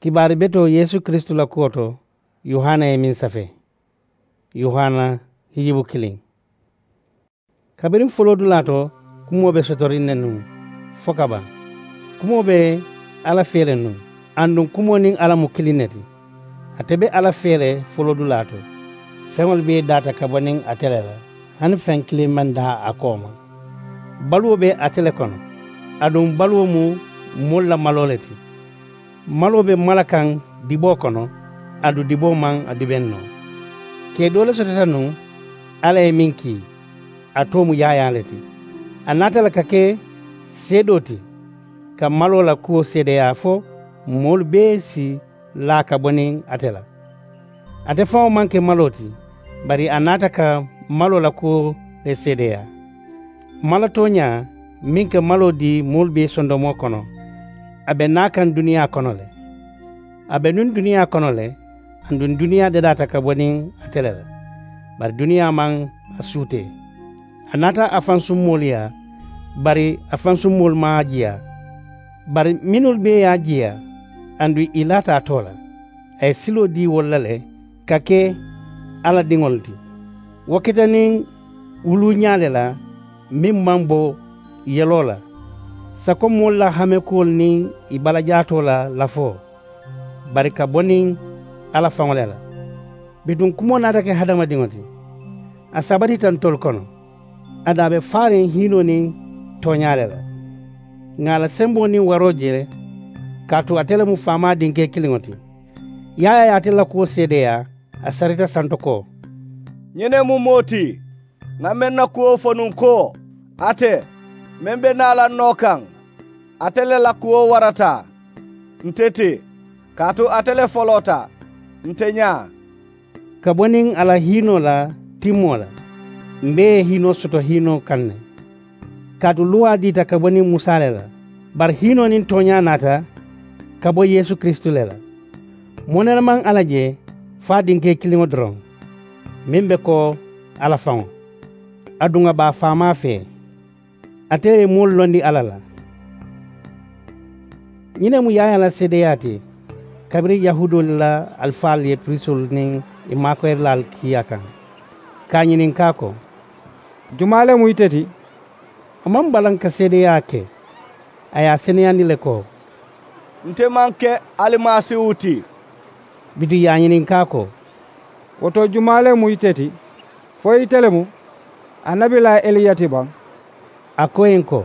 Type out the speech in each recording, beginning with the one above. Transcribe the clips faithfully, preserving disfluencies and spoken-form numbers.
Kibaari betoo yeesu kiristu la kuwo to, yohana ye meŋ safee. Yohana hijibu kiliŋ. Kabiriŋ foloodulaa to, kumoo be sotoriŋ ne nuŋ fo ka baŋ. Kumoo be alla fee le nuŋ, aduŋ kumoo niŋ alla mu kiliŋ ne ti. Ate be alla fee le foloodulaa to. Feŋolu bee daata ka bo niŋ ate le la, hani feŋ kiliŋ maŋ daa a kooma. Baluwo be ate le kono, aduŋ baluwo mu moolu la maloo le ti. Maloo be mala kaŋ diboo kono, aduŋ diboo maŋ a dibeŋ noo. Kee doo le sotota nuŋ alla ye meŋ kii, a too mu yaayaa le ti. A naata le ka ke seedoo ti, ka maloo la kuwo seedeyaa fo moolu bee si laa ka bo niŋ ate la. Ate faŋo maŋ ke maloo ti, bari a naata ka maloo la kuwo le seedeyaa. Mala tooñaa meŋ ka maloo dii moolu bee sondomoo kono, a be naa kaŋ duniyaa kono le. A be nuŋ duniyaa kono le, aduŋ duniyaa dadaata ka bo niŋ ate le la, bari duniyaa maŋ a suutee. A naata a faŋ summoolu yaa, bari a faŋ summoolu maŋ a jiyaa. Bari mennu bee ye a jiyaa, aduŋ ì laata a too la, a ye siloo dii wolu la le ka ke alla diŋolu ti. Wo keta niŋ wuluuñaa le la meŋ maŋ bo yeloo la, sako moolu la hamekuwolu niŋ ì balajaatoo la lafoo, bari ka bo niŋ alla faŋo le la. Bituŋ kumoo naata ke hadamadiŋo ti, a sabatita ntolu kono. Aduŋ a be faariŋ hiinoo niŋ tooñaa le la. Ŋà a la semboo niŋ waroo je le, kaatu ate le mu faamaa dinkee kiliŋo ti. Yaayaa ye ate la kuwo seedeyaa, a sarita santo ko, ñiŋ ne mu moo ti ŋà meŋ na kuwo fo nuŋ ko, ate meŋ be naa la ǹ noo kaŋ, ate le la kuwo warata nte ti, kaatu ate le foloota nte ñaa. Ka bo niŋ a la hiinoo la timmoo la, m̀ bee ye hiinoo soto hiinoo kaŋ ne. Kaatu luwaa diita ka bo niŋ musa le la, bari hiinoo niŋ tooñaa naata ka bo yeesu kiristu le la. Moo nene maŋ alla je fo a dinkee kiliŋo doroŋ, meŋ be ko alla faŋo, aduŋ a be a faamaa fee. Ate le ye moolu londi alla la. Ñiŋ ne mu yaayaa la seedeyaa ti kabiriŋ yahuudoolu la alifaalu ye pirisoolu niŋ ì maakoyirilaalu kii a kaŋ, ka a ñininkaa ko, jumaa le mu ite ti? A maŋ balaŋ ka seedeyaa ke. A ye a seneyandi le ko, nte maŋ ke alimasiihu ti. Bituŋ ì ye a ñininkaa ko, wo to jumaa le mu ite ti? Fo ite le mu annabilaa eliya ti baŋ? A ko ì ye ko,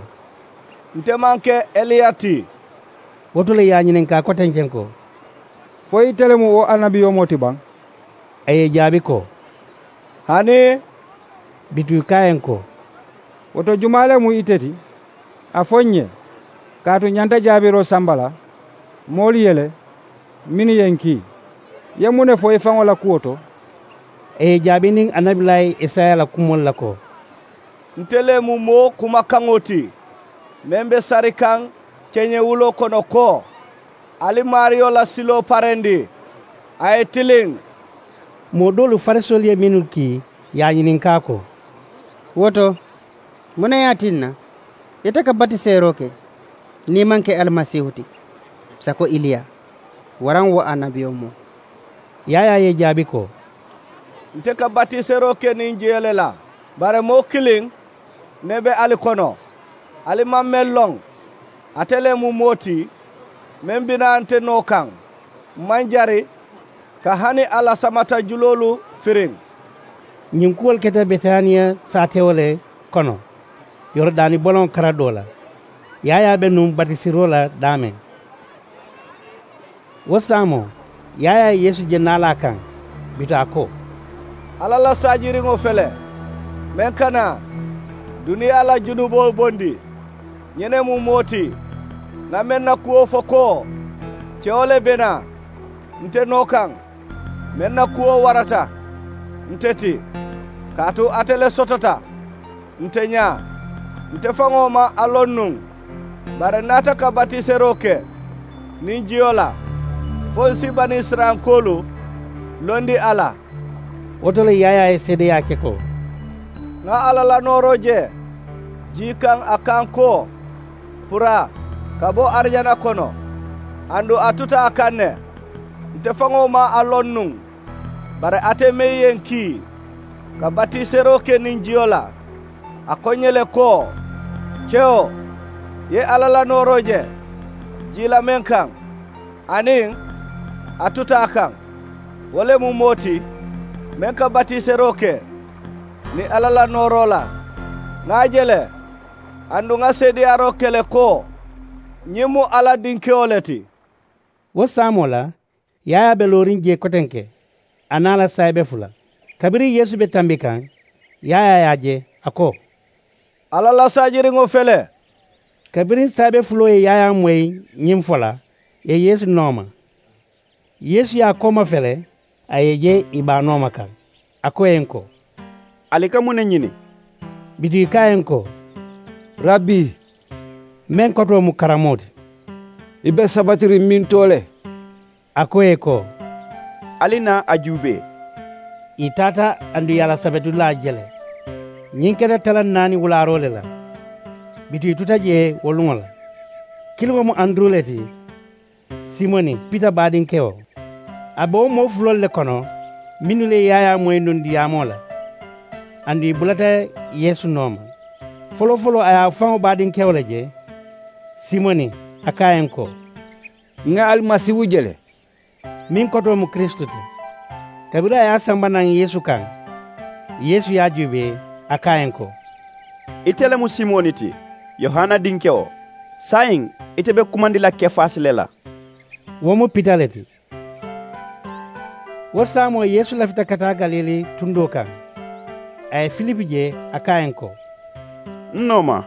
nte maŋ ke eliya ti. Wo to le ì ye a ñininkaa kotenceŋ ko, fo ite le mu wo annabiyomoo ti baŋ? A ye ì jaabi ko, hani. Bituŋ ì ko a ye ko, wo to jumaa le mu ite ti? A fo ǹ ye, kaatu ǹ ñanta jaabiroo samba la moolu ye le mennu ye ǹ kii. Ì ye muŋ ne fo i faŋo la kuwo to? A ye ì jaabi niŋ annabilaa isaya la kumoolu la ko, nte le mu moo kumakaŋo ti meŋ be sari kaŋ keñewuloo kono ko, ali maariyo la siloo parendi, a ye tiliŋ. Moo doolu farisoolu ye mennu kii, ì ye a ñininkaa ko, wo to, muŋ ne ye a tinna ite ka batiseeroo ke niŋ i maŋ ke alimasiihu ti, sako iliya, waraŋ wo annabiyomoo? Yaayaa ye ì jaabi ko, nte ka batiseroo ke niŋ jiyo le la. Bari moo kiliŋ ne be ali kono, ali maŋ meŋ loŋ. Ate le mu moo ti meŋ bi naa nte noo kaŋ, m maŋ jari ka hani a la samata juloolu firiŋ. Ñiŋ kuwolu keta betaniya saatewo le kono, yorodaani boloŋo kara doo la. Yaayaa be nuŋ batisiroo la daameŋ. Wo saamoo, yaayaa ye yeesu je naalaa kaŋ, bituŋ a ko, alla la saajiriŋo fele, meŋ ka naa duniyaa la junuboo bondi. Ñiŋ ne mu moo ti ŋà meŋ na kuwo fo ko, kewo le be naa nte noo kaŋ, meŋ na kuwo warata nte ti, kaatu ate le sotota nte ñaa. Nte faŋo maŋ a loŋ nuŋ, bari ǹ naata ka batiseroo ke niŋ jiyo la, fo ǹ si banisirayilankoolu londi a la. Wo to le yaayaa ye seedeyaa ke ko, ŋa alla la nooroo je jii kaŋ a kaŋ ko, puraa ka bo arijana kono. Aduŋ a tuta a kaŋ ne, Nte faŋo maŋ a loŋ nuŋ. Bari ate meŋ ye ǹ kii ka batiseroo ke niŋ jiyo la, a ko ǹ ye le ko, kewo, i ye alla la nooroo je jii la meŋ kaŋ, aniŋ a tuta a kaŋ. Wo le mu moo ti meŋ ka batiseroo ke niŋ alla la nooroo la. Ŋà a je le, aduŋ ŋà seedeyaaroo ke le ko, ñiŋ mu alla dinkewo le ti. Wo saamoo la, yaayaa be looriŋ jee kotenke, a niŋ a la saayibe fula. Kabiriŋ yeesu be tambi kaŋ, yaayaa ye a je, a ko, alla la saajiriŋo fele. Kabiriŋ saayibe fuloo ye yaayaa moyi ñiŋ fo la, ì ye yeesu nooma. Yeesu ye a kooma fele, a ye ì je ì be a nooma kaŋ. A ko ì ye ǹ ko, ali ka muŋ ne ñini? Bituŋ ì ko a ye ǹ ko, rabbi, meŋ kotoo mu karamoo ti. I be sabatiriŋ mintoo le? A ko ì ye ko, ali naa a juubee. Ì taata aduŋ ì ye a la sabetulaa je le. Ñiŋ keta talaŋ naani wulaaroo le la. Bituŋ ì tuta jee wo luŋo la. Kiliŋo mu anduru le ti, simoni pita baadinkewo. A be wo moo fuloolu le kono mennu le ye yaayaa moyi nuŋ diyaamoo la. Aduŋ ì bulata yeesu nooma. Foloo foloo a ye a faŋo baadinkewo le je, simoni, a ko a ye ǹ ko, ŋà alimasiihu je le, meŋ kotoo mu kiristu ti. Kabiriŋ a ye a samba naŋ yeesu kaŋ, yeesu ye a juubee, a ko a ye ǹ ko, ite le mu simoni ti, yohana dinkewo. Saayiŋ ite be kumandi la kefaasi le la. Wo mu pita le ti. Wo saamoo yeesu lafita ka taa galili tundoo kaŋ. A ye filipu je, a ko a ye ǹ ko, n nooma.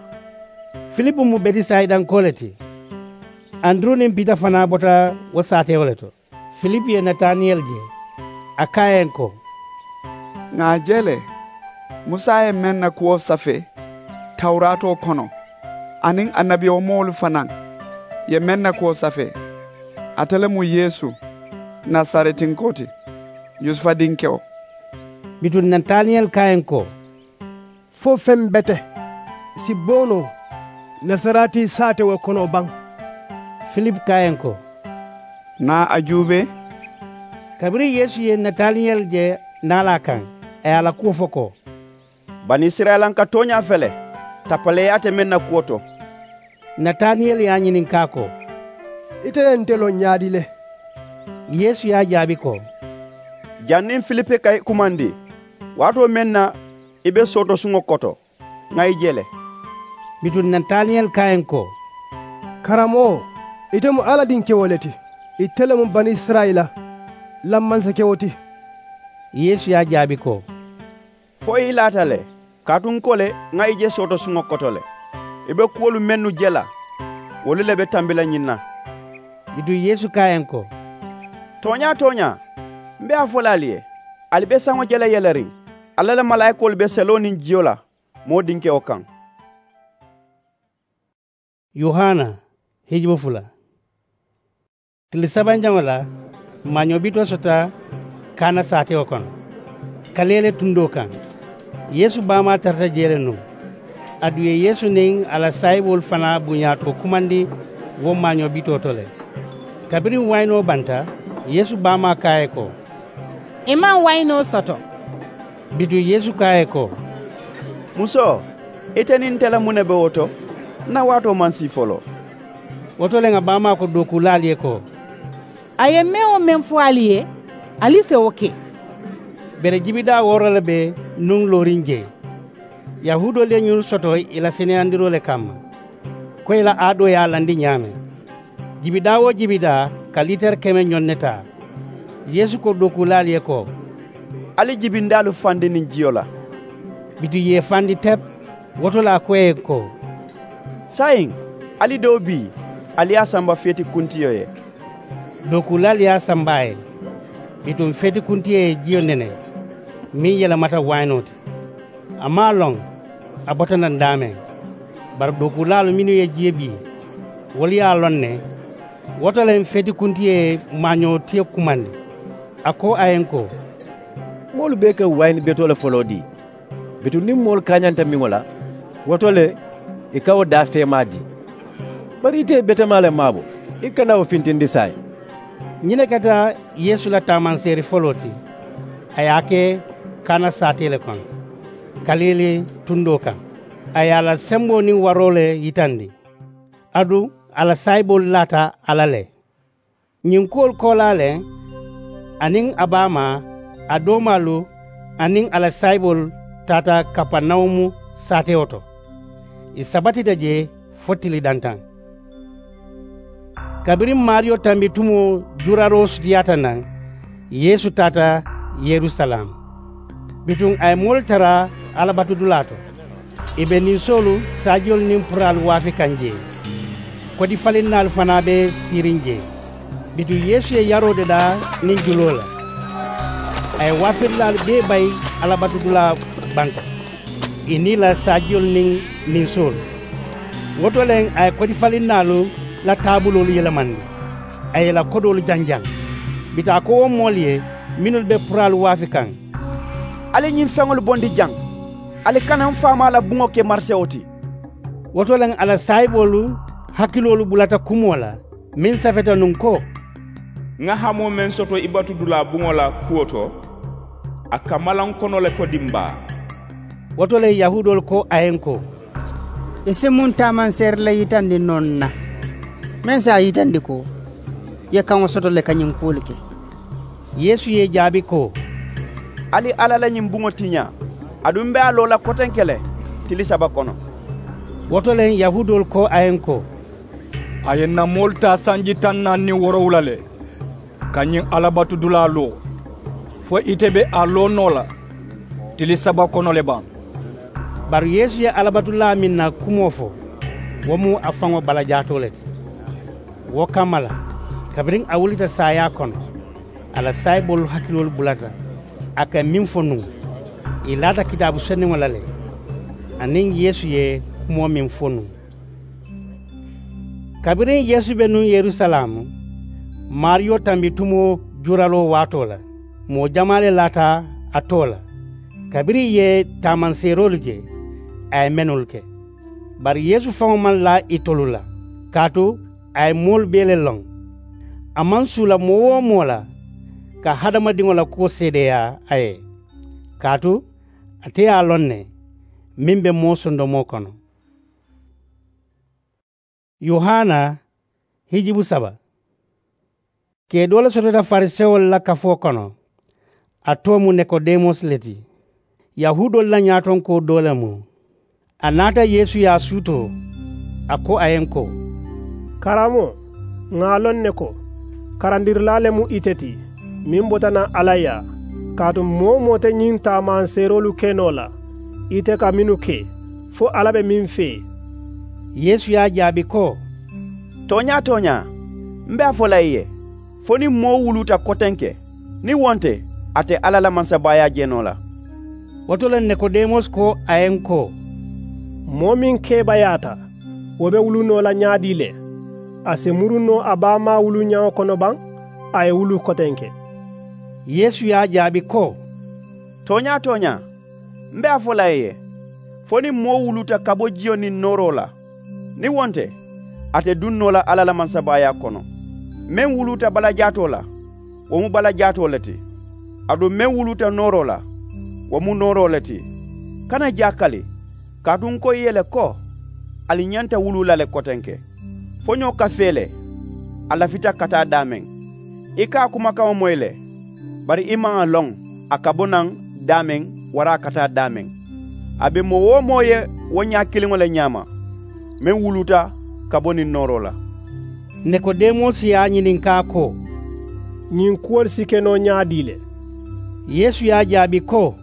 Filipu mu betisayidankoo le ti. Anduru niŋ pita fanaa bota wo saatewo le to. Filipu ye nataniyeli je, a ko a ye ǹ ko, ŋà a je le, musa ye meŋ na kuwo safee tawuraatoo kono, aniŋ annabiyomoolu fanaa ye meŋ na kuwo safee. Ate le mu yeesu, nasaretinkoo ti, yusufa dinkewo. Bituŋ nataniyeli ko a ye ǹ ko, fo feŋ bete si bo noo nasareti saatewo kono baŋ? Filipu ko a ye ǹ ko, naa a juubee. Kabiriŋ yeesu ye nataniyeli je naalaa kaŋ, a ye a la kuwo fo ko, banisirayilanka tooñaa fele, tappaleeyaa te meŋ na kuwo to. Nataniyeli ye a ñininkaa ko, ite ye nte loŋ ñaadi le? Yeesu ye a jaabi ko, janniŋ filipu ka i kumandi, waatoo meŋ na i be sootosuŋo koto, ŋà i je le. Bituŋ nataniyeli ko a ye ǹ ko, karamoo, ite mu alla dinkewo le ti. Ite le mu banisirayila la mansakewo ti. Yeesu ye a jaabi ko, fo i laata le, kaatu n ko le ŋà i je sootosuŋo koto le. I be kuwolu mennu je la, wolu le be tambi la ñiŋ na. Bituŋ yeesu ko a ye ǹ ko, tooñaa tooñaa, m be a fo la ali ye, ali be saŋo je la yeleriŋ, alla la malaayikoolu be seloo niŋ jiyo la moo dinkewo kaŋ. Yohana, hijubu fula. Tili sabanjaŋo la, maañoo bitoo soota kaana saatewo kono, kaleele tundoo kaŋ. Yeesu baamaa tarata jee le nuŋ. Aduŋ ì ye yeesu niŋ a la saayiboolu fanaa buñaatoo kumandi wo maañoo bitoo to le. Kabiriŋ wayinoo banta, yeesu baamaa ko a ye ko, i maŋ wayinoo soto? Bituŋ yeesu ko a ye ko, musoo, ite niŋ nte la muŋ ne be wo to? N na waatoo maŋ sii foloo. Wo to le ŋà baamaa ko dookuulaalu ye ko, a ye meŋ wo meŋ fo ali ye, ali si wo ke. Bere jibidaa wooro le be nuŋ looriŋ jee. Yahuudoolu ye ñunu soto ì la seneyandiroo le kamma, ko ì la aadoo ye a landi ñaameŋ. Jibidaa-wo-jibidaa ka liitari keme ñoŋ ne taa. Yeesu ko dookuulaalu ye ko, ali jibindaalu fandi niŋ jiyo la. Bituŋ ì ye ì fandi tep. Wo to le a ko ì ye ko, saayiŋ, ali doo bii, ali ye a samba feeti kuntiyo ye. Dookuulaalu ye a samba a ye. Bituŋ feeti kuntiyo ye jiyo nene meŋ yelemata wayinoo ti. A maŋ a loŋ a bota naŋ daameŋ. Bari dookuulaalu mennu ye jiyo bii, wolu ye a loŋ ne. Wo to le feeti kuntiyo ye maañoo tiyo kumandi. A ko a ye ǹ ko, moolu bee ka wayini betoo le foloo dii. Bituŋ niŋ moolu kaañanta miŋo la, wo to le ì ka wo daafeemaa dii. Bari ite ye betemaa le maabo, i kana wo fintindi saayiŋ. Ñiŋ ne keta yeesu la taamanseeri foloo ti. A ye a ke kana saatee le kono, kaliili tundoo kaŋ. A ye a la semboo niŋ waroo le yitandi. Aduŋ a la saayiboolu laata a la le. Ñiŋ kuwolu koolaa le, a niŋ a baamaa, a doomaalu aniŋ a la saayiboolu taata kapanawumu saatewo to. Ì sabatita jee fo tili dantaŋ. Kabiriŋ maariyo tambitumoo juuraroo sutiyaata naŋ, yeesu taata yerusalaamu. Bituŋ a ye moolu tara alabatudulaa to, ì be ninsoolu saajiyolu niŋ puraalu waafi kaŋ jee. Kodifalinnaalu fanaa be siiriŋ jee. Bituŋ yeesu ye yaroo dadaa niŋ juloo la. A ye waafirilaalu bee bayi alabatudulaa banta, ì niŋ ì la saajiyolu niŋ ninsoolu. Wo to le a ye kodifalinnaalu la taabuloolu yelemandi, a ye ì la kodoolu janjaŋ. Bituŋ a ko wo moolu ye mennu be puraalu waafi kaŋ, ali ñiŋ feŋolu bondi jaŋ. Ali kana m faamaa la buŋo ke marisewo ti. Wo to le a la saayiboolu hakiloolu bulata kumoo la meŋ safeta nuŋ ko, ŋa hamoo meŋ soto i batudulaa buŋo la kuwo to, a ka malaŋ kono le ko dimbaa. Wo to le yahuudoolu ko a ye n ko, i si muŋ taamanseeri le yitandi noo n na meŋ si a yitandi ko i ye kaŋo soto le ka ñiŋ kuwolu ke? Yeesu ye ì jaabi ko, ali alla la ñiŋ buŋo tiñaa. Aduŋ m be a loo la kotenke le tili saba kono. Wo to le yahuudoolu ko a ye n ko, a ye n na moolu taa sanji taŋ naani niŋ woorowula le ka ñiŋ alabatudulaa loo, fo ite be a loo noo la tili saba kono le baŋ? Bari yeesu ye alabatulaa meŋ na kumoo fo, wo mu a faŋo balajaatoo le ti. Wo kamma la, kabiriŋ a wulita saayaa kono, a la saayiboolu hakiloolu bulata a ka meŋ fo nuŋ. Ì laata kitaabu senniŋo la le, aniŋ yeesu ye kumoo meŋ fo nuŋ. Kabiriŋ yeesu be nuŋ yerusalaamu, maariyo tambitumoo juuraloo waatoo la, moo jamaa le laata a too la. Kabiriŋ ì ye taamanseeroolu je, a ye mennu ke. Bari yeesu faŋo maŋ laa itolu la, kaatu a ye moolu bee le loŋ. A maŋ suula moo-wo-moo la ka hadamadiŋo la kuwo seedeyaa a ye, kaatu ate ye a loŋ ne meŋ be moo sondomoo kono. Yohana hijibu saba. Kee doo le sotota farisewolu la kafoo kono. A too mu nikodemosi le ti, yahuudoolu la ñaatonkoo doo le mu. A naata yeesu ye a suutoo, a ko a ye n ko, karammoo, ŋà a loŋ ne ko karandirilaa le mu ite ti meŋ bota naŋ alla yaa. Kaatu moo-wo-moo te ñiŋ taamanseeroolu ke noo la ite ka mennu ke, fo alla be meŋ fee. Yeesu ye a jaabi ko, tooñaa-tooñaa, m be a fo la i ye, fo niŋ moo wuluuta kotenke, niŋ wo nte, a te alla la mansabaayaa je noo la. Wo to le nikodemosi ko a ye n ko, moo meŋ keebayaata, wo be wulu noo la ñaadii le? A si muru noo a baamaa wuluñaŋo kono baŋ? A ye wulu kotenke. Yeesu ye a jaabi ko, tooñaa-tooñaa, m be a fo la i ye, fo niŋ moo wuluuta ka bo jiyo niŋ nooroo la, niŋ wo nte, a te duŋ noo la alla la mansabaayaa kono. Meŋ wuluuta balajaatoo la, wo mu balajaatoo le ti. Aduŋ meŋ wuluuta nooroo la, wo mu nooroo le ti. Kana jaakali, kaatu n ko i ye le ko, ali ñanta wuluu la le kotenke. Foñoo ka fee le, a lafita ka taa daameŋ. I ka a kumakaŋo moyi le, bari i maŋ a loŋ a ka bo naŋ daameŋ waraŋ a ka taa daameŋ. A be moo-wo-moo ye wo ñaa kiliŋo le ñaama, meŋ wuluuta ka bo niŋ nooroo la. Nikodemosi ye a ñininkaa ko, ñiŋ kuwolu si ke noo ñaadii le? Yeesu ye a jaabi ko,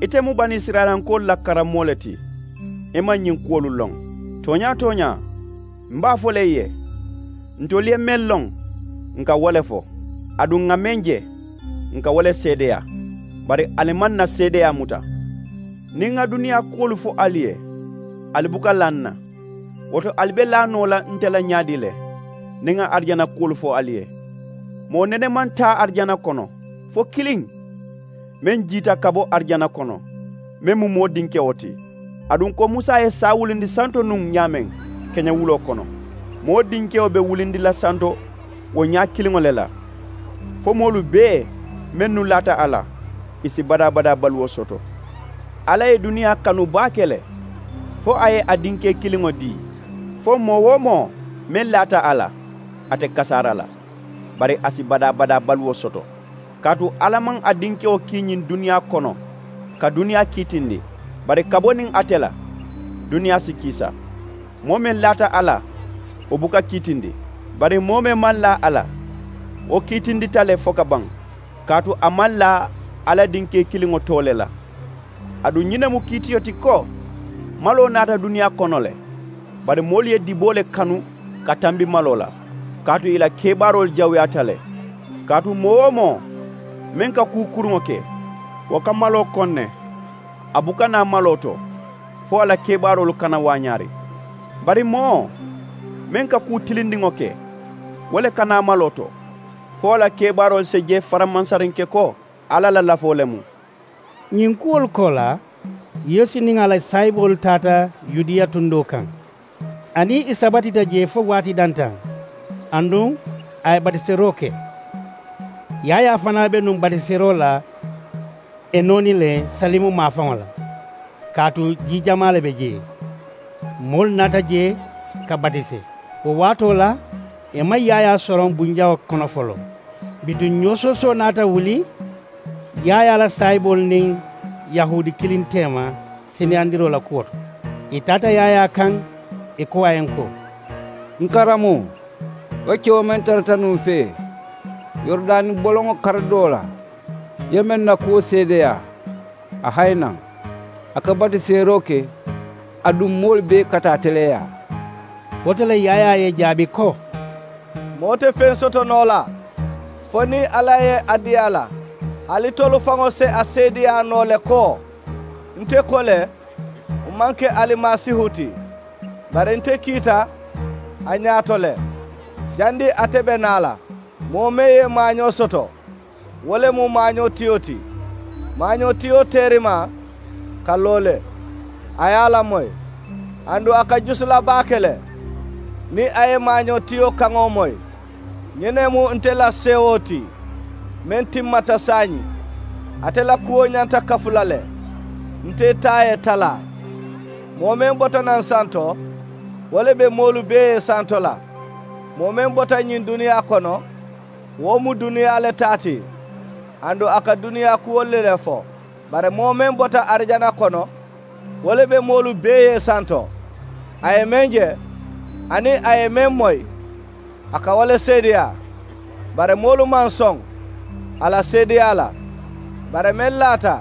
ite mu banisirayilankoolu la karammoo le ti, i maŋ ñiŋ kuwolu loŋ. Tooñaa-tooñaa, m be a fo la i ye, ntolu ye meŋ loŋ, n ka wo le fo. Aduŋ ŋà meŋ je, n ka wo le seedeyaa. Bari ali maŋ na seedeyaa muta. Niŋ ŋa duniyaa kuwolu fo ali ye, ali buka laa n na. Wo to ali be laa noo la nte la ñaadii le, niŋ ŋa arijana kuwolu fo ali ye? Moo nene maŋ taa arijana kono, fo kiliŋ, meŋ jiita ka bo arijana kono, meŋ mu moo dinkewo ti. Aduŋ ko musa ye saa wulindi santo nuŋ ñaameŋ keñewuloo kono, moo dinkewo be wulindi la santo wo ñaa kiliŋo le la. fo moolu bee mennu laata a la, ì si badaa-badaa baluwo soto. Alla ye duniyaa kanu baake le, fo a ye a dinkee kiliŋo dii, fo moo-wo-moo meŋ laata a la, ate kasaara la, bari a si badaa-badaa baluwo soto. Kaatu alla maŋ a dinkewo kii ñiŋ duniyaa kono ka duniyaa kiitindi, bari ka bo niŋ ate la, duniyaa si kiisa. Moo meŋ laata a la, wo buka kiitindi, bari moo meŋ maŋ laa a la, wo kiitindita le fo ka baŋ, kaatu a maŋ laa alla dinkee kiliŋo too le la. Aduŋ ñiŋ ne mu kiitiyo ti ko, maloo naata duniyaa kono le, bari moolu ye diboo le kanu ka tambi maloo la, kaatu ì la kebaaroolu jawuyaata le. Kaatu moo-wo-moo meŋ ka kuu kuruŋo ke, wo ka maloo koŋ ne. A buka naa maloo to, fo a la kebaaroolu kana waañaari. Bari moo meŋ ka kuu tilindiŋo ke, wo le ka naa maloo to, fo a la kebaaroolu si je faramansarinke ko alla la lafoo le mu. Ñiŋ kuwolu koolaa, yeesu niŋ a la saayiboolu taata yudiya tundoo kaŋ. A niŋ i sabatita jee fo waati dantaŋ, aduŋ a ye batiseroo ke. Yaayaa fanaa be nuŋ batiseroo la enoni le, salimu maafaŋo la, kaatu jii jamaa le be jee. Moolu naata jee ka batise. Wo waatoo la, ì maŋ yaayaa soroŋ bunjaŋo kono foloo. Bituŋ ñoosoosoo naata wuli yaayaa la saayiboolu niŋ yahuudi kiliŋ teema, seneyandiroo la kuwo to. Ì taata yaayaa kaŋ, ì ko a ye n ko, n karammoo, wo kewo meŋ tarata nuŋ fee, yorodaani boloŋo karidoo la, i ye meŋ na kuwo seedeyaa, a hayi naŋ. A ka batiseeroo ke, aduŋ moolu bee ka taa teleeyaa. Wo to le yaayaa ye ì jaabi ko, moo te feŋ soto noo la, fo niŋ alla ye a dii a la. Ali tolu faŋo si a seedeyaa noo le ko, nte ko le, m maŋ ke alimasiihu ti, bari nte kiita a ñaato le. Jandiŋ ate be naa la, moo meŋ ye maañoo soto, wo le mu maañootiyo ti. Maañootiyo teerimaa ka loo le, a ye a lamoyi, aduŋ a ka jusu la baake le. Niŋ a ye maañootiyo kaŋo moyi, ñiŋ ne mu nte la seewoo ti, meŋ timmata saayiŋ. Ate la kuwo ñanta kafu la le. Nte taa ye talaa. Moo meŋ bota naŋ santo, wo le be moolu bee ye santo la. Moo meŋ bota ñiŋ duniyaa kono, wo mu duniyaa le taa ti, aduŋ a ka duniyaa kuwolu le fo. Bari moo meŋ bota arijana kono, wo le be moolu bee ye santo. A ye meŋ je, aniŋ a ye meŋ moyi, a ka wo le seedeyaa. Bari moolu maŋ soŋ a la seedeyaa la. Bari meŋ laata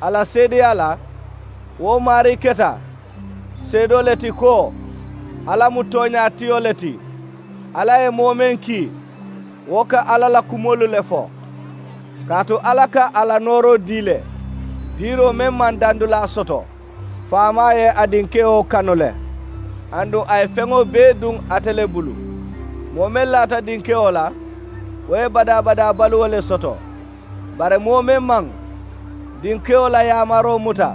a la seedeyaa la, wo maarii keta seedoo le ti ko, alla mu tooñaatiyo le ti. Alla ye moo meŋ kii, wo ka alla la kumoolu le fo. Kaatu alla ka a la nooroo dii le, diiroo meŋ maŋ dandulaa soto. Faamaa ye a dinkewo kanu le, aduŋ a ye feŋo bee duŋ ate le bulu. Moo meŋ laata dinkewo la, wo ye badaa-badaa baluwo le soto. Bari moo meŋ maŋ dinkewo la yaamaroo muta,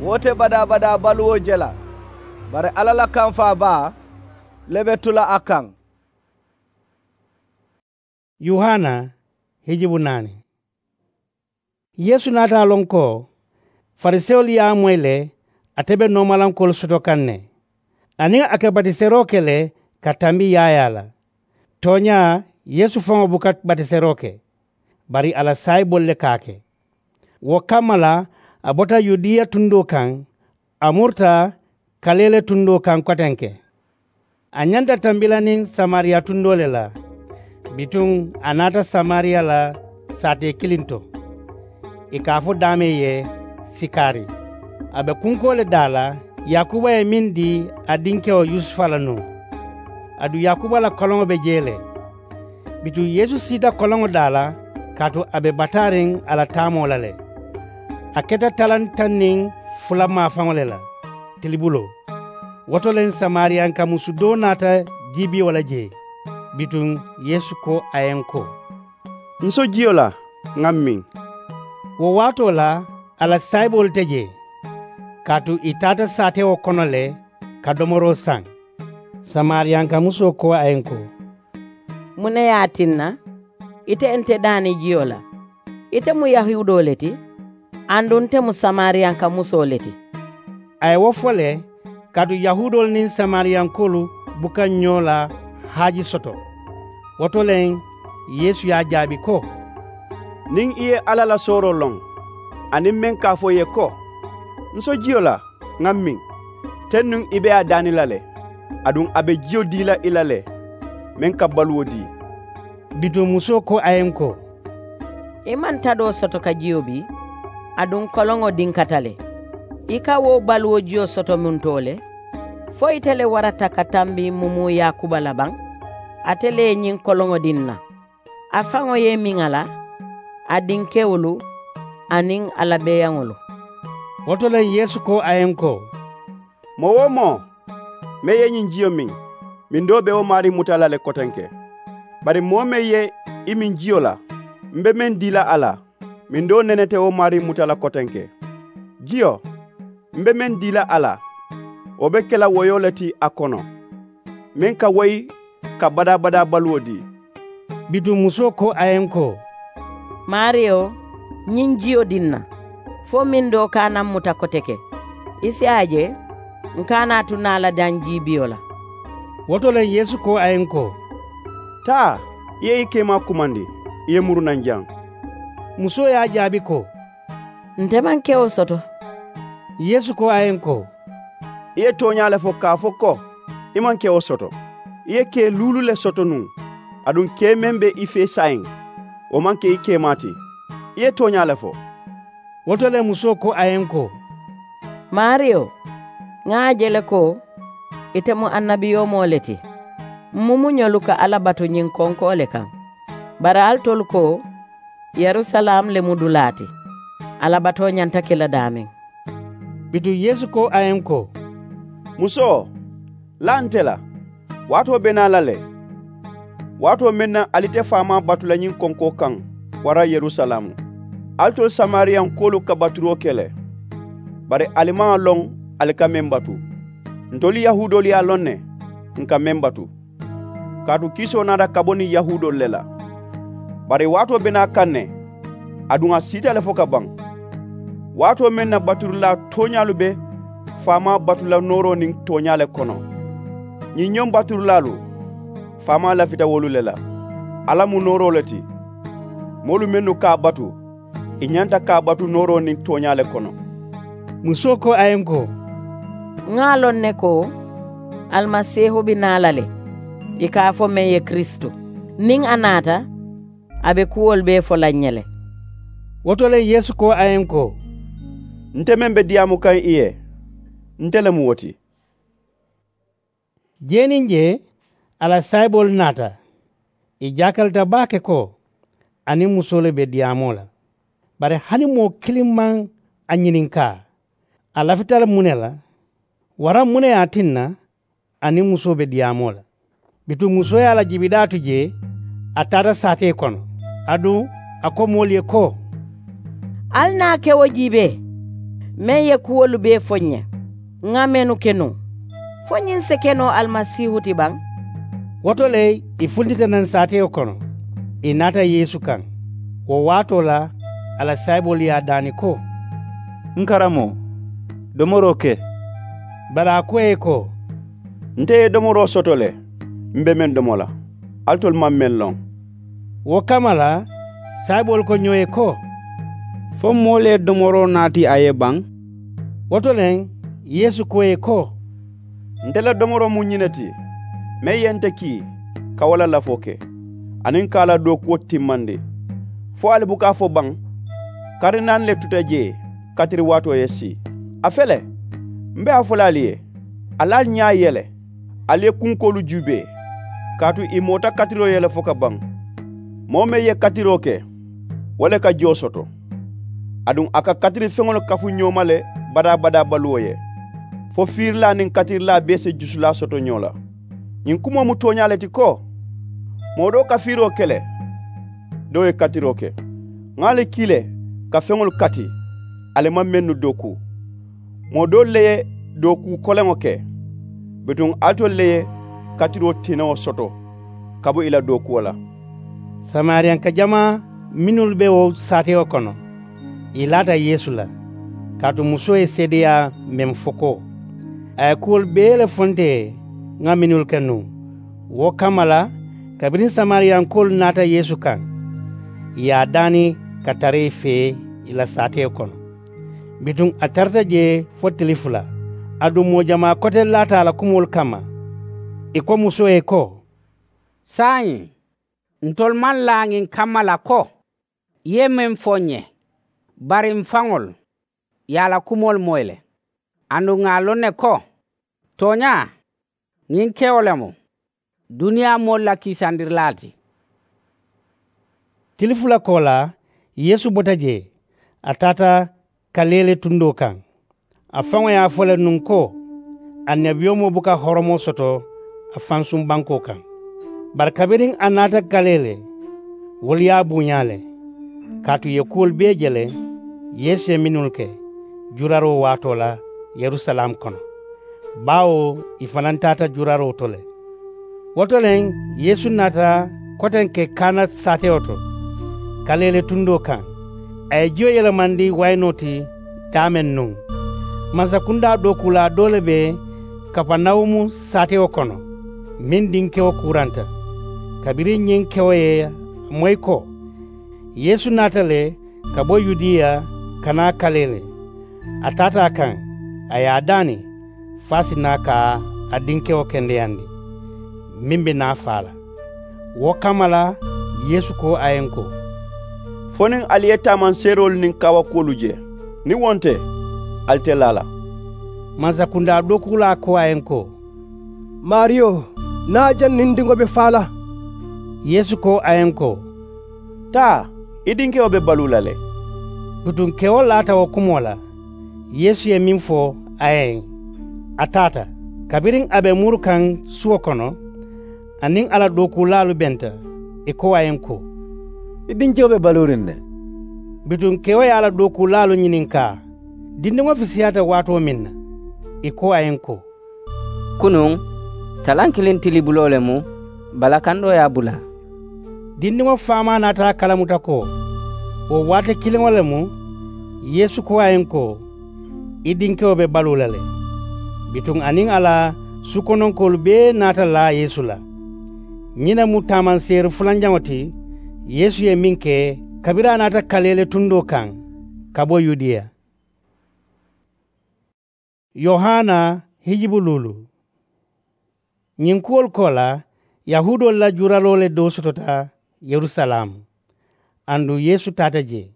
wo te badaa-badaa baluwo je la. Bari alla la kamfaa baa le be tu la a kaŋ. Yohana hijibu naani. Yeesu naata a loŋ ko farisewolu ye a moyi le, ate be noomalankoolu soto kaŋ ne, aniŋ a ka batiseroo ke le ka tambi yaayaa la. Tooñaa, yeesu faŋo buka batiseroo ke, bari a la saayiboolu le ka a ke. Wo kamma la, a bota yudiya tundoo kaŋ, a murita kaleele tundoo kaŋ kotenke. A ñanta tambi la niŋ samariya tundoo le la. Bituŋ a naata samariya la saatee kiliŋ to, ì ka a fo daameŋ ye sikari. A be kunkoo le daa la, yaakuba ye meŋ dii a dinkewo yusufa la nuŋ. Aduŋ yaakuba la koloŋo be jee le. Bituŋ yeesu siita koloŋo daa la, kaatu a be bataariŋ a la taamoo la le. A keta talaŋ taŋ niŋ fula maafaŋo le la tilibuloo. Wo to le samariyanka musu doo naata jiibiyo la jee. Bituŋ yeesu ko a ye n ko, n so jiyo la, ŋa m miŋ. Wo waatoo la, a la saayiboolu te jee, kaatu ì taata saatewo kono le ka domoroo saŋ. Samariyanka musoo ko a ye n ko, muŋ ne ye a tinna Ite nte daani jiyo la. Ite mu yahuudoo le ti, aduŋ nte mu samariyanka musoo le ti. A ye wo fo le kaatu yahuudoolu niŋ samariyankoolu buka ñoo la haaji soto. Wo to le yeesu ye a jaabi ko, niŋ i ye alla la sooroo loŋ, aniŋ meŋ ka a fo i ye ko, n so jiyo la, ŋa miŋ, teŋ nuŋ i be a daani la le, aduŋ a be jiyo dii la i la le, meŋ ka baluwo dii. Bituŋ musoo ko a ye n ko, i maŋ tadoo soto ka jiyo bii, aduŋ koloŋo dinkata le. I ka wo baluwo jiyo soto muntoo le? Fo ite le warata ka tambi mumuu yaakuba la baŋ? Ate le ye ñiŋ koloŋo dii n na. A faŋo ye i miŋ a la, a dinkewolu, aniŋ a la beeyaŋolu. Wo to le yeesu ko a ye n ko, moo-wo-moo meŋ ye ñiŋ jiyo miŋ, mindoo be wo maarii muta la le kotenke. Bari moo meŋ ye i miŋ jiyo la, m be meŋ dii la a la, mindoo nene te wo maarii muta la kotenke. Jiyo, m be meŋ dii la a la, wo be ke la woyoo le ti a kono, meŋ ka woyi ka badaa-badaa baluwo dii. Bituŋ musoo ko a ye n ko, maariyo, ñiŋ jiyo dii n na, fo mindoo ka a na m muta koteke, i si a je, n ka a naa tu naa la daŋ jiibiyo la. Wo to le yeesu ko a ye n ko, taa, i ye i keemaa kumandi, i ye muru naŋ jaŋ. Musoo ye a jaabi ko, nte maŋ kewo soto. Yeesu ko a ye n ko, i ye tooñaa le fo ka a fo ko, i maŋ kewo soto. I ye kee luulu le soto nuŋ, aduŋ kee meŋ be i fee saayiŋ, wo maŋ ke i keemaa ti. I ye tooñaa le fo. Wo to le musoo ko a ye n ko, maariyo, ŋa a je le ko, ite mu annabiyoomoo le ti. M mumuñolu ka alla batu ñiŋ konkoo le kaŋ. Bari ali tolu ko, yerusalaamu le mu dulaa ti. Alla batoo ñanta ke la daameŋ. Bituŋ yeesu ko a ye n ko, musoo, laa nte la. Waatoo be naa la le, waatoo meŋ na ali te faamaa batu la ñiŋ konkoo kaŋ waraŋ yerusalaamu. Ali tolu samariyankoolu ka baturoo ke le, bari ali maŋ a loŋ ali ka meŋ batu. Ntolu yahuudoolu ye a loŋ ne, n ka meŋ batu, kaatu kiisoo naata ka bo niŋ yahuudoolu le la. Bari waatoo be naa kaŋ ne, aduŋ a siita le fo ka baŋ, waatoo meŋ na baturilaa tooñaalu be faamaa batu la nooroo niŋ tooñaa le kono. Ñiŋ ñoŋ baturilaalu, faamaa lafita wolu le la. Alla mu nooroo le ti. Moolu mennu ka a batu, i ñanta ka a batu nooroo niŋ tooñaa le kono. Musoo ko a ye n ko, ŋa a loŋ ne ko, alimasiihu be naa la le, i ka a fo meŋ ye kiristu. Niŋ a naata, a be kuwolu bee fo la ǹ ye le. Wo to le yeesu ko a ye n ko, nte meŋ be diyaamu kaŋ i ye, nte le mu wo ti. Jee niŋ jee, a la saayiboolu naata. I jaakalita baake ko a niŋ musoo le be diyaamoo la. Bari hani moo kiliŋ maŋ a ñininkaa, a lafita le muŋ ne la, waraŋ muŋ ne ye a tinna a niŋ musoo be diyaamoo la? Bituŋ musoo ye a la jibidaa tu jee, a taata saatee kono. Aduŋ a ko moolu ye ko, ali naa kewo jiibee, meŋ ye kuwolu bee fo ǹ ye, ŋa mennu ke nuŋ. Fo ñiŋ si ke noo alimasiihu ti baŋ? Wo to le, i funtita naŋ saatewo kono, i naata yeesu kaŋ. Wo waatoo la, a la saayiboolu ye a daani ko, n karamoo, domoroo ke. Bari a ko ì ye ko, nte ye domoroo soto le, m be meŋ domo la, alitolu maŋ meŋ loŋ. Wo kamma la, saayiboolu ko ñoo ye ko, fo moolu ye domoroo naati a ye baŋ? Wo to le, yeesu ko ì ye ko, nte la domoroo mu ñiŋ ne ti, meŋ ye nte kii ka wo la lafoo ke, aniŋ ka a la dookuwo timmandi. Fo ali buka a fo baŋ? Kari naani le tuta jee, katiri waatoo ye sii. A fele, m be a fo la ali ye, ali ali ñaa yele, ali ye kunkoolu juubee, kaatu ì moota katiroo ye le fo ka baŋ. Moo meŋ ye katiroo ke, wo le ka joo soto. Aduŋ a ka katiri feŋolu kafu ñoo ma le badaa-badaa baluwo ye, fo fiirilaa niŋ katirilaa bee si jusulaa soto ñoo la. Ñiŋ kumoo mu tooñaa le ti ko, moo doo ka fiiroo ke le, doo ye katiroo ke. Ŋa ali kii le ka feŋolu kati, ali maŋ mennu dookuu. Moo doolu le ye dookuu koleŋo ke, bituŋ alitolu le ye katiroo tinewo soto ka bo ì la dookuwo la. Samariyanka jamaa mennu be wo saatewo kono, ì laata yeesu la, kaatu musoo ye seedeyaa meŋ fo ko a ye kuwolu bee le fo nte ye ŋa mennu ke nuŋ. Wo kamma la, kabiriŋ samariyankoolu naata yeesu kaŋ, ì ye a daani ka tara ì fee ì la saatewo kono. Bituŋ a tarata jee fo tili fula. Aduŋ moo jamaa kote laata a la kumoolu kamma. Ì ko musoo ye ko, saayiŋ ntolu maŋ laa ñiŋ kamma la ko, i ye meŋ fo ǹ ye. Bari m̀ faŋolu ì ye a la kumoolu moyi le. Aduŋ ŋà a loŋ ne ko, tooñaa ñiŋ kewo le mu duniyaa moolu la kiisandirilaa ti. Tili fula koolaa, yeesu bota jee, a taata kaleele tundoo kaŋ. A faŋo ye a fo le nuŋ ko, annabiyomoo buka horomoo soto a fansuŋ bankoo kaŋ. Bari kabiriŋ a naata kaleele, wolu ye a buuñaa le. Kaatu ì ye kuwolu bee je le yeesu ye mennu ke juraroo waatoo la yerusalaamu kono, baawo ì fanantaata juraroo to le. Wo to le, yeesu naata kotenke kaana saatewo to, kaleele tundoo kaŋ. A ye jiyo yelemandi wayinoo ti daameŋ nuŋ. Mansakundaa dookuulaa doo le be kapanawumu saatewo kono, meŋ dinkewo kuuranta. Kabiriŋ ñiŋ kewo ye a moyi ko yeesu naata le ka bo yudiya ka naa kaleele, a taata a kaŋ, a ye a daani fo a si naa ka a dinkewo kendeyandi, meŋ be naa faa la. Wo kamma la, yeesu ko a ye ǹ ko, fo niŋ ali ye taamanseeroolu niŋ kaawakuwolu je. Niŋ wo nte, ali te laa la. Mansakundaa dookuulaa ko a ye ǹ ko, maariyo, naa jaŋ niŋ n diŋo be faa la. Yeesu ko a ye ǹ ko, taa, i dinkewo be baluu la le. Bituŋ kewo laata wo kumoo la, yeesu ye meŋ fo a ye, a taata. Kabiriŋ a be muru kaŋ suwo kono, a niŋ a la dookuulaalu benta, ì ko a ye ǹ ko, i dinkewo be baluuriŋ ne. Bituŋ kewo ye a la dookuulaalu ñininkaa, dindiŋo fisiyaata waatoo meŋ na? Ì ko a ye ǹ ko, kunuŋ talaŋ kiliŋ tilibuloo le mu, balakandoo ye a bulaa. Dindiŋo faamaa naata a kalamuta ko wo waati kiliŋo le mu. Yeesu ko a ye ǹ ko, i dinkewo be baluu la le. Bituŋ a niŋ a la sukononkoolu bee naata laa yeesu la. Ñiŋ ne mu taamanseeri fulanjaŋo ti yeesu ye meŋ ke kabiriŋ a naata kaleele tundoo kaŋ ka bo yudiya. Yohana hijibuluulu. Ñiŋ kuwolu koolaa, yahuudoolu la juuraloo le doo sotota yerusalaamu. Aduŋ yeesu taata jee.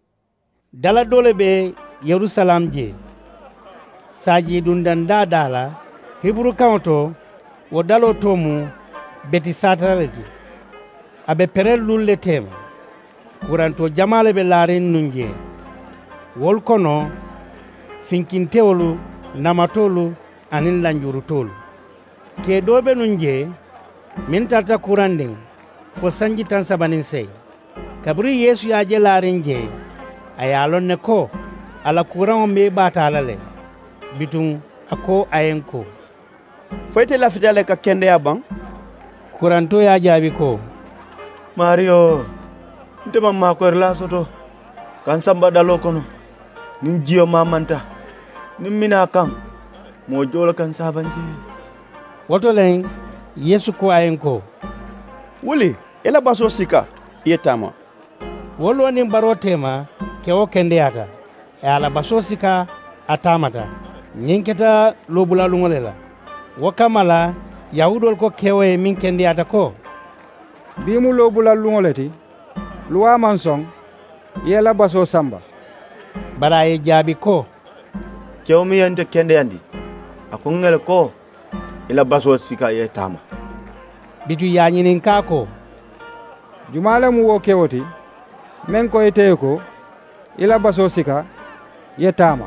Dala doo le be yerusalaamu jee, saajiidundandaa daa la. Hiburukaŋo to, wo daloo too mu betisata le ti. A be perelluulu le teema. Kurantoo jamaa le be laariŋ nuŋ jee, wolu kono finkintewolu, namatoolu aniŋ lanjurutoolu. Kee doo be nuŋ jee meŋ tarata kurandiŋ fo sanji taŋ saba niŋ seyi. Kabiriŋ yeesu ye a je laariŋ jee, a ye a loŋ ne ko a la kuraŋo be baata a la le. Bituŋ a ko a ye ǹ ko, fo ite lafita le ka kendeyaa baŋ? Kurantoo ye a jaabi ko, maariyo, nte maŋ maakoyirilaa soto ka ǹ samba daloo kono niŋ jiyo maamanta, niŋ menaa kaŋ moo joo le ka ǹ saabandi. Wo to le, yeesu ko a ye ǹ ko, wuli, i la basoo sika, i ye taama. Wo loo niŋ baroo teema, kewo kendeyaata, a ye a la basoo sika, a taamata. Ñiŋ keta loobulaluŋo le la. Wo kamma la, yahuudoolu ko kewo ye meŋ kendeyaata ko, bii mu loobulaluŋo le ti, luwaa maŋ soŋ i ye i la basoo samba. Bari a ye ì jaabi ko, kewo meŋ ye nte kendeyandi, a ko ǹ ŋa le ko, i la basoo sika i ye taama. Bituŋ ì ye a ñininkaa ko, jumaa le mu wo kewo ti meŋ ko ite ye ko, i la basoo sika, i ye taama?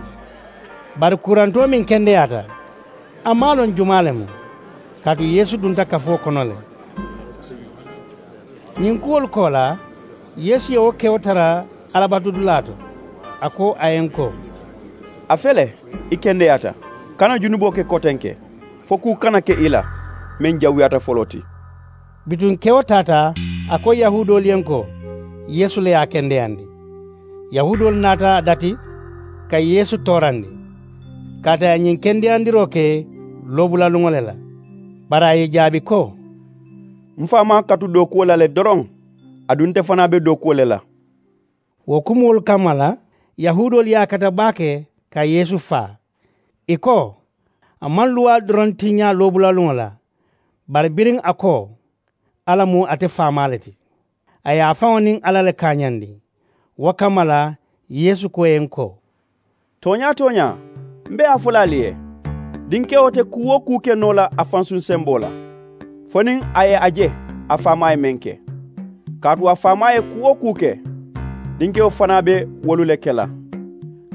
Bari kurantoo meŋ kendeyaata, a maŋ a loŋ jumaa le mu, kaatu yeesu dunta kafoo kono le. Ñiŋ kuwolu koolaa, yeesu ye wo kewo tara alabatudulaa to. A ko a ye ǹ ko, a fele, i kendeyaata. Kana junuboo ke kotenke, fo kuu kana ke i la meŋ jawuyaata foloo ti. Bituŋ kewo taata A ko yahuudoolu ye n ko yeesu le ye a kendeyandi. Yahuudoolu naata a dati ka yeesu toorandi kaatu a ye ñiŋ kendeyandiroo ke loobulaluŋo le la. Bari a ye i jaabi ko, m faamaa katu dookuwo la le doroŋ, aduŋ nte fanaa be dookuwo le la. Wo kumoolu kamma la yahuudoolu ye a kata baake ka yeesu faa. Ì ko a maŋ luwaa doroŋ tiñaa loobulaluŋo la. Bari biriŋ a ko alla mu ate faamaa le ti, a ye a faŋo niŋ alla le kaañandi. Wo kamma la yeesu ko ì ye n ko, tooñaa tooñaa, m be a fo la ali ye, dinkewo te kuu-wo-kuu ke noo la a fansuŋ semboo la fo niŋ a ye a je a faamaa ye meŋ ke. Kaatu a faamaa ye kuu-wo-kuu ke, dinkewo fanaa be wolu le ke la.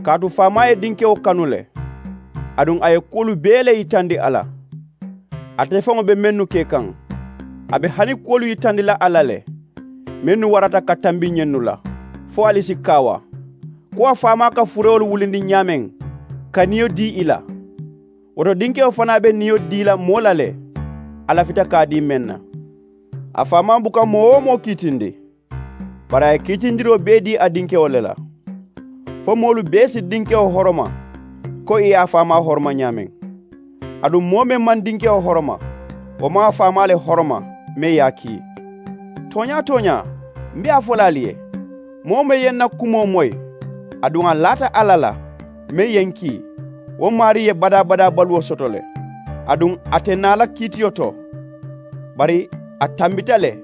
Kaatu faamaa ye dinkewo kanu le, aduŋ a ye kuwolu bee le yitandi a la. Ate faŋo be mennu ke kaŋ, a be hani kuwolu yitandi la a la le, mennu warata ka tambi ñennu la, fo ali si kaawa ko a faamaa ka furewolu wulindi ñaameŋ ka niyo dii ì la. Wo to dinkewo fanaa be niyo dii la moo la le, a lafita ka a dii meŋ na. A faamaa buka moo-wo-moo kiitindi, bari a ye kiitindiroo bee dii a dinkewo le la, fo moolu bee si dinkewo horoma ko ì ye a faamaa horoma ñaameŋ. Aduŋ moo meŋ maŋ dinkewo horoma, wo maŋ a faamaa le horoma meŋ ye a kii. Tooñaa tooñaa, m be a fo la ali ye, moo-wo-moo ye n na kumoo moyi, aduŋ a laata alla la, meŋ ye n kii, wo maarii ye badaa-badaa baluwo soto le. Aduŋ a te naa la kiitiyo to, bari a tambita le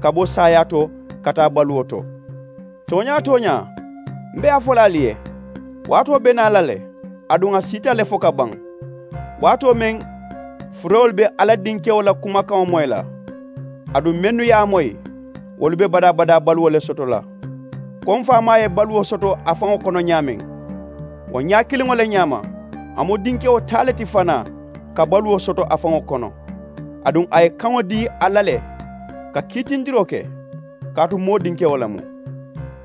ka bo saayaa to ka taa baluwo to. Tooñaa tooñaa, m be a fo la ali ye, waatoo be naa la le, aduŋ a siita le fo ka baŋ, waatoo meŋ furewolu be alla dinkewo la kumakaŋo moyi la. Aduŋ mennu ye a moyi, wolu be badaa-badaa baluwo le soto la, ko m faamaa ye baluwo soto a faŋo kono ñaameŋ. Wo ñaa kiliŋo le ñaama, a mu dinkewo taa le ti fanaa ka baluwo soto a faŋo kono. Aduŋ a ye kaŋo dii alla le ka kiitindiroo ke, kaatu moo dinkewo le mu.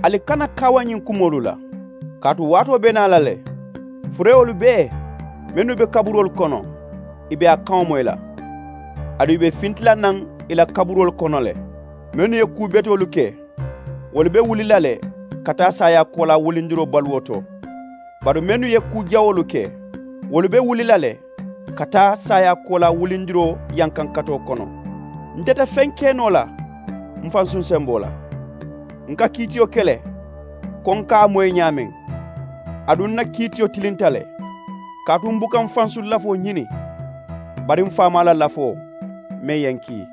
Ali kana kaawa ñiŋ kumoolu la, kaatu waatoo be naa la le, furewolu bee mennu be kaburoolu kono, ì be a kaŋo moyi la. Aduŋ ì be finti la naŋ ì la kaburoolu kono le, mennu ye kuu betoolu ke, wolu be wuli la le ka taa saayaa koolaa wulindiroo baluwo to. Bari mennu ye kuu jawoolu ke, wolu be wuli la le ka taa saayaa koolaa wulindiroo yankankatoo kono. Nte te feŋ ke noo la m fansuŋ semboo la. N ka kiitiyo ke le ko n ka a moyi ñaameŋ, aduŋ n na kiitiyo tilinta le, kaatu m buka m fansuŋ lafoo ñini, bari m faamaa la lafoo meŋ ye n kii.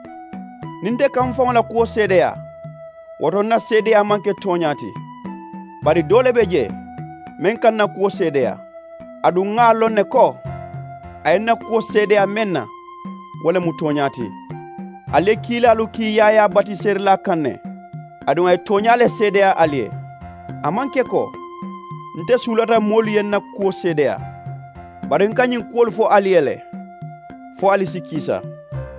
Niŋ nte ka m faŋo la kuwo seedeyaa, wo to n na seedeyaa maŋ ke tooñaa ti. Bari doo le be jee meŋ ka n na kuwo seedeyaa, aduŋ ŋà a loŋ ne ko a ye n na kuwo seedeyaa meŋ na, wo le mu tooñaa ti. Ali ye kiilaalu kii yaayaa batiseerilaa kaŋ ne, aduŋ a ye tooñaa le seedeyaa ali ye. A maŋ ke ko nte suulata moolu ye n na kuwo seedeyaa, bari n ka ñiŋ kuwolu fo ali ye le fo ali si kiisa.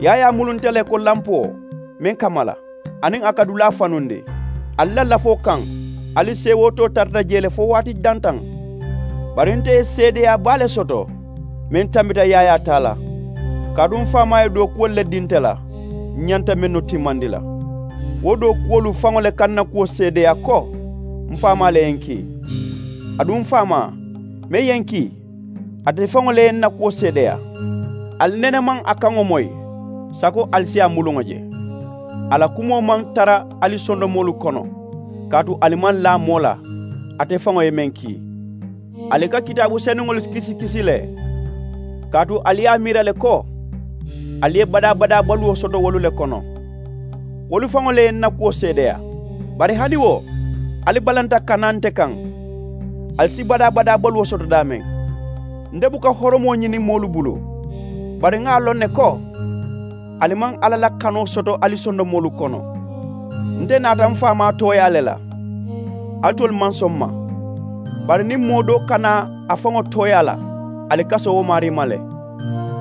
Yaayaa mulu nte le ko lampoo meŋ ka mala, aniŋ a ka dulaa fanundi ali la lafoo kaŋ. Ali seewootoo tarata jee le fo waati dantaŋ. Bari nte ye seedeyaa baa le soto meŋ tambita yaayaa taa la. Kaatu m faamaa ye dookuwolu le dii nte la, m ñanta mennu timmandi la. Wo dookuwolu faŋo le ka n na kuwo seedeyaa ko m faamaa le ye n kii. Aduŋ m faamaa meŋ ye n kii, ate faŋo le ye n na kuwo seedeyaa. Ali nene maŋ a kaŋo moyi sako ali si a muluŋo je. A la kumoo maŋ tara ali sondomoolu kono, kaatu ali maŋ laa moo la ate faŋo ye meŋ kii. Ali ka kitaabu senuŋolu kisi kisi le, kaatu ali ye a miira le ko ali ye badaa-badaa baluwo soto wolu le kono. Wolu faŋo le ye n na kuwo seedeyaa. Bari hani wo, ali balanta ka naa nte kaŋ, ali si badaa-badaa baluwo soto daameŋ. Nte buka horomoo ñini moolu bulu, bari ŋà a loŋ ne ko ali maŋ alla la kanoo soto ali sondomoolu kono. Nte naata m faamaa tooyaa le la, alitolu maŋ soŋ m ma. Bari niŋ moo doo ka naa a faŋo tooyaa la, ali ka soo wo maarii ma le.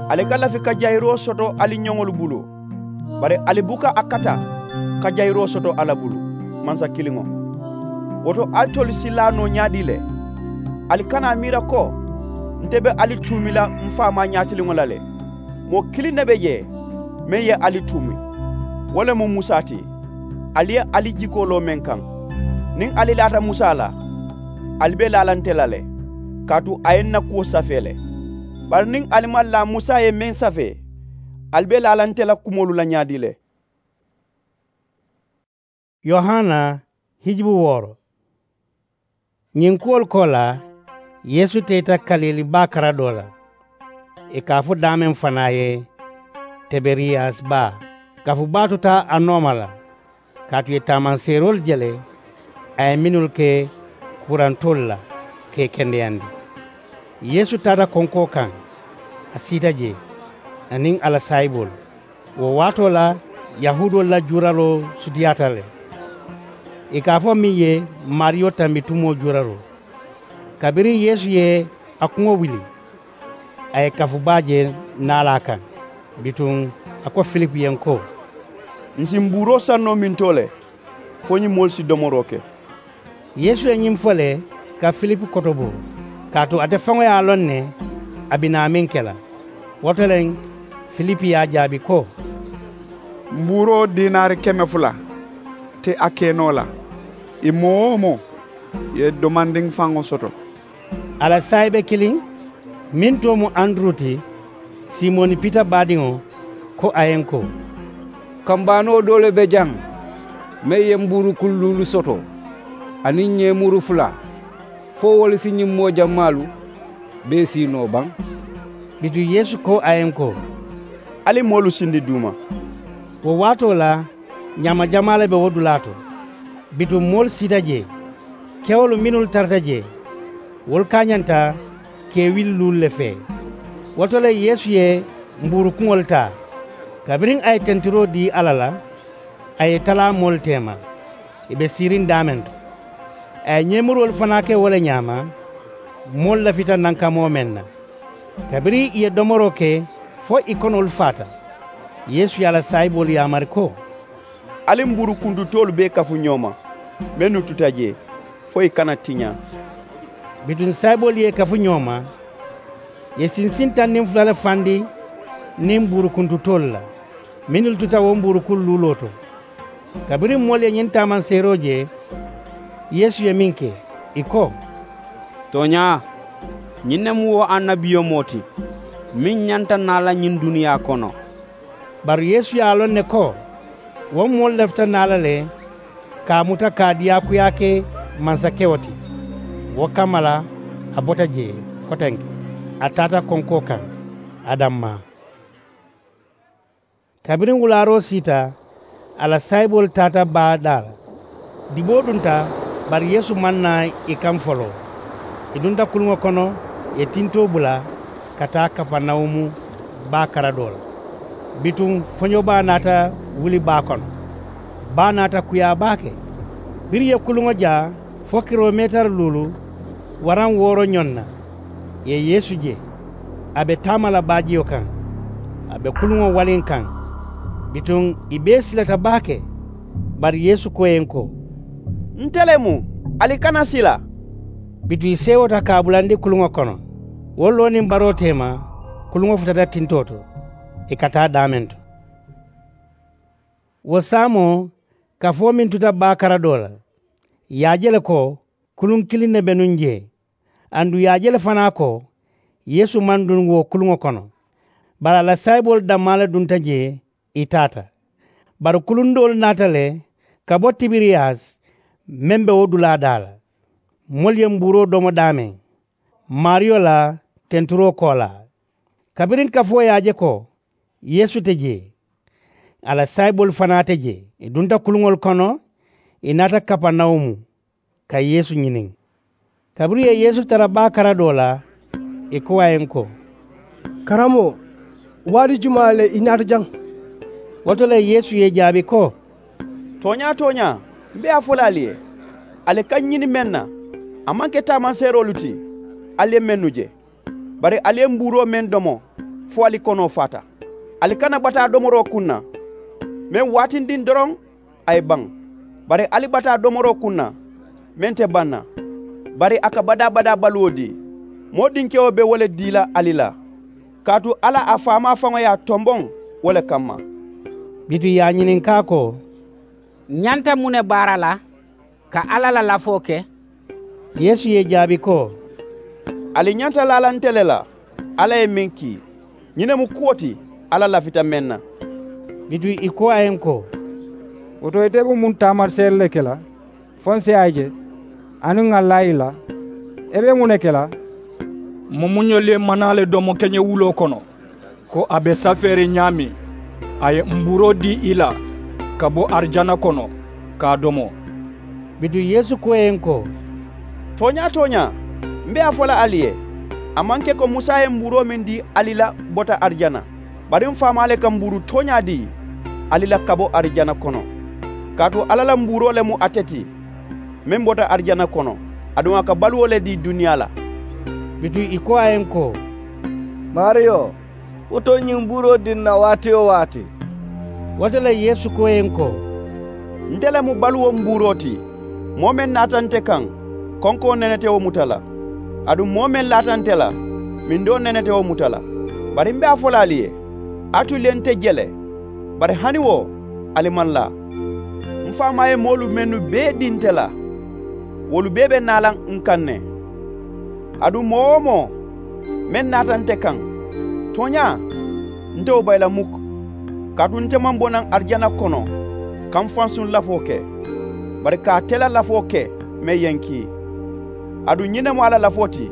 Ali ka lafi ka jayiroo soto ali ñoŋolu bulu, bari ali buka a kata ka jayiroo soto alla bulu, mansa kiliŋo. Wo to alitolu si laa noo ñaadii le? Ali kana a miira ko nte be ali tuumi la m faamaa ñaatiliŋo la le. Moo kiliŋ ne be jee meŋ ye ali tuumi, wo le mu musa ti. Ali ye ali jikoo loo meŋ kaŋ, niŋ ali laata musa la, ali be laa la nte la le, kaatu a ye ǹ na kuwo safee le. Bari niŋ ali maŋ laa musa ye meŋ safee, ali be laa la nte la kumoolu la ñaadii le. Yohana hijibu wooro. Ñiŋ kuwolu koolaa, yeesu teeta kalili baa kara doo la, ì ka a fo daameŋ fanaa ye, tiberiyasi baa. Kafu baa tuta a nooma la, kaatu ì ye taamanseeroolu je le, a ye mennu ke kuurantoolu la ka ì kendeyandi. Yeesu taata konkoo kaŋ, a siita jee, aniŋ a la saayiboolu. Wo waatoo la, yahuudoolu la juuraroo sutiyaata le, ì ka a fo meŋ ye, maariyo tambi tumoo juuraroo. Kabiriŋ yeesu ye a kuŋo wuli, a ye kafu baa je naalaa kaŋ. Bituŋ a ko filipu ye ko, ǹ si mbuuroo saŋ noo mintoo le, fo ñiŋ moolu si domoroo ke? Yeesu ye ñiŋ fo le, ka filipu kotobo, kaatu ate faŋo ye a loŋ ne, a bi naa meŋ ke la. Wo to le, filipu ye a jaabi ko, mbuuroo diinaari keme fula te a keenoo la, ì moo-wo-moo ye domandiŋ faŋo soto. A la saayibe kiliŋ, meŋ too mu anduru ti, simoni pita baadiŋo, ko a ye ǹ ko, kambaanoo doo le be jaŋ, meŋ ye mbuuru kuŋ luulu soto, aniŋ ñeemuru fula, fo wolu si ñiŋ moo jammaalu bee sii noo baŋ? Bituŋ yeesu ko a ye ǹ ko, ali moolu sindi duuma. Wo waatoo la, ñaama jamaa le be wo dulaa to. Bituŋ moolu siita jee, kewolu mennu tarata jee, wolu kaañanta kewili luulu le fee. Wo to le yeesu ye mbuuru kuŋolu taa, kabiriŋ a ye tentiroo dii alla la, a ye ì talaa moolu teema, ì be siiriŋ daameŋ to. A ye ñeemuroolu fanaa ke wo le ñaama, moolu lafita nankamoo meŋ na. Kabiriŋ ì ye domoroo ke fo ì konoolu faata, yeesu ye a la saayiboolu yaamari ko, ali mbuuru kuntutoolu bee kafu ñoo ma, mennu tuta jee, fo ì kana tiñaa. Bituŋ saayiboolu ye ì kafu ñoo ma, ì ye sinsiŋ taŋ niŋ fula le fandi niŋ mbuuru kuntutoolu la, mennu tuta wo mbuuru kuŋ luuloo to. Kabiriŋ moolu ye ñiŋ taamanseeroo je, yeesu ye meŋ ke, ì ko, tooñaa, ñiŋ ne mu wo annabiyomoo ti, meŋ ñanta naa la ñiŋ duniyaa kono. Bari yeesu ye a loŋ ne ko, wo moolu lafita naa la le, ka a muta ka a diyaakuyaa ke mansakewo ti. Wo kamma la, a bota jee kotenke, a taata konkoo kaŋ, a dammaa. Kabiriŋ wulaaroo siita, a la saayiboolu taata baa daa la. Diboo dunta, bari yeesu maŋ naa ì kaŋ foloo. Ì dunta kuluŋo kono, ì ye tintoo bula ka taa kapanawumu baa kara doo la. Bituŋ foñobaa naata wuli baa kono. Baa naata kuyaa baake. Biriŋ ì ye kuluŋo jaa fo kilomeetari luulu waraŋ wooro ñoŋ na, ì ye yeesu je, a be taama la baajiyo kaŋ, a be kuluŋo waliŋ kaŋ. Bituŋ ì bee silata baake. Bari yeesu ko ì ye ko, nte le mu, ali kana sila. Bituŋ ì seewota ka a bulandi kuluŋo kono. Wo loo niŋ baroo teema, kuluŋo futata tintoo to, ì ka taa daameŋ to. Wo saamoo, kafoo meŋ tuta baa kara doo la, ì ye a je le ko kuluŋ kiliŋ ne be nuŋ jee. Aduŋ ì ye a je le fanaa ko yeesu maŋ duŋ wo kuluŋo kono. Bari a la saayiboolu dammaa le dunta jee, ì taata. Bari kuluŋ doolu naata le ka bo tibiriyasi, meŋ be wo dulaa daa la. Moolu ye mbuuroo domo daameŋ, maariyo la tenturoo koolaa. Kabiriŋ kafoo ye a je ko yeesu te jee, a la saayiboolu fanaa te jee, ì dunta kuluŋolu kono, ì naata kapanawumu ka yeesu ñiniŋ. Kabiriŋ ì ye yeesu tara baa kara doo la, ì ko a ye ko, karamoo, waati jumaa le i naata jaŋ? Wo to le yeesu ye ì jaabi ko, tooñaa tooñaa, m̀ be a fo la ali ye, ali ka ñini meŋ na, a maŋ ke taamanseeroolu ti, ali ye mennu je. Bari ali ye mbuuroo meŋ domo fo ali konoo faata. Ali kana bataa domoroo kuŋ na, meŋ waatindiŋ doroŋ a ye baŋ. Bari ali bataa domoroo kuŋ na, meŋ te baŋ na, bari a ka badaa-badaa baluwo dii. Moo dinkewo be wo le dii la ali la, kaatu alla a faamaa faŋo ye a tomboŋ wo le kamma. Bituŋ ì ye a ñininkaa ko, ñanta muŋ ne baara la ka alla la lafoo ke? Yeesu ye ì jaabi ko, ali ñanta laa la nte le la alla ye meŋ kii. Ñiŋ ne mu kuwo ti alla lafita meŋ na. Bituŋ ì ko a ye n ko, wo to ite be muŋ taamariseeri le ke la fo n si a je aniŋ ŋà laa ì la? I be muŋ ne ke la? Mumuñolu ye manaa le domo keñewuloo kono ko a be safeeriŋ ñaameŋ, a ye mbuuroo dii ì la ka bo arijana kono ka a domo. Bituŋ yeesu ko ì ye n ko, tooñaa tooñaa, m be a fo la ali ye, a maŋ ke ko musa ye mbuuroo meŋ dii ali la bota arijana. Bari m faamaa le ka mbuuru tooñaa dii ali la ka bo arijana kono. Kaatu alla la mbuuroo le mu ate ti, meŋ bota arijana kono, aduŋ a ka baluwo le dii duniyaa la. Bituŋ ì ko a ye n ko, maariyo, wo to ñiŋ mbuuroo dii n na waati-wo-waati. Wo to le yeesu ko ì ye n ko, nte le mu baluwo mbuuroo ti. Moo meŋ naata nte kaŋ, konkoo nene te wo muta la. Aduŋ moo meŋ laata nte la, mindoo nene te wo muta la. Bari m be a fo la ali ye, alitolu ye nte je le, bari hani wo ali maŋ laa. M faamaa ye moolu mennu bee dii nte la, wolu bee be naa la n kaŋ ne. Aduŋ moo-wo-moo meŋ naata nte kaŋ, tooñaa, nte wo bayi la mukk. Kaatu nte maŋ bo naŋ arijana kono ka m fansuŋ lafoo ke, bari ka ate la lafoo ke meŋ ye n kii. Aduŋ ñiŋ ne mu a la lafoo ti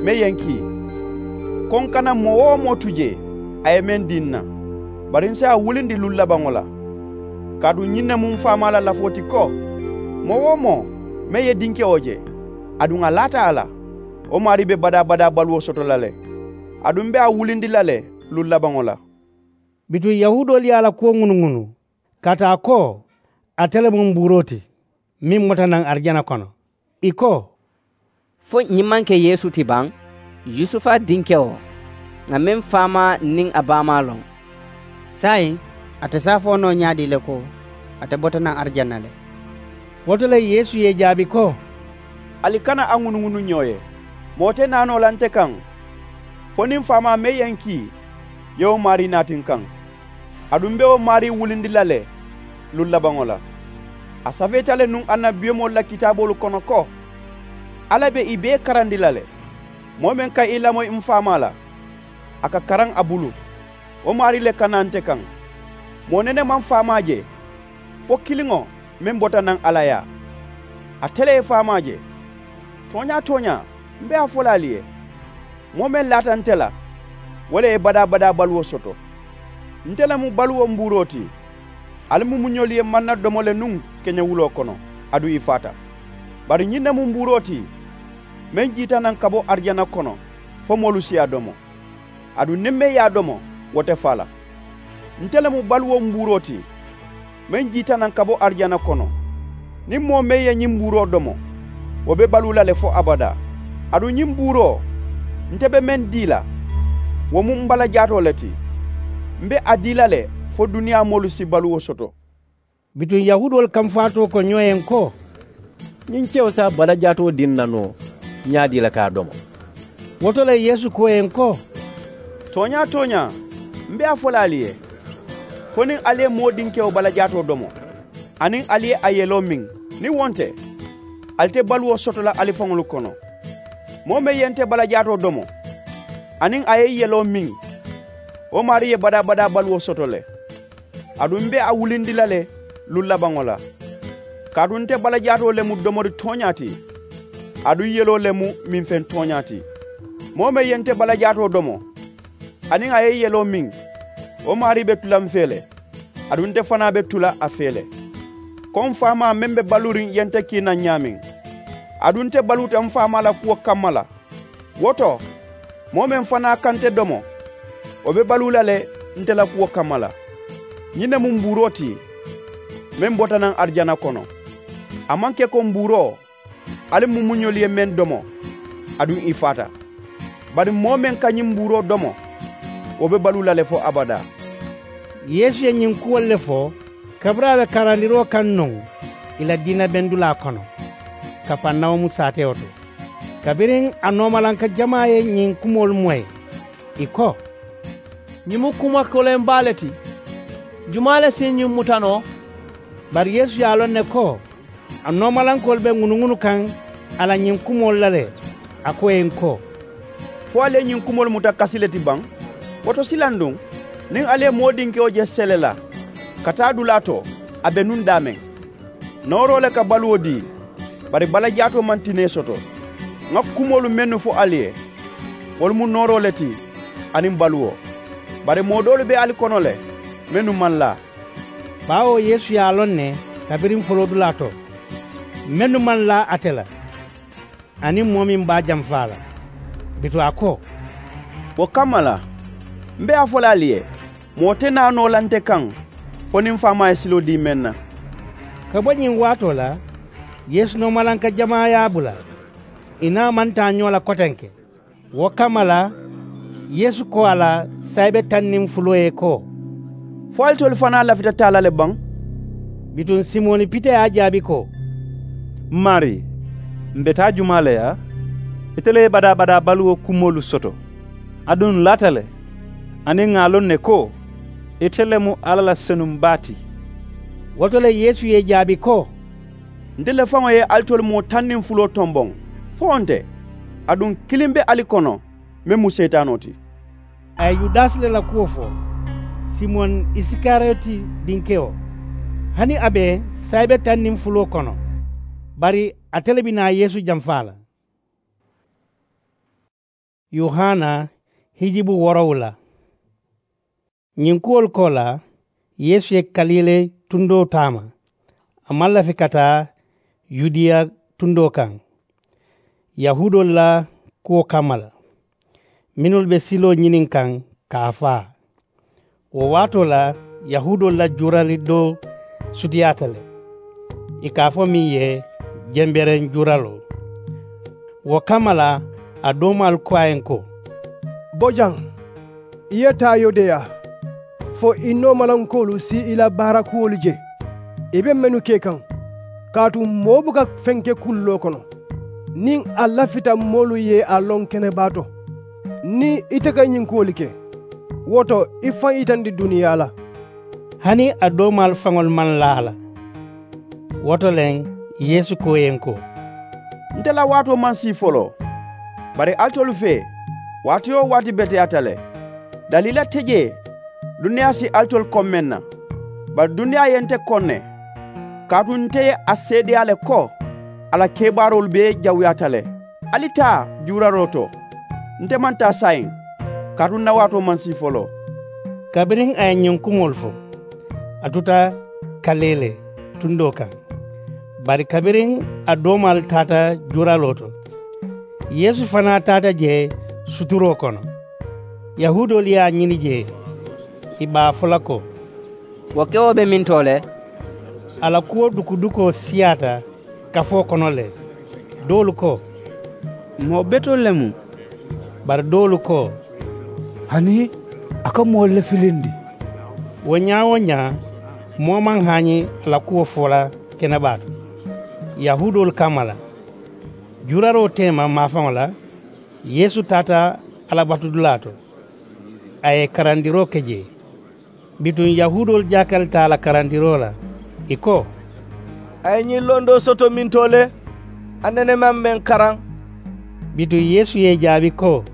meŋ ye n kii, ko n kana moo-wo-moo tu jee a ye meŋ dii n na, bari n si a wulindi luŋ labaŋo la. Kaatu ñiŋ ne mu m faamaa la lafoo ti ko, moo-wo-moo meŋ ye dinkewo je, aduŋ a laata a la, wo maarii be badaa-badaa baluwo soto la le. Aduŋ m be a wulindi la le luŋ labaŋo la. Bituŋ yahuudoolu ye a la kuwo ŋunuŋunu kaatu a ko, ate le mu mbuuroo ti meŋ bota naŋ arijana kono. Ì ko, fo ñiŋ maŋ ke yeesu ti baŋ, yusufa dinkewo, ŋà meŋ faamaa niŋ a baamaa loŋ? Saayiŋ ate si a fo noo ñaadii le ko ate bota naŋ arijana le? Wo to le yeesu ye ì jaabi ko, ali kana a ŋunuŋunu ñoo ye. Moo te naa noo la nte kaŋ fo niŋ m faamaa meŋ ye n kii ye wo maarii naati n kaŋ. Aduŋ m be wo maarii wulindi la le luŋ labaŋo la. A safeeta le nuŋ annabiyomoolu la kitaaboolu kono ko, alla be ì bee karandi la le. Moo meŋ ka ì lamoyi m faamaa la, a ka karaŋ a bulu. Wo maarii le ka naa nte kaŋ. Moo nene maŋ faamaa je fo kiliŋo meŋ bota naŋ alla yaa, ate le ye faamaa je. Tooñaa-tooñaa, m be a fo la ali ye, moo meŋ laata nte la, wo le ye badaa-badaa baluwo soto. Nte le mu baluwo mbuuroo ti. Ali mumuñolu ye manna domo le nuŋ keñewuloo kono, aduŋ ì faata. Bari ñiŋ ne mu mbuuroo ti meŋ jiita naŋ ka bo arijana kono fo moolu si a domo. Aduŋ niŋ meŋ ye a domo, wo te faa la. Nte le mu baluwo mbuuroo ti meŋ jiita naŋ ka bo arijana kono. Niŋ moo meŋ ye ñiŋ mbuuroo domo, wo be baluu la le fo abadaa. Aduŋ ñiŋ mbuuroo nte be meŋ dii la, wo mu m balajaatoo le ti. M be a dii la le fo duniyaa moolu si baluwo soto. Bituŋ yahuudoolu kamfaatoo ko ñoo ye n ko, ñiŋ kewo si a balajaatoo dii n na noo ñaadii le ka a domo? Wo to le yeesu ko ì ye n ko, tooñaa-tooñaa, m be a fo la ali ye, fo niŋ ali ye moo dinkewo balajaatoo domo, aniŋ ali ye a yeloo miŋ, niŋ wo nte, ali te baluwo soto la ali faŋolu kono. Moo meŋ ye nte balajaatoo domo, aniŋ a ye yeloo miŋ, wo maarii ye badaa-badaa baluwo soto le. Aduŋ m be a wulindi la le luŋ labaŋo la. Kaatu nte balajaatoo le mu domori tooñaa ti, aduŋ yeloo le mu minfeŋ tooñaa ti. Moo meŋ ye nte balajaatoo domo, aniŋ a ye yeloo miŋ, wo maarii be tu la m fee le, aduŋ nte fanaa be tu la a fee le. Ko m faamaa meŋ be baluuriŋ ye nte kii naŋ ñaameŋ, aduŋ nte baluuta m faamaa la kuwo kamma la, wo to, moo meŋ fanaa ka nte domo, wo be baluu la le nte la kuwo kamma la. Ñiŋ ne mu mbuuroo ti meŋ bota naŋ arijana kono. A maŋ ke ko mbuuroo ali mumuñolu ye meŋ domo, aduŋ ì faata. Bari moo meŋ ka ñiŋ mbuuroo domo, wo be baluu la le fo abadaa. Yeesu ye ñiŋ kuwolu le fo kabiriŋ a be karandiroo kaŋ nuŋ ì la diina bendulaa kono, kapannawumu saatewo to. Kabiriŋ a noomalanka jamaa ye ñiŋ kumoolu moyi, ì ko, ñiŋ mu kuma koleŋ baa le ti. Jumaa le si ñiŋ muta noo? Bari yeesu ye a loŋ ne ko a noomalankoolu be ŋunuŋunu kaŋ a la ñiŋ kumoolu la le. A ko ì ye n ko, fo ali ye ñiŋ kumoolu muta kasi le ti baŋ? Wo to silanduŋ, niŋ ali ye moo dinkewo je sele la ka taa dulaa to, a be nuŋ daameŋ. Nooroo le ka baluwo dii, bari balajaatoo maŋ tinee soto. Ŋa kumoolu mennu fo ali ye, wolu mu nooroo le ti aniŋ baluwo. Bari moo doolu be ali kono le, mennu maŋ laa. Baawo yeesu ye a loŋ ne kabiriŋ foloodulaa to, mennu maŋ laa ate la, aniŋ moo meŋ be a jamfaa la. Bituŋ a ko, wo kamma la, m be a fo la ali ye, moo te naa noo la nte kaŋ fo niŋ faamaa ye siloo dii meŋ na. Ka bo ñiŋ waatoo la, yeesu noomalanka jamaa ye a bula. Ì naa maŋ taa ñoo la kotenke. Wo kamma la, yeesu ko a la saayibe taŋ niŋ fuloo ye ko, fo alitolu fanaa lafita taa la le baŋ? Bituŋ simoni pita ye a jaabi ko, m maarii, m be taa jumaa le yaa? Ite le ye badaa-badaa baluwo kumoolu soto, aduŋ n laata le, aniŋ ŋà a loŋ ne ko ite le mu alla la senuŋ baa ti. Wo to le yeesu ye ì jaabi ko, nte le faŋo ye alitolu moo taŋ niŋ fuloo tomboŋ fo nte, aduŋ kiliŋ be ali kono meŋ mu seetaanoo ti. A ye yudasi le la kuwo fo, simoni isikariyoti dinkewo, hani a be saayibe taŋ niŋ fuloo kono, bari ate le bi naa yeesu jamfaa la. Yohana hijibu woorowula. Ñiŋ kuwolu koolaa, yeesu ye kalile tundoo taama. A maŋ lafi ka taa yudiya tundoo kaŋ, yahuudoolu la kuwo kamma la, mennu be siloo ñiniŋ kaŋ ka a faa. Wo waatoo la, yahuudoolu la juurali doo sutiyaata le, ì ka a fo meŋ ye jembereŋ juuraloo. Wo kamma la, a doomaalu ko a ye ko, bo jaŋ, i ye taa yudeya, fo i noomalankoolu si i la baarakuwolu je i be mennu ke kaŋ. Kaatu moo buka feŋ ke kulloo kono niŋ a lafita moolu ye a loŋ kenebaa to. Niŋ ite ka ñiŋ kuwolu ke, wo to i faŋ yitandi duniyaa la. Hani a doomaalu faŋolu maŋ laa a la. Wo to le, yeesu ko ì ye ko, nte la waatoo maŋ sii foloo, bari alitolu fee, waati-wo-waati beteyaata le. Daliila te jee duniyaa si alitolu koŋ meŋ na, bari duniyaa ye nte koŋ ne. Kaatu nte ye a seedeyaa le ko a la kebaaroolu bee jawuyaata le. Ali taa juuraroo to. Nte maŋ taa saayiŋ, kaatu n na waatoo maŋ sii foloo. Kabiriŋ a ye ñiŋ kumoolu fo, a tuta kalile tundoo kaŋ. Bari kabiriŋ a doomaalu taata juuraloo to, yeesu fanaa taata jee suturoo kono. Yahuudoolu ye a ñini jee, ì be a fo la ko, wo kewo be mintoo le? A la kuwo duku-dukoo siyaata kafoo kono le. Doolu ko, moo betoo le mu. Bari doolu ko, hani a ka moolu le filindi. Wo ñaa-wo-ñaa, moo maŋ haañi a la kuwo fo la kenebaa to, yahuudoolu kamma la. Juuraroo teema maafaŋo la, yeesu taata alla batudulaa to, a ye karandiroo ke jee. Bituŋ yahuudoolu jaakalita a la karandiroo la, ì ko, a ye ñiŋ londoo soto mintoo le? A nene maŋ meŋ karaŋ. Bituŋ yeesu ye ì jaabi ko,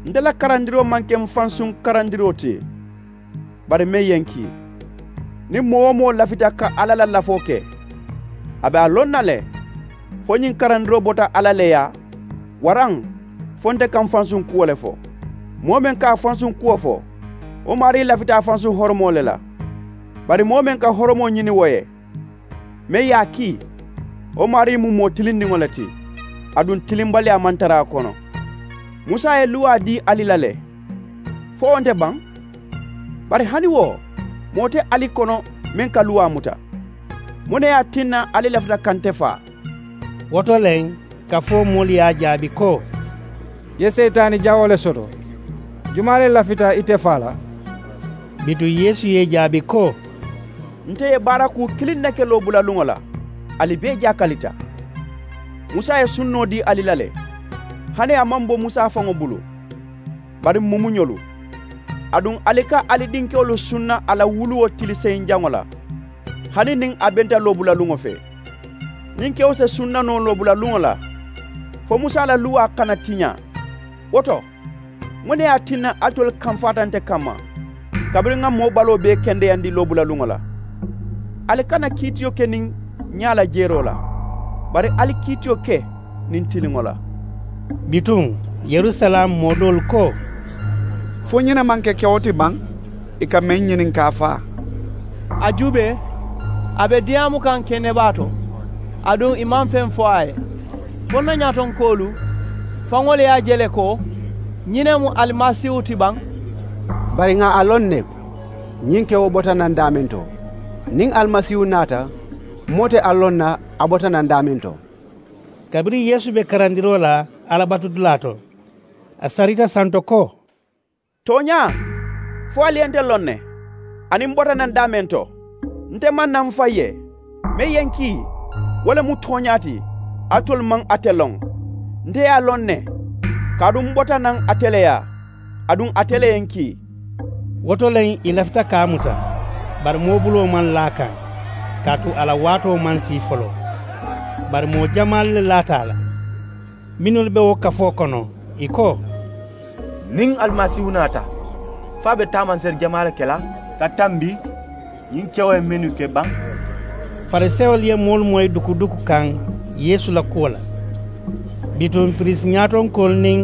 nte la karandiroo maŋ ke m̀ fansuŋ karandiroo ti, bari meŋ ye ǹ kii. Niŋ moo-wo-moo lafita ka alla la lafoo ke, a be a loŋ na le fo ñiŋ karandiroo bota alla le yaa, waraŋ fo nte ka m̀ fansuŋ kuwo le fo. Moo meŋ ka a fansuŋ kuwo fo, wo maarii lafita a fansuŋ horomoo le la. Bari moo meŋ ka horomoo ñini wo ye, meŋ ye a kii, wo maarii mu moo tilindiŋo le ti, aduŋ tilimbaliyaa maŋ tara a kono. Musa ye luwaa dii ali la le, fo wo nte baŋ? Bari hani wo, moo te ali kono meŋ ka luwaa muta. Muŋ ne ye a tinna ali lafita ka nte faa? Wo to le, kafoo moolu ye a jaabi ko, i ye seyitaani jawoo le soto. Jumaa le lafita ite faa la? Bituŋ yeesu ye ì jaabi ko, nte ye baarakuu kiliŋ ne ke loobulalluŋo la, ali bee jaakalita. Musa ye sunnoo dii ali la le, hani a maŋ bo musa faŋo bulu, bari m̀ mumuñolu. Aduŋ ali ka ali dinkewolu sunna a la wuluwo tili seyiŋ jaŋo la. hani niŋ a benta loobulaluŋo fee. Niŋ kewo se sunna noo loobulaluŋo la, fo musa la luwaa kana tiñaa. Wo to, muŋ ne ye a tinna alitolu kamfaata nte kamma, kabiriŋ ŋa moo baloo bee kendeyandi loobulaluŋo la? Ali kana kiitiyo ke niŋ ñaa la jeeroo la, bari ali kiitiyo ke niŋ tiliŋo la. Bituŋ, yerusalaamu moo doolu ko, fo ñiŋ ne maŋ ke kewo ti baŋ? Ì ka meŋ ñininkaa faa. A juubee, a be diyaamu kaŋ kenebaa to, aduŋ ì maŋ feŋ fo a ye. Fo n na ñaatonkoolu faŋolu ye a je le ko ñiŋ ne mu alimasiihu ti baŋ? Bari ŋà a loŋ ne, ñiŋ kewo bota naŋ daameŋ to. Niŋ alimasiihu naata, moo te a loŋ na a bota naŋ daameŋ to. Kabiriŋ yeesu be karandiroo la alabatudulaa to, a sarita santo ko, tooñaa, fo ali ye nte loŋ ne, aniŋ m bota naŋ daameŋ to? Nte maŋ na m fayi ye, meŋ ye n kii, wo le mu tooñaa ti. Alitolu maŋ ate loŋ. Nte ye a loŋ ne, kaatu m bota naŋ ate le yaa, aduŋ ate le ye n kii. Wo to le ì lafita ka a muta, bari moo buloo maŋ laa a kaŋ, kaatu a la waatoo maŋ sii foloo. Bari moo jamaalu le laata a la, mennu be wo kafoo kono, ì ko, niŋ alimasiihu naata, fo a be taamanseri jamaa le ke la ka tambi ñiŋ kewo ye mennu ke baŋ? Farisewolu ye moolu moyi dukuduku kaŋ yeesu la kuwo la. Bituŋ piriisi ñaatonkoolu niŋ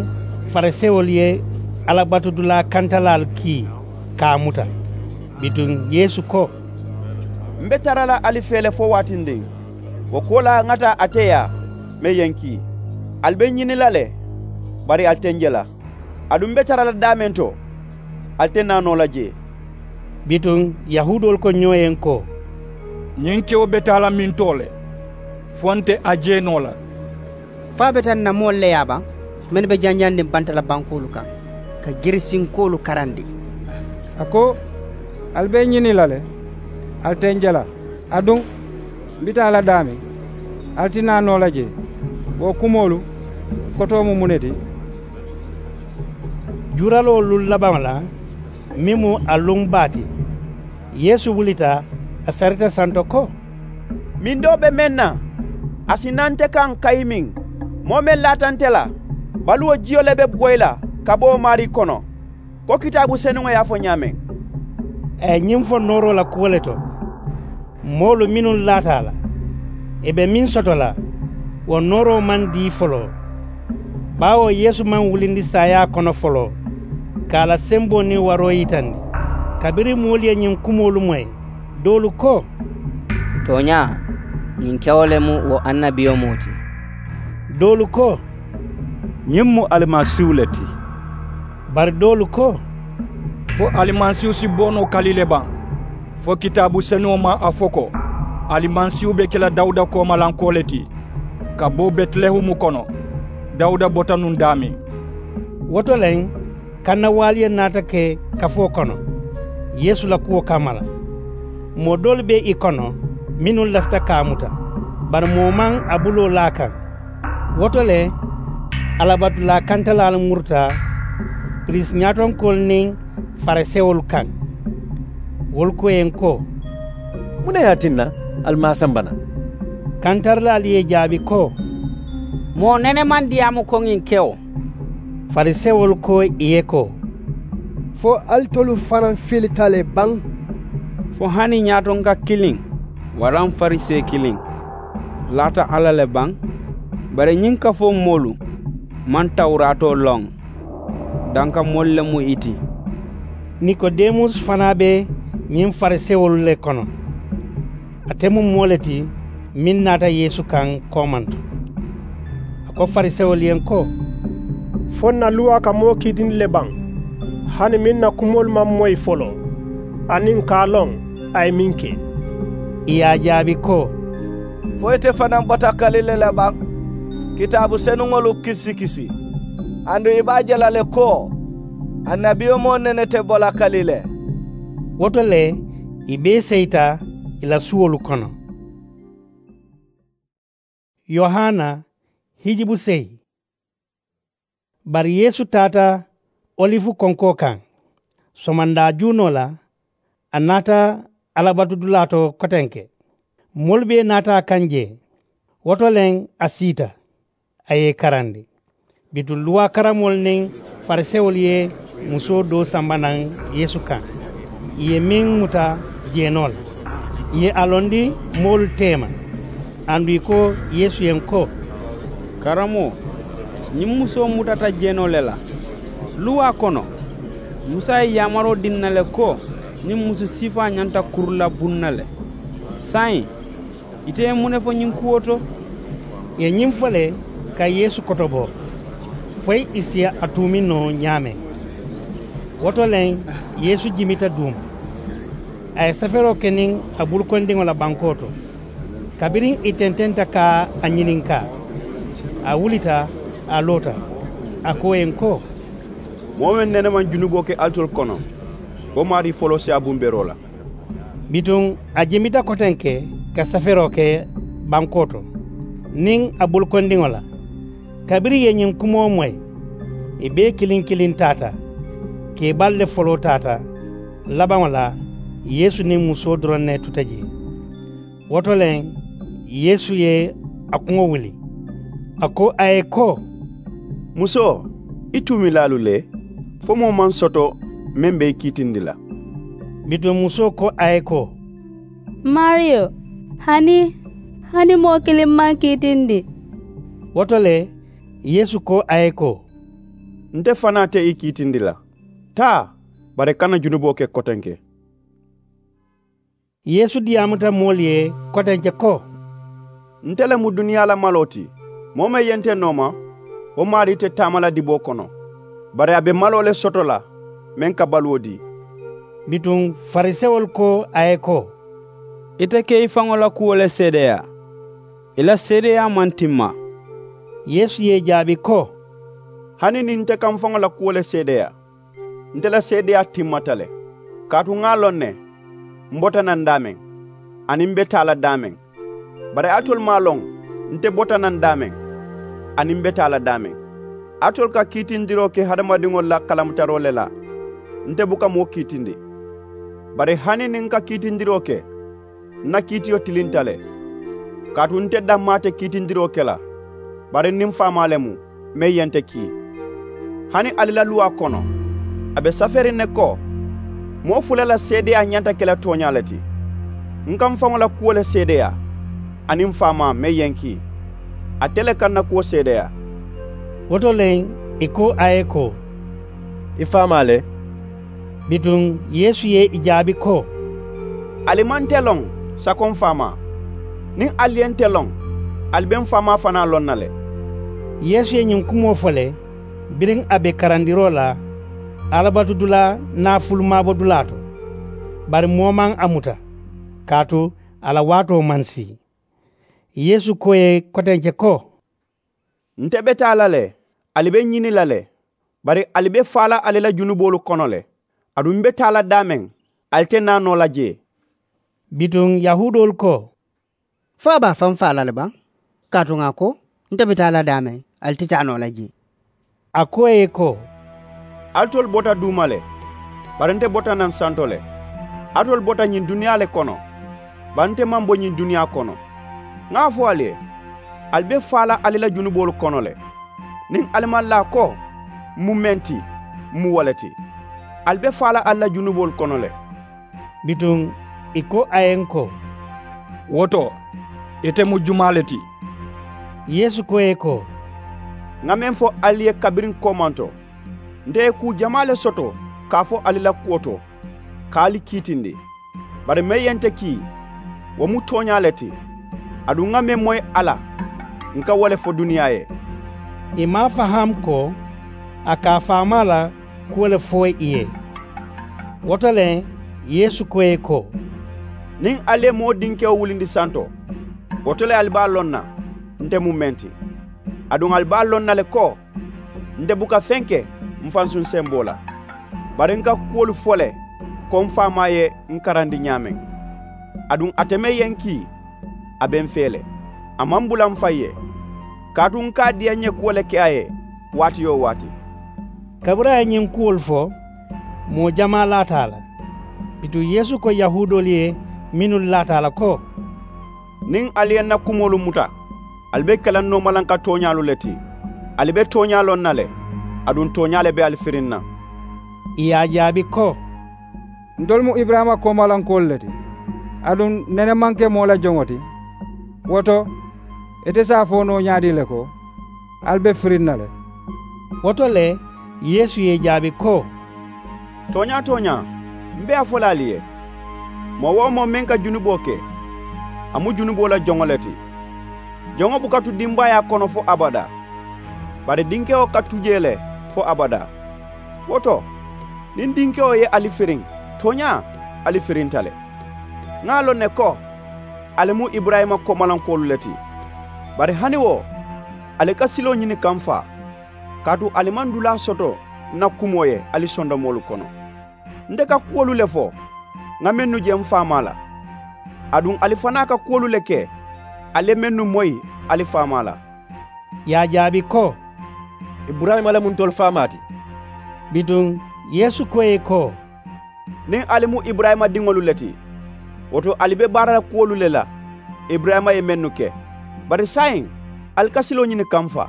farisewolu ye alabatudulaa kantalaalu kii ka a muta. Bituŋ yeesu ko, m be tara la ali fee le fo waatindiŋ. Wo kuwo la ŋa taa ate yaa, meŋ ye n kii. Ali be n ñini la le, bari ali te n je la. Aduŋ m be tara la daameŋ to, ali te naa noo la jee. Bituŋ yahuudoolu ko ñoo ye n ko, ñiŋ kewo be taa la mintoo le, fo nte a je noo la. Fo a beta n na moolu le ye a baŋ, mennu be janjandiŋ banta la bankoolu kaŋ, ka girisinkoolu karandi. A ko, ali be n ñini la le, ali te n je la. Aduŋ m bi taa la daameŋ, ali ti naa noo la jee. Wo kumoolu kotoo mu muŋ ne ti? Juuraloo luŋ labaŋo la, meŋ mu a luŋ baa ti, yeesu wulita, a sarita santo ko, mindoo be meŋ na, a si naa nte kaŋ kayimiŋ. Moo meŋ laata nte la, baluwo jiyo le be boyi la ka bo wo maarii kono, ko kitaabu senuŋo ye a fo ñaameŋ. A ye ñiŋ fo nooroo la kuwo le to. Moolu mennu laata a la, ì be meŋ soto la, wo nooroo maŋ dii foloo. Baawo yeesu maŋ wulindi saayaa kono foloo, ka a la semboo niŋ waroo yitandi. Kabiriŋ moolu ye ñiŋ kumoolu moyi, doolu ko, tooñaa, ñiŋ kewo le mu wo annabiyomoo ti. Doolu ko, ñiŋ mu alimasiihu le ti. Bari doolu ko, fo alimasiihu si bo noo kali le baŋ? Fo kitaabu senuŋo maŋ a fo ko, alimasiihu be ke la dawuda koomalankoo le ti, ka bo betilehemu kono. Dawuda bota nuŋ daameŋ. Wo to le, kannawaalu ye naata ke kafoo kono yeesu la kuwo kamma la. Moo doolu be ì kono, mennu lafita ka a muta, bari moo maŋ a buloo laa a kaŋ. Wo to le, alabatulaa kantalaalu muruta piriisi ñaatonkoolu niŋ farisewolu kaŋ. Wolu ko ì ye n ko, muŋ ne ye a tinna ali maŋ a samba naŋ? Kantarilaalu ye ì jaabi ko, moo nene maŋ diyaamu ko ñiŋ kewo. Farisewolu ko ì ye ko, fo alitolu fanaa filita le baŋ? Fo hani ñaatonka kiliŋ waraŋ farisee kiliŋ laata alla le baŋ? Bari ñiŋ kafoo moolu maŋ tawuraatoo loŋ. Danka moolu le mu ì ti. Nikodemusi fanaa be ñiŋ farisewolu le kono. Ate mu moo le ti meŋ naata yeesu kaŋ koomanto. A ko farisewolu ye n ko, fo n na luwaa ka moo kiitindi le baŋ, hani meŋ na kumoolu maŋ moyi foloo, aniŋ ka a loŋ a ye meŋ ke? Ì ye a jaabi ko, fo ite fanaa bota kali le la baŋ? Kitaabu senuŋolu kisikisi, aduŋ i be a je la le ko annabiyomoo nene te bo la kali le. Wo to le, ì bee seyita ì la suwolu kono. Yohana, hijibu seyi. Bari yeesu taata olifu konkoo kaŋ. Somandaa juunoo la, a naata alabatudulaa to kotenke. Moolu bee naata a kaŋ jee. Wo to le a siita, a ye i karandi. Bituŋ luwaa karammoolu niŋ farisewolu ye musoo doo samba naŋ yeesu kaŋ, ì ye meŋ muta jeenoo la, ì ye a londi moolu teema. Aduŋ ì ko yeesu ye ko, karamoo, ñiŋ musoo mutata jeenoo le la. Luwaa kono, musa ye yaamaroo dii ǹ na le ko, niŋ musu siifaa ñanta kuru la buŋ na le. Saayiŋ ite ye muŋ ne fo ñiŋ kuwo to? Ì ye ñiŋ fo le ka yeesu kotobo, foyi ì si a tuumi noo ñaameŋ. Wo to le yeesu jimita duuma, a ye safeeroo ke niŋ a bulukondiŋo la bankoo to. Kabiriŋ ì tententa ka a ñininkaa, a wulita, a loota, a ko ì ye ko, moo meŋ nene maŋ junuboo ke alitolu kono, wo maarii foloo si a bumberoo la. Bituŋ a jimita kotenke ka safeeroo ke bankoo to niŋ a bulukondiŋo la. Kabiriŋ ì ye ñiŋ kumoo moyi, ì bee kiliŋ kiliŋ taata. Keebaalu le foloo taata. Labaŋo la, yeesu niŋ musoo doroŋ ne tuta jee. Wo to le yeesu ye a kuŋo wuli, a ko a ye ko, musoo, i tuumilaalu le, fo moo maŋ soto meŋ be i kiitindi la. Bituŋ musoo ko a ye ko, maariyo, hani hani moo kiliŋ maŋ kiitindi. Wo to le yeesu ko a ye ko, nte fanaa te i kiitindi la. Taa, bari i kana junuboo ke kotenke. Yeesu diyaamuta moolu ye kotenke ko, nte le mu duniyaa la maloo ti. Moo meŋ ye nte nooma, wo maarii te taama la diboo kono, bari a be maloo le soto la meŋ ka baluwo dii. Bituŋ farisewolu ko a ye ko, ite ke i faŋo la kuwo le seedeyaa, i la seedeyaa maŋ timma. Yeesu ye ì jaabi ko, hani niŋ nte ka m faŋo la kuwo le seedeyaa, nte la seedeyaa timmata le. Kaatu ŋa a loŋ ne m bota naŋ daameŋ, aniŋ m be taa la daameŋ. Bari alitolu maŋ a loŋ nte bota naŋ daameŋ, aniŋ m be taa la daameŋ. Alitolu ka kiitindiroo ke hadamadiŋolu la kalamutaroo le la. Nte buka moo kiitindi. Bari hani niŋ n ka kiitindiroo ke, n na kiitiyo tilinta le. Kaatu nte dammaa te kiitindiroo ke la, bari n niŋ faamaa le mu, meŋ ye nte kii. Hani ali la luwaa kono, a be safeeriŋ ne ko, moo fula la seedeyaa ñanta ke la tooñaa le ti. N ka m faŋo la kuwo le seedeyaa, aniŋ m faamaa meŋ ye n kii, ate le ka n na kuwo seedeyaa. Wo to le ì ko a ye ko, i faamaa le? Bituŋ yeesu ye ì jaabi ko, ali maŋ nte loŋ sako m faamaa? Niŋ ali ye nte loŋ, ali be m faamaa fanaa loŋ na le. Yeesu ye ñiŋ kumoo fo le, biriŋ a be karandiroo la alabatudulaa naafulumaabodulaa to. Bari moo maŋ a muta, kaatu a la waatoo maŋ sii. Yeesu ko ì ye kotenke ko, nte be taa la le, ali be ǹ ñini la le. Bari ali be faa la ali la junuboolu kono le. Aduŋ m be taa la daameŋ, ali te naa noo la jee. Bituŋ yahuudoolu ko, fo a be a faŋ faa la le baŋ? Kaatu ŋà a ko, nte be taa la daameŋ, ali te taa noo la jee. A ko ì ye ko, alitolu bota duuma le, bari nte bota naŋ santo le. Alitolu bota ñiŋ duniyaa le kono, bari nte maŋ bo ñiŋ duniyaa kono. Ŋà a fo ali ye, ali be faa la ali la junuboolu kono le. Niŋ ali maŋ laa ko, m mu meŋ ti, m mu wo le ti, ali be faa la ali la junuboolu kono le. Bituŋ ì ko a ye ǹ ko, wo to, ite mu jumaa le ti? Yeesu ko ì ye ko, ŋà meŋ fo ali ye kabiriŋ koomanto, nte ye kuu jamaa le soto ka a fo ali la kuwo to, ka ali kiitindi. Bari meŋ ye nte kii, wo mu tooñaa le ti. Aduŋ ŋà meŋ moyi a la, ǹ ka wo le fo duniyaa ye. Ì maŋ a faham ko a ka a faamaa la kuwo le fo ì ye. Wo to le yeesu ko ì ye ko, niŋ ali ye moo dinkewo wulindi santo, wo to le ali be a loŋ na nte mu meŋ ti. Aduŋ ali be a loŋ na le ko, nte buka feŋ ke m fansuŋ semboo la. Bari ǹ ka kuwolu fo le ko m faamaa ye ǹ karandi ñaameŋ. Aduŋ ate meŋ ye ǹ kii, a be m fee le. A maŋ bula m faŋ ye, kaatu ǹ ka a diya ǹ ye kuwo le ke a ye waati-wo-waati. Kabiriŋ a ye ñiŋ kuwolu fo, moo jamaa laata a la. Bituŋ yeesu ko yahuudoolu ye mennu laata a la ko, Niŋ ali ye n na kumoolu muta, ali be ke la noomalanka tooñaalu le ti. Ali be tooñaa loŋ na le, aduŋ tooñaa le be ali firiŋ na. Ì ye a jaabi ko, ntolu mu iburayima koomalankoolu le ti, aduŋ nene maŋ ke moo la joŋo ti. Wo to, ite si a fo noo ñaadii le ko, ali be firiŋ na le? Wo to le, yeesu ye ì jaabi ko, tooñaa tooñaa, m be a fo la ali ye, moo-wo-moo meŋ ka junuboo ke, a mu junuboo la joŋo le ti. Joŋo buka tu dimbaayaa kono fo abadaa, bari dinkewo ka tu jee le fo abadaa. Wo to, niŋ dinkewo ye ali firiŋ, tooñaa ali firinta le. Ŋà a loŋ ne ko, ali mu iburayima koomalankoolu le ti. Bari hani wo, ali ka siloo ñini ka m faa, kaatu ali maŋ dulaa soto n na kumoo ye ali sondomoolu kono. Nte ka kuwolu le fo ŋà mennu je m faamaa la, aduŋ ali fanaa ka kuwolu le ke ali ye mennu moyi ali faamaa la. Ì ye a jaabi ko, iburayima le mu ntolu faamaa ti. Bituŋ yeesu ko ì ye ko, niŋ ali mu iburayima diŋolu le ti, wo to ali be baara la kuwolu le la iburayima ye mennu ke. Bari saayiŋ, ali ka siloo ñini ka m faa.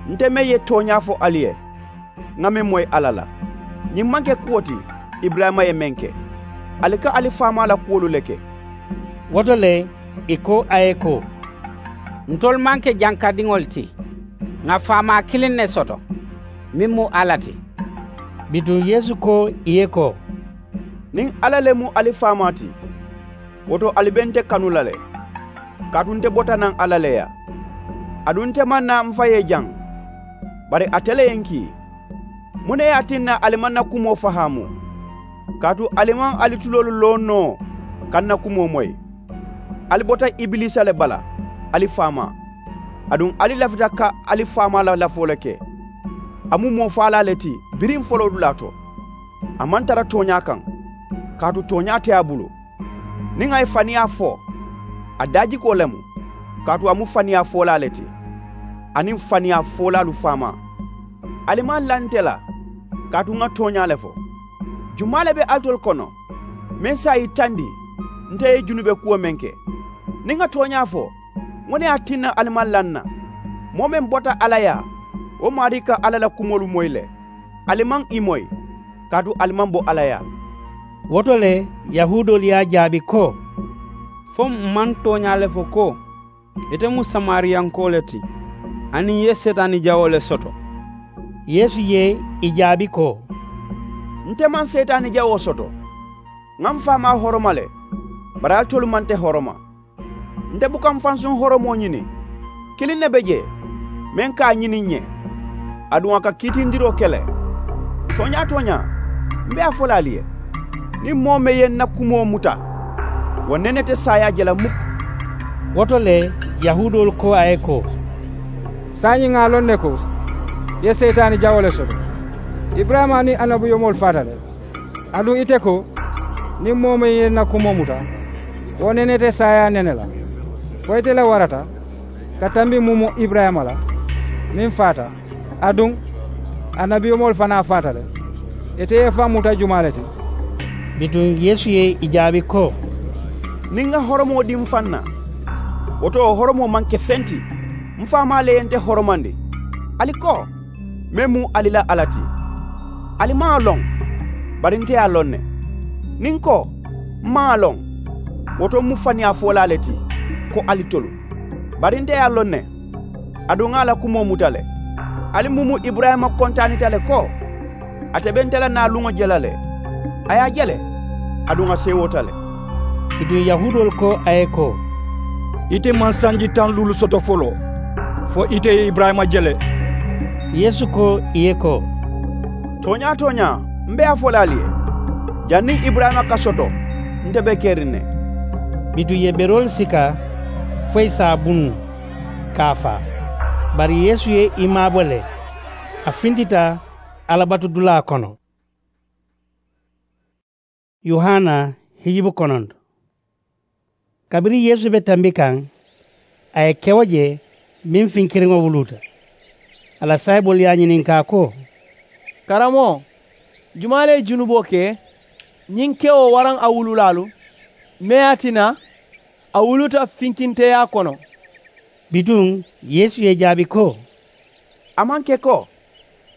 Nte meŋ ye tooñaa fo ali ye, ŋà meŋ moyi alla la, ñiŋ maŋ ke kuwo ti iburayima ye meŋ ke. Ali ka ali faamaa la kuwolu le ke. Wo to le, ì ko a ye ko, ntolu maŋ ke jankadiŋolu ti. Ŋà faamaa kiliŋ ne soto, meŋ mu alla ti. Bituŋ yeesu ko ì ye ko, niŋ alla le mu ali faamaa ti, wo to ali be nte kanu la le, kaatu nte bota naŋ alla le yaa. Aduŋ nte maŋ naa m fa ye jaŋ, bari ate le ye n kii. Muŋ ne ye a tinna ali maŋ na kumoo fahaamu? Kaatu ali maŋ ali tuloolu loŋ noo ka n na kumoo moyi. Ali bota ibiliisa le bala, ali faamaa. Aduŋ ali lafita ka ali faamaa la lafoo le ke. A mu moo faalaa le ti biriŋ foloodulaa to. A maŋ tara tooñaa kaŋ, kaatu tooñaa te a bulu. Niŋ a ye faniyaa fo, a daajikoo le mu, kaatu a mu faniyaa foolaa le ti, aniŋ faniyaa foolaalu faamaa. Ali maŋ la nte la, kaatu ŋà tooñaa le fo. Jumaa le be alitolu kono meŋ si a yitandi nte ye junube kuwo meŋ ke? Niŋ ŋà tooñaa fo, muŋ ne ye a tinna ali maŋ la n na? Moo meŋ bota alla yaa, wo maarii ka alla la kumoolu moyi le. Ali maŋ ì moyi, kaatu ali maŋ bo alla yaa. Wo to le, yahuudoolu ye a jaabi ko, fo m maŋ tooñaa le fo ko, ite mu samariyankoo le ti, aniŋ ì ye seetaani jawoo le soto? Yeesu ye ì jaabi ko, nte maŋ seetaani jawoo soto. Ŋà m faamaa horoma le, bari alitolu maŋ nte horoma. Nte buka m fansuŋ horomoo ñini. Kiliŋ ne be jee, meŋ ka a ñini ǹ ye, aduŋ a ka kiitindiroo ke le. Tooñaa tooñaa, m be a fo la ali ye, niŋ moo meŋ ye n na kumoo muta, wo nene te saayaa je la mukku. Wo to le, yahuudoolu ko a ye ko, saayiŋ ŋà a loŋ ne ko, ì ye seyitaani jawoo le soto. Iburayima niŋ annabiyomoolu faata le. Aduŋ ite ko, niŋ moo meŋ ye n na kumoo muta, wo nene te saayaa nene la. Fo ite le warata ka tambi mumu iburayima la, meŋ faata, aduŋ annabiyomoolu fanaa faata le. Ite ye i faŋ muta jumaa le ti? Bituŋ yeesu ye ì jaabi ko, niŋ ŋa horomoo dii m faŋ na, wo to wo horomoo maŋ ke feŋ ti. M faamaa le ye nte horomandi. Ali ko, meŋ mu ali la alla ti. Ali maŋ a loŋ, bari nte ye a loŋ ne. Niŋ n ko, m maŋ a loŋ, wo to m mu faniyaa foolaa le ti ko alitolu. Bari nte ye a loŋ ne, aduŋ ŋà a la kumoo muta le. Ali mumu iburayima kontaanita le ko, ate be nte la naaluŋo je la le. A ye a je le, aduŋ a seewoota le. Bituŋ yahuudoolu ko a ye ko, ite maŋ sanji taŋ luulu soto foloo, fo ite ye iburayima je le? Yeesu ko ì ye ko, tooñaa tooñaa, m be a fo la ali ye, janniŋ iburayima ka soto, nte be keriŋ ne. Bituŋ ì ye beroolu sika fo ì si a bunu ka a faa. Bari yeesu ye ì maabo le, a fintita alabatudulaa kono. Yohana hijibu kononto. Kabiriŋ yeesu be tambi kaŋ, a ye kewo je meŋ finkiriŋo wuluuta. A la saayiboolu ye a ñininkaa ko, karamoo, jumaa le ye junuboo ke, ñiŋ kewo waraŋ a wululaalu, meŋ ye a tinna A wuluta finkinteyaa kono. Bituŋ yeesu ye i jaabi ko, a maŋ ke ko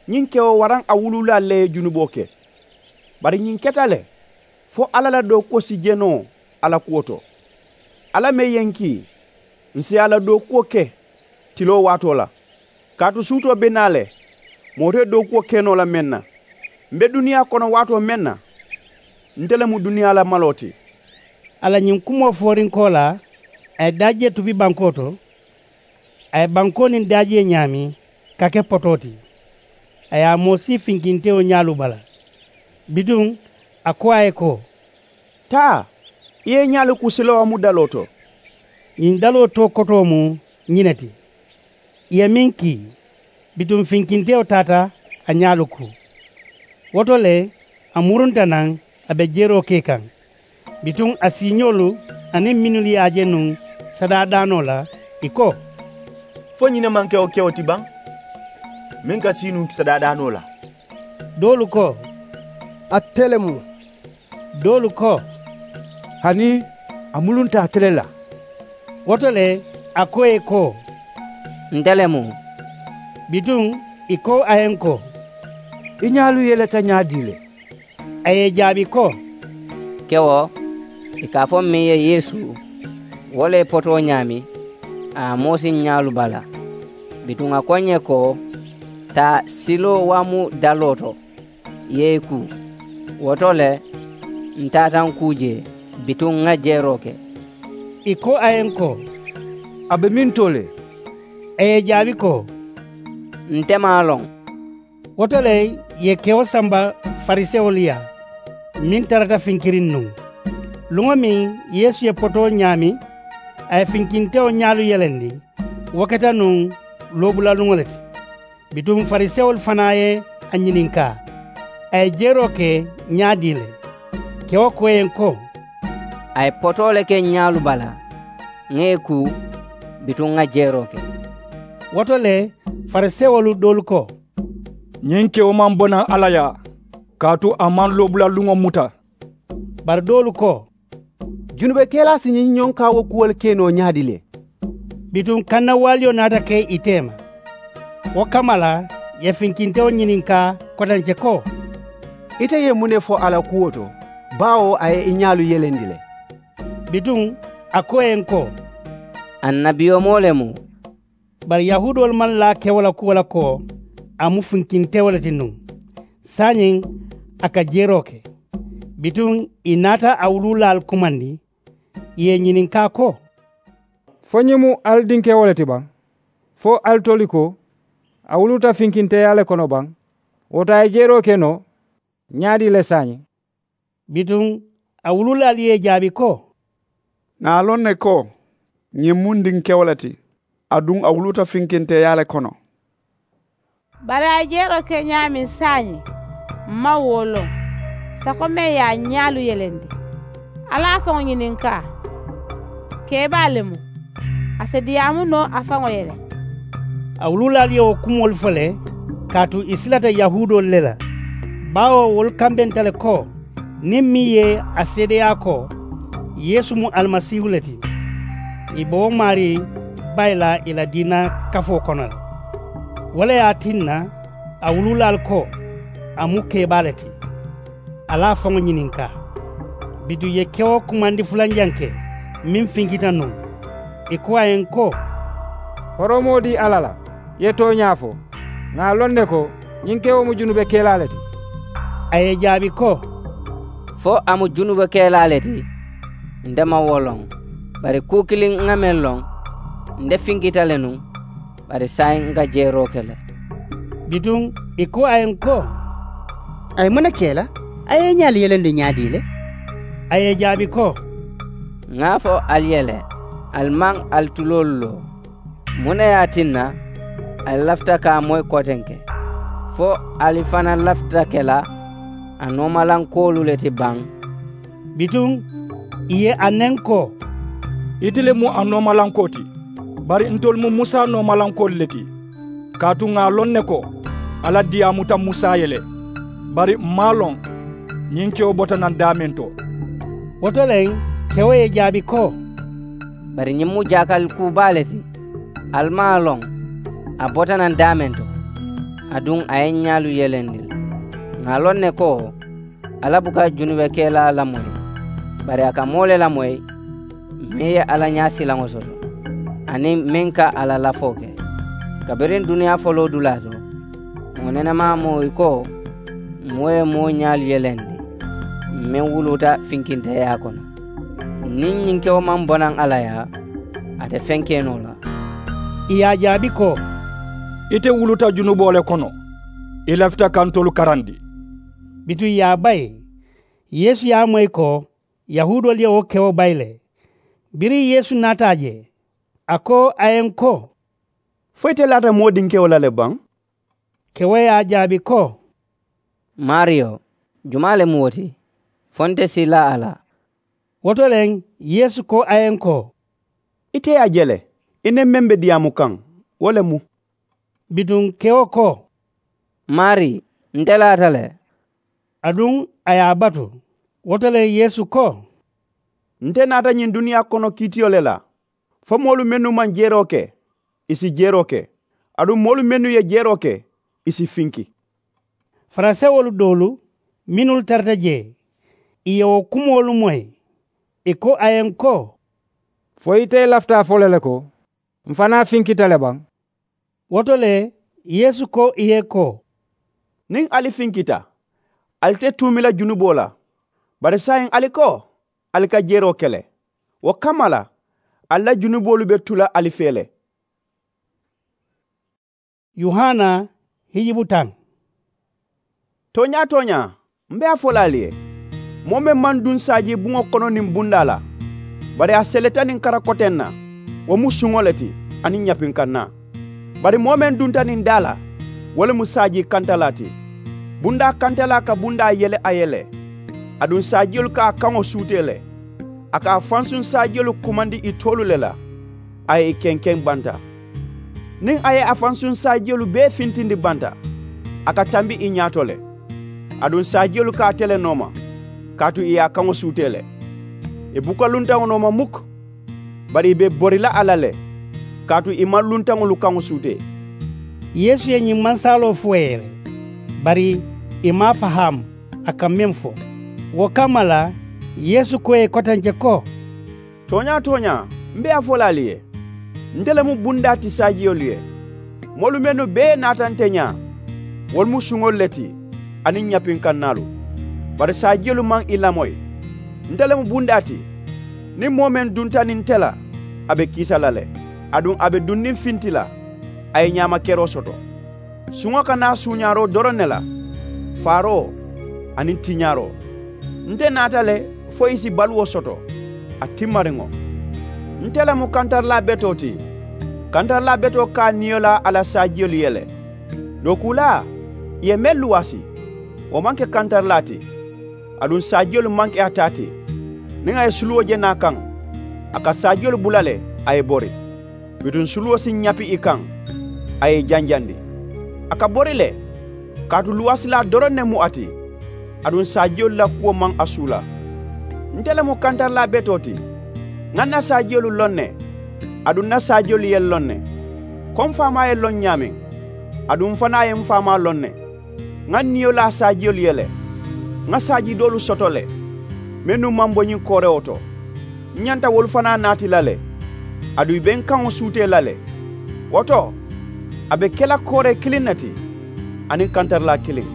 ñiŋ kewo waraŋ a wuluulaalu le ye junuboo ke. Bari ñiŋ keta le fo alla la dookuwo si je noo a la kuwo to. Alla meŋ ye n kii, ǹ si a la dookuwo ke tiloo waatoo la. Kaatu suutoo be naa le, moo te dookuwo ke noo la meŋ na. M̀ be duniyaa kono waatoo meŋ na, nte le mu duniyaa la maloo ti. A la ñiŋ kumoo foorinkoo la, a ye daajee tubi bankoo to. A ye bankoo niŋ daajee ñaami ka ke potoo ti. A ye a moosi finkintewo ñaalu bala. Bituŋ a ko a ye ko, taa, i ye i ñaalu ku silowaamu daloo to. Ñiŋ daloo too kotoo mu ñiŋ ne ti, i ye meŋ kii. Bituŋ finkintewo taata a ñaalu ku. Wo to le a murunta naŋ, a be jeroo ke kaŋ. Bituŋ a siiñoolu aniŋ mennu ye a je nuŋ sadaadaanoo la, ì ko, fo ñiŋ ne maŋ ke wo kewo ti baŋ meŋ ka sii nuŋ sadaadaanoo la? Doolu ko, ate le mu. Doolu ko, hani a mulunta ate le la. Wo to le a ko ì ye ko, nte le mu. Bituŋ ì ko a ye n ko, i ñaalu yeleta ñaadii le? A ye ì jaabi ko, kewo, ì ka a fo meŋ ye yeesu, wo le ye potoo ñaami, a ye a moosi ñaalu bala. Bituŋ a ko ǹ ye ko, taa silowaamu daloo to, i ye i ku. Wo to le, ǹ taata ǹ kuu jee, bituŋ ŋà jeeroo ke. Ì ko a ye ǹ ko, a be meŋ to le? A ye ì jaabi ko, nte maŋ a loŋ. Wo to le ì ye kewo samba farisewolu yaa, meŋ tarata finkiriŋ nuŋ. Luŋo meŋ yeesu ye potoo ñaami, a ye finkintewo ñaalu yelendi, wo keta nuŋ loobulaluŋo le ti. Bituŋ farisewolu fanaa ye a ñininkaa, a ye jeroo ke ñaadii le? Kewo ko ì ye ǹ ko, a ye potoo le ke ǹ ñaalu bala, ŋà ì ku, bituŋ ŋà jeroo ke. Wo to le farisewolu doolu ko, ñiŋ kewo maŋ bo naŋ alla yaa, kaatu a maŋ loobulaluŋo muta. Bari doolu ko, junubekelaa si ñiŋ ñonkaawo kuwolu ke noo ñaadii le? Bituŋ kannawaaliyo naata ke ì teema. Wo kamma la ì ye finkintewo ñininkaa kotence ko, ite ye muŋ ne fo a la kuwo to, baawo a ye i ñaalu yelendi le? Bituŋ a ko ì ye ǹ ko, annabiyomoo le mu. Bari yahuudoolu maŋ laa kewo la kuwo la ko a mu finkintewo le ti nuŋ, saayiŋ a ka jeroo ke. Bituŋ ì naata a wuluulaalu kumandi, ì ye ì ñininkaa ko, fo ñiŋ mu ali dinkewo le ti baŋ? Fo ali toli ko a wuluuta finkinteyaa le kono baŋ? Wo to a ye jeroo ke noo ñaadii le saayiŋ? Bituŋ a wuluulaalu ye ì jaabi ko, ŋà a loŋ ne ko ñiŋ mu n dinkewo le ti, aduŋ a wuluuta finkinteyaa le kono. Bari a ye jeroo ke ñaameŋ saayiŋ, m maŋ wo loŋ. Sako meŋ ye a ñaalu yelendi, ali a faŋo ñininkaa, kebaa le mu, a si diyaamu noo a faŋo ye le. A wuluulaalu ye wo kumoolu fo le, kaatu ì silata yahuudoolu le la. Baawo wolu kambenta le ko niŋ meŋ ye a seedeyaa ko yeesu mu alimasiihu le ti, ì be wo maarii bayi la ì la diina kafoo kono le. Wo le ye a tinna a wuluulaalu ko a mu kebaa le ti. Ali a faŋo ñininkaa. Bituŋ ì ye kewo kumandi fulanjaŋ ke meŋ finkita nuŋ. Ì ko a ye ǹ ko, horoomoo dii alla la, i ye tooñaa fo. Ŋà a loŋ ne ko ñiŋ kewo mu junubekelaa le ti. A ye ì jaabi ko, fo a mu junubekelaa le ti, nte maŋ wo loŋ. Bari kuu kiliŋ ŋà meŋ loŋ, nte finkita le nuŋ, bari saayiŋ ŋà jeroo ke le. Bituŋ ì ko a ye ǹ ko, a ye muŋ ne ke i la? A ye i ñaalu yelendi ñaadii le? A ye ì jaabi ko, ŋà a fo ali ye le, ali maŋ ali tuloolu loo. Muŋ ne ye a tinna ali lafita ka a moyi kotenke, fo ali fanaa lafita ke la a noomalankoolu le ti baŋ? Bituŋ ì ye a neŋ ko, ite le mu a noomalankoo ti. Bari ntolu mu musa noomalankoolu le ti. Kaatu ŋà a loŋ ne ko alla diyaamuta musa ye le. Bari m maŋ a loŋ ñiŋ kewo bota naŋ daameŋ to. Wo to le kewo ye ì jaabi ko, Bari ñiŋ mu jaakali kuu baa le ti. Ali maŋ a loŋ a bota naŋ daameŋ to, aduŋ a ye ñaalu yelendi le. Ŋà a loŋ ne ko alla buka junube kelaa lamoyi, bari a ka moo le lamoyi meŋ ye alla ñaasilaŋo soto, aniŋ meŋ ka a la lafoo ke. Kabiriŋ duniyaa foloo dulaa to, moo nenemaa mu ì ko moo ye moo ñaalu yelendi meŋ wuluuta finkinteeyaa kono. Niŋ ñiŋ kewo maŋ bo naŋ alla yaa, a te feŋ ke noo la. Ì ye a jaabi ko, ite wuluta junuboo le kono, i lafita ka ntolu karandi. Bituŋ ì ye a bayi. Yeesu ye a moyi ko yahuudoolu ye wo kewo bayi le. Biriŋ yeesu naata a je, a ko a ye ǹ ko, fo ite laata moo dinkewo la le baŋ? Kewo ye a jaabi ko, maariyo, jumaa le mu wo ti? Fo nte si i laa a la. Wo to le yeesu ko a ye ǹ ko, ite ye a je le, i niŋ meŋ be diyaamu kaŋ, wo le mu. Bituŋ kewo ko, maarii, nte laata le. Aduŋ a ye a batu. Wo to le yeesu ko, nte naata ñiŋ duniyaa kono kiitiyo le la, fo moolu mennu maŋ jeroo ke, ì si jeroo ke, aduŋ moolu mennu ye jeroo ke, ì si finki. Farisewolu doolu mennu tarata jee, ì ye wo kumoolu moyi. Ì ko a ye ǹ ko, fo ite lafita a fo la le ko, m̀ fanaa finkita le baŋ? Wo to le yeesu ko ì ye ko, niŋ ali finkita, ali te tuumi la junuboo la. Bari saayiŋ ali ko ali ka jeroo ke le. Wo kamma la, ali la junuboolu be tu la ali fee le. Yohana hijibu taŋ. Tooñaa-tooñaa, m̀ be a fo la ali ye, moo meŋ maŋ duŋ saajii buŋo kono niŋ bundaa la, bari a seleta niŋ kara koteŋ na, wo mu suŋo le ti aniŋ ñapinkannaa. Bari moo meŋ dunta niŋ daa la, wo le mu saajii kantalaa ti. Bundaa kantalaa ka bundaa yele a ye le. Aduŋ saajiyolu ka a kaŋo suutee le. A ka a fansuŋ saajiyolu kumandi ì toolu le la, a ye ì kenkeŋ banta. Niŋ a ye a fansuŋ saajiyolu bee fintindi banta, a ka tambi ì ñaato le. Aduŋ saajiyolu ka a tele nooma, kaatu ì ye a kaŋo suutee le. Ì buka luntaŋo nooma mukku, bari ì be bori la a la le, kaatu ì maŋ luntaŋolu kaŋo suutee. Yeesu ye ñiŋ mansaaloo fo ì ye le, bari ì maŋ a fahaamu a ka meŋ fo. Wo kamma la, yeesu ko ì ye kotenke ko, tooñaa-tooñaa, m̀ be a fo la ali ye, nte le mu bundaa ti saajiyolu ye. Moolu mennu bee naata nte ñaa, wolu mu suŋolu le ti aniŋ ñapinkannaalu. Bari saajiyolu maŋ ì lamoyi. Nte le mu bundaa ti. Niŋ moo meŋ dunta niŋ nte la, a be kiisa la le, aduŋ a be duŋ niŋ finti la, a ye ñaama keroo soto. Suŋo ka naa suuñaaroo doroŋ ne la, faaroo aniŋ tiñaaroo. Nte naata le fo ì si baluwo soto, a timmariŋo. Nte le mu kantarilaa betoo ti. Kantarilaa betoo ka a niyo laa a la saajiyolu ye le. Dookuulaa, ì ye meŋ luwaasi, wo maŋ ke kantarilaa ti. Aduŋ saajiyolu maŋ ke a taa ti. Niŋ a ye suluwo je naa kaŋ, a ka saajiyolu bula le, a ye bori. Bituŋ suluwo si ñapi ì kaŋ, a ye ì janjandi. A ka bori le, kaatu luwaasilaa doroŋ ne mu a ti. Aduŋ saajiyolu la kuwo maŋ a suula. Nte le mu kantarilaa betoo ti. Ŋà ǹ na saajiyolu loŋ ne, aduŋ ǹ na saajiyolu ye ǹ loŋ ne. Ko m̀ faamaa ye ǹ loŋ ñaameŋ, aduŋ m̀ fanaa ye m̀ faamaa loŋ ne. Ŋà ǹ niyo laa saajiyolu ye le. Ŋà saajii doolu soto le, mennu maŋ bo ñiŋ koorewo to. M̀ ñanta wolu fanaa naati la le, aduŋ ì be ǹ kaŋo suutee la le. Wo to, a be ke la kooree kiliŋ ne ti, aniŋ kantarilaa kiliŋ.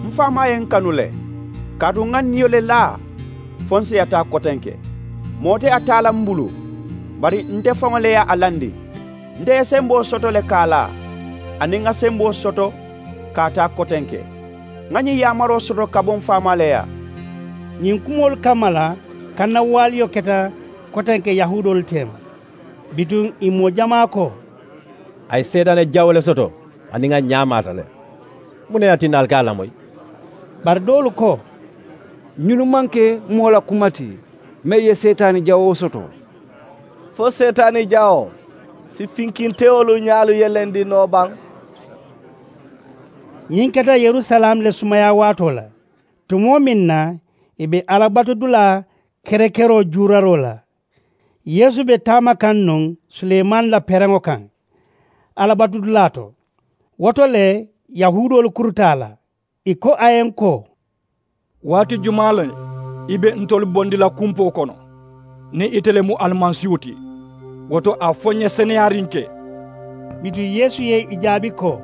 M̀ faamaa ye ǹ kanu le, kaatu ŋà ǹ niyo le laa fo ǹ si a taa kotenke. Moo te a taa la m̀ bulu, bari nte faŋo le ye a landi. Nte ye semboo soto le ka a laa, aniŋ ŋà semboo soto ka a taa kotenke. Ŋà ñiŋ yaamaroo soto ka bo m̀ faamaa le yaa. Ñiŋ kumoolu kamma la kannawaaliyo keta kotenke yahuudoolu teema. Bituŋ ì moo jamaa ko, a ye seetaane jawoo le soto, aniŋ a ñaamaata le. Muŋ ne ye a tinna ali ka a lamoyi? Bari doolu ko, ñunu maŋ ke moo la kuma ti, meŋ ye seetaani jawoo soto. Fo seetaani jawoo si finkintewolu ñaalu yelendi noo baŋ? Ñiŋ keta yerusalaamu le sumayaa waatoo la, tumoo meŋ na ì be alla batudulaa kerekeroo juuraroo la. Yeesu be taama kaŋ nuŋ suleemaani la pereŋo kaŋ alabatudulaa to. Wo to le yahuudoolu kuruta a la, ì ko a ye n ko, waati jumaa le i be ntolu bondi la kumpoo kono? Niŋ ite le mu alimansiiwo ti, wo to a fo n ye seneyaariŋ ke. Bituŋ yeesu ye ì jaabi ko,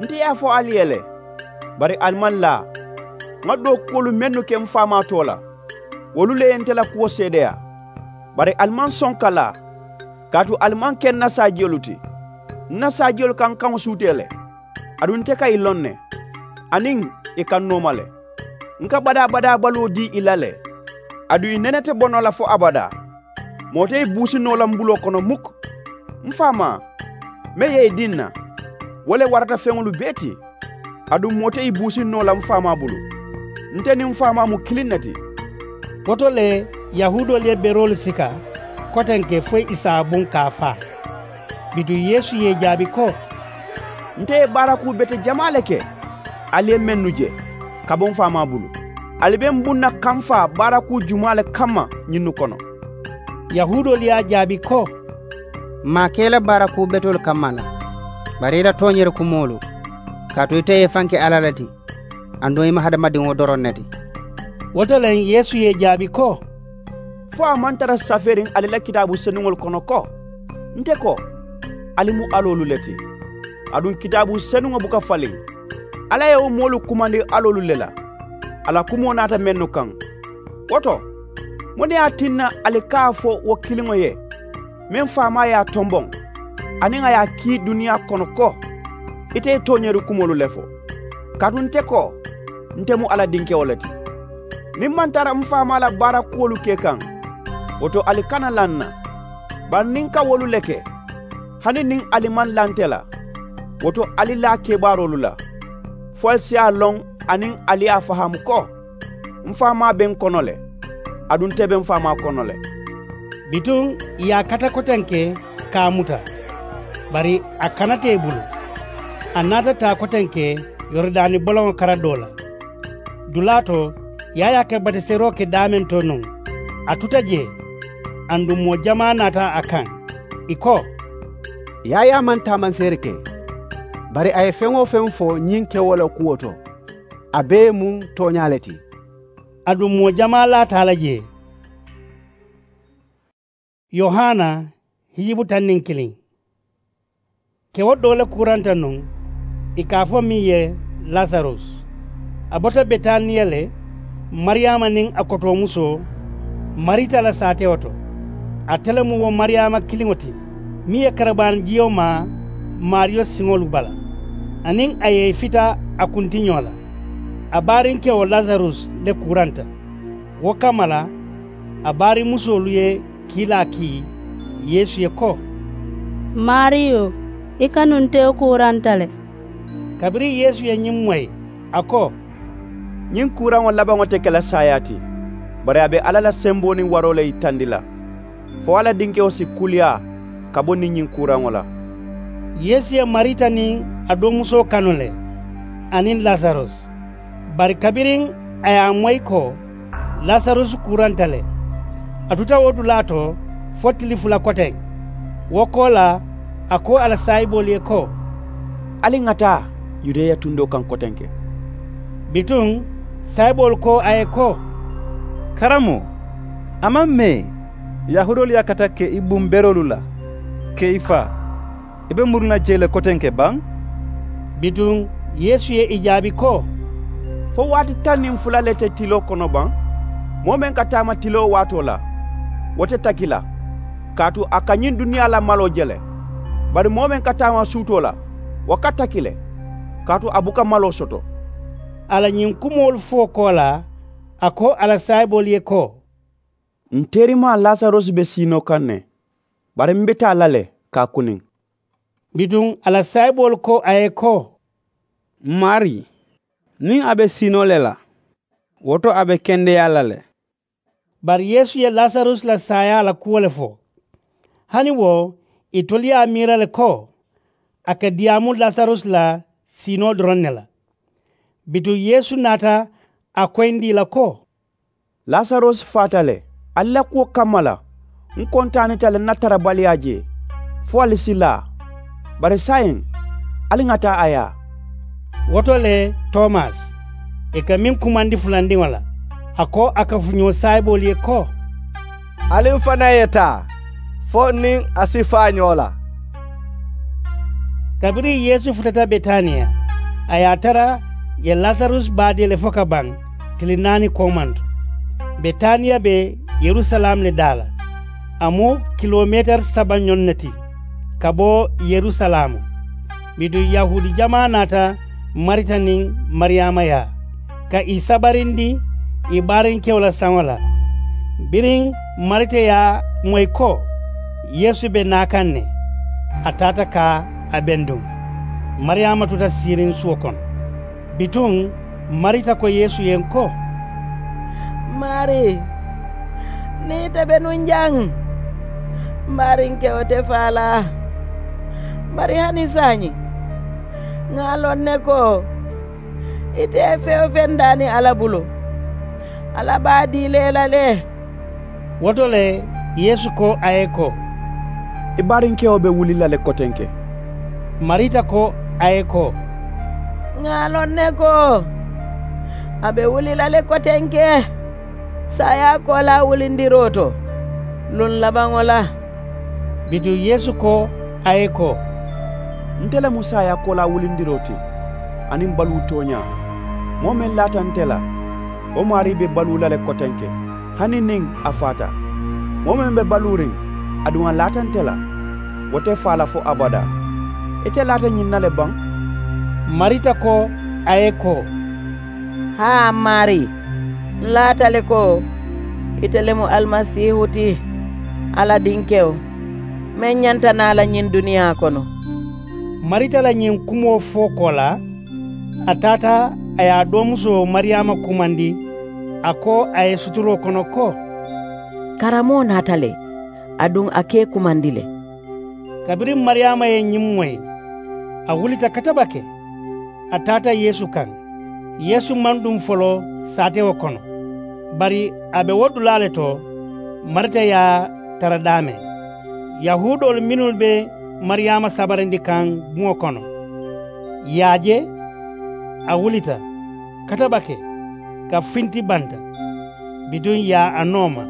nte ye a fo ali ye le, bari ali maŋ laa. Ŋa doo kuwolu mennu ke m faamaa too la, wolu le ye nte la kuwo seedeyaa. Bari ali maŋ soŋ ka laa, kaatu ali maŋ ke n na saajiyolu ti. N na saajiyolu ka n kaŋo suutee le, aduŋ nte ka ì loŋ ne, aniŋ ì ka n nooma le. N ka badaa-badaa baluwo dii ì la le, aduŋ ì nene te bo noo la fo abadaa. Moo te ì buusi noo la m buloo kono muk. M faamaa, meŋ ye ì dii n na, wo le warata feŋolu bee ti. Aduŋ moo te ì buusi noo la m faamaa bulu. Nte niŋ m faamaa mu kiliŋ ne ti. Wo to le yahuudoolu ye beroolu sika kotenke fo ì si a buŋ ka a faa. Bituŋ yeesu ye ì jaabi ko, nte ye baarakuu bete jamaa le ke ali ye mennu je ka bo m faamaa bulu. Ali be m buŋ na ka m faa baarakuu jumaa le kamma ñinnu kono? Yahuudoolu ye a jaabi ko, m maŋ a ke i la baarakuu betoolu kamma la, bari i la tooñeeri kumoolu. Kaatu ite ye i faŋ ke alla le ti, aduŋ i mu hadamadiŋo doroŋ ne ti. Wo to le yeesu ye ì jaabi ko, fo a maŋ tara safeeriŋ ali la kitaabu senuŋolu kono ko, nte ko, ali mu aloolu le ti? Aduŋ kitaabu senuŋo buka faliŋ, alla ye wo moolu kumandi aloolu le la, a la kumoo naata mennu kaŋ. Wo to, muŋ ne ye a tinna ali ka a fo wo kiliŋo ye, meŋ faamaa ye a tomboŋ, aniŋ a ye a kii duniyaa kono ko, ite ye tooñeeri kumoolu le fo? Kaatu nte ko, nte mu alla dinkewo le ti. Niŋ m maŋ tara m faamaa la baara kuwolu ke kaŋ, wo to ali kana laa n na. Bari niŋ n ka wolu le ke, hani niŋ ali maŋ laa nte la, wo to ali laa kebaaroolu la, fo ali si a loŋ aniŋ ali ye a fahaamu ko, m faamaa be n kono le, aduŋ nte be m faamaa kono le. Bituŋ ì ye a kata kotenke ka a muta, bari a kanata ì bulu. A naata taa kotenke yorodaani boloŋo kara doo la. Dulaa to yaayaa ka batiseeroo ke daameŋ to nuŋ, a tuta jee. Aduŋ moo jamaa naata a kaŋ, ì ko, yaayaa maŋ taamanseeri ke, bari a ye feŋ-wo-feŋ fo ñiŋ kewoo la kuwo to, a bee mu tooñaa le ti. Aduŋ moo jamaa laata a la jee. Yohana hijibu taŋ niŋ kiliŋ. Kewo doo le kuuranta nuŋ, ì ka a fo meŋ ye lasarus. A bota betaniya le, mariyaama niŋ a kotoomusoo marita la saatewo to. Ate le mu wo mariyaama kiliŋo ti meŋ ye karabaani jiyo maa maariyo siŋolu bala, aniŋ a ye ì fita a kuntiñoo la. A baarinkewo lasarus le kuuranta. Wo kamma la a baarimusoolu ye kiilaa kii yeesu ye ko, maariyo, i kanuntewo kuuranta le. Kabiriŋ yeesu ye ñiŋ moyi, a ko, ñiŋ kuuraŋo labaŋo te ke la saayaa ti, bari a be alla la semboo niŋ waroo le yitandi la, fo alla dinkewo si kuliyaa ka bo niŋ ñiŋ kuuraŋo la. Yeesu ye marita niŋ a doomusoo kanu le, aniŋ lasarus. Bari kabiriŋ a ye a moyi ko lasarus kuuranta le, a tuta wo dulaa to fo tili fula koteŋ. Wo koolaa a ko a la saayiboolu ye ko, ali ŋa taa yudeya tundoo kaŋ kotenke. Bituŋ saayiboolu ko a ye ko, karamoo, a maŋ mee yahuudoolu ye a kata ke i buŋ beroolu la, ke i faa. I be muru na jee le kotenke baŋ? Bituŋ yeesu ye ì jaabi ko, fo waati taŋ niŋ fula le te tiloo kono baŋ? Moo meŋ ka taama tiloo waatoo la, wo te taki la, kaatu a ka ñiŋ duniyaa la maloo je le. Bari moo meŋ ka taama suutoo la, wo ka taki le, kaatu a buka maloo soto. A la ñiŋ kumoolu fo koolaa, a ko a la saayiboolu ye ko, n teerimaa lasarus be siinoo kaŋ ne, bari m be taa la le ka a kuniŋ. Bituŋ a la saayiboolu ko a ye ko, m maarii, niŋ a be siinoo le la, wo to a be kendeyaa la le. Bari yeesu ye lasarus la saayaa la kuwo le fo. Hani wo itolu ye a miira le ko a ka diyaamu lasarus la siinoo doroŋ ne la. Bituŋ yeesu naata a koyindi ì la ko, lasarus faata le, ali la kuwo kamma la, N kontaanita le n na tarabaliyaa jee fo ali si laa. Bari saayiŋ ali ŋa taa a yaa. Wo to le, tomas, ì ka meŋ kumandi fulandiŋo la, a ko a kafuñoo saayiboolu ye ko, ali m fanaa ye taa fo n niŋ a si faa ñoo la. Kabiriŋ yeesu futata betaniya, a ye a tara ì ye lasarusi baadee le fo ka baŋ, tili naani koomanto. Betaniya be yerusalaamu le daa la. A mu kilomeetari saba ñoŋ ne ti ka bo yerusalaamu. Bituŋ yahuudi jamaa naata marita niŋ mariyaama yaa, ka ì sabarindi ì baarinkewo la saŋo la. Biriŋ marita ye a moyi ko yeesu be naa kaŋ ne, a taata ka a benduŋ. Mariyaama tuta siiriŋ suwo kono. Bituŋ marita ko yeesu ye n ko, maarii, niŋ ite be nuŋ jaŋ, m baarinkewo te faa la. Bari hani saayiŋ ŋà a loŋ ne ko ite ye feŋ-wo-feŋ daani alla bulu, alla be a dii la i la le. Wo to le yeesu ko a ye ko, i baarinkewo be wuli la le kotenke. Marita ko a ye ko, ŋà a loŋ ne ko a be wuli la le kotenke saayaa koolaa wulindiroo to, luŋ labaŋo la. Bituŋ yeesu ko a ye ko, nte le mu saayaa koolaa wulindiroo ti aniŋ baluu tooñaa. Moo meŋ laata nte la, wo maarii be baluu la le kotenke, hani niŋ a faata. Moo meŋ be baluuriŋ aduŋ a laata nte la, wo te faa la fo abadaa. Ite laata ñiŋ na le baŋ? Marita ko a ye ko, haa, m maarii, n laata le ko ite le mu alimasiihu ti, alla dinkewo, meŋ ñanta naa la ñiŋ duniyaa kono. Marita la ñiŋ kumoo fo koolaa, a taata a ye a doomusoo mariyaama kumandi, a ko a ye suturoo kono ko, karamoo naata le, aduŋ a ka i kumandi le. Kabiriŋ mariyaama ye ñiŋ moyi, a wulita katabake, a taata yeesu kaŋ. Yeesu maŋ duŋ foloo saatewo kono, bari a be wo dulaa le to. Marita ye a tara daameŋ. Yahuudoolu mennu be mariyaama sabarindi kaŋ buŋo kono, ì ye a je, a wulita katabake, ka finti banta. Bituŋ ì ye a nooma,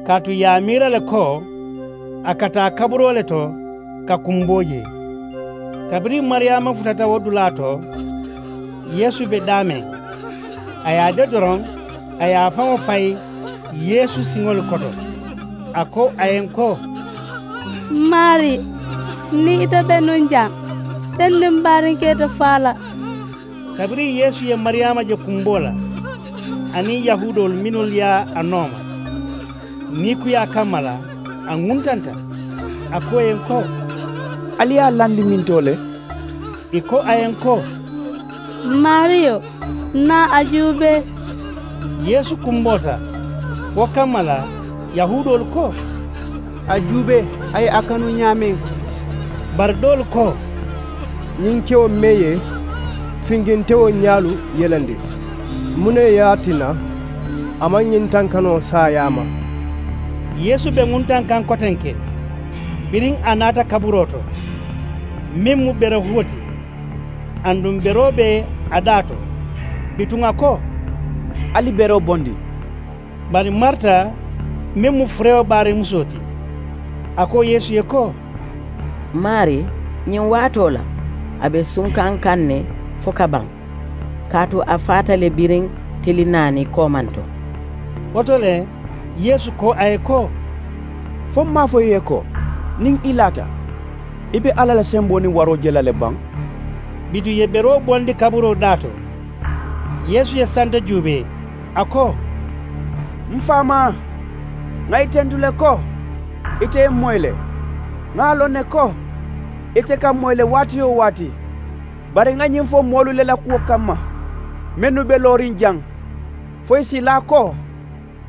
kaatu ì ye a miira le ko a ka taa kaburoo le to ka kumboo jee. Kabiriŋ mariyaama futata wo dulaa to, yeesu be daameŋ, a ye a je doroŋ, a ye a faŋo fayi yeesu siŋolu koto. A ko a ye n ko, m maarii, niŋ ite be nuŋ jaŋ, teŋ niŋ m baariŋ ka ite faa la. Kabiriŋ yeesu ye mariyaama je kumboo la aniŋ yahuudoolu mennu ye a nooma, niikuyaa kamma la a ŋuntanta. A ko ì ye n ko, ali ye a landi mintoo le? Ì ko a ye n ko, m maariyo, n naa a juubee. Yeesu kumboota. Wo kamma la yahuudoolu ko, a juubee, a ye a kanu ñaameŋ. Bari doolu ko, ñiŋ kewo meŋ ye finkintewo ñaalu yelandi, muŋ ne ye a tinna a maŋ ñiŋ tankanoo saayaa ma? Yeesu be ŋuntaŋ kaŋ kotenke, biriŋ a naata kaburoo to, meŋ mu berehuwo ti, aduŋ beroo be a daa to. Bituŋ a ko, ali beroo bondi. Bari marita, meŋ mu furewo baariŋ musoo ti, a ko yeesu ye ko, m maarii, ñiŋ waatoo la a be sunkaŋ kaŋ ne fo ka baŋ, kaatu a faata le biriŋ tili naani koomanto. Wo to le yeesu ko a ye ko, fo m maŋ a fo i ye ko, niŋ i laata, i be alla la semboo niŋ waroo je la le baŋ? Bituŋ ì ye beroo bondi kaburoo daa to. Yeesu ye santa juubee, a ko, m faamaa, ŋà ì tentu le ko ite ye m moyi le. Ŋà a loŋ ne ko ite ka m moyi le waati-wo-waati. Bari ŋà ñiŋ fo moolu le la kuwo kamma, mennu be looriŋ jaŋ, fo ì si laa ko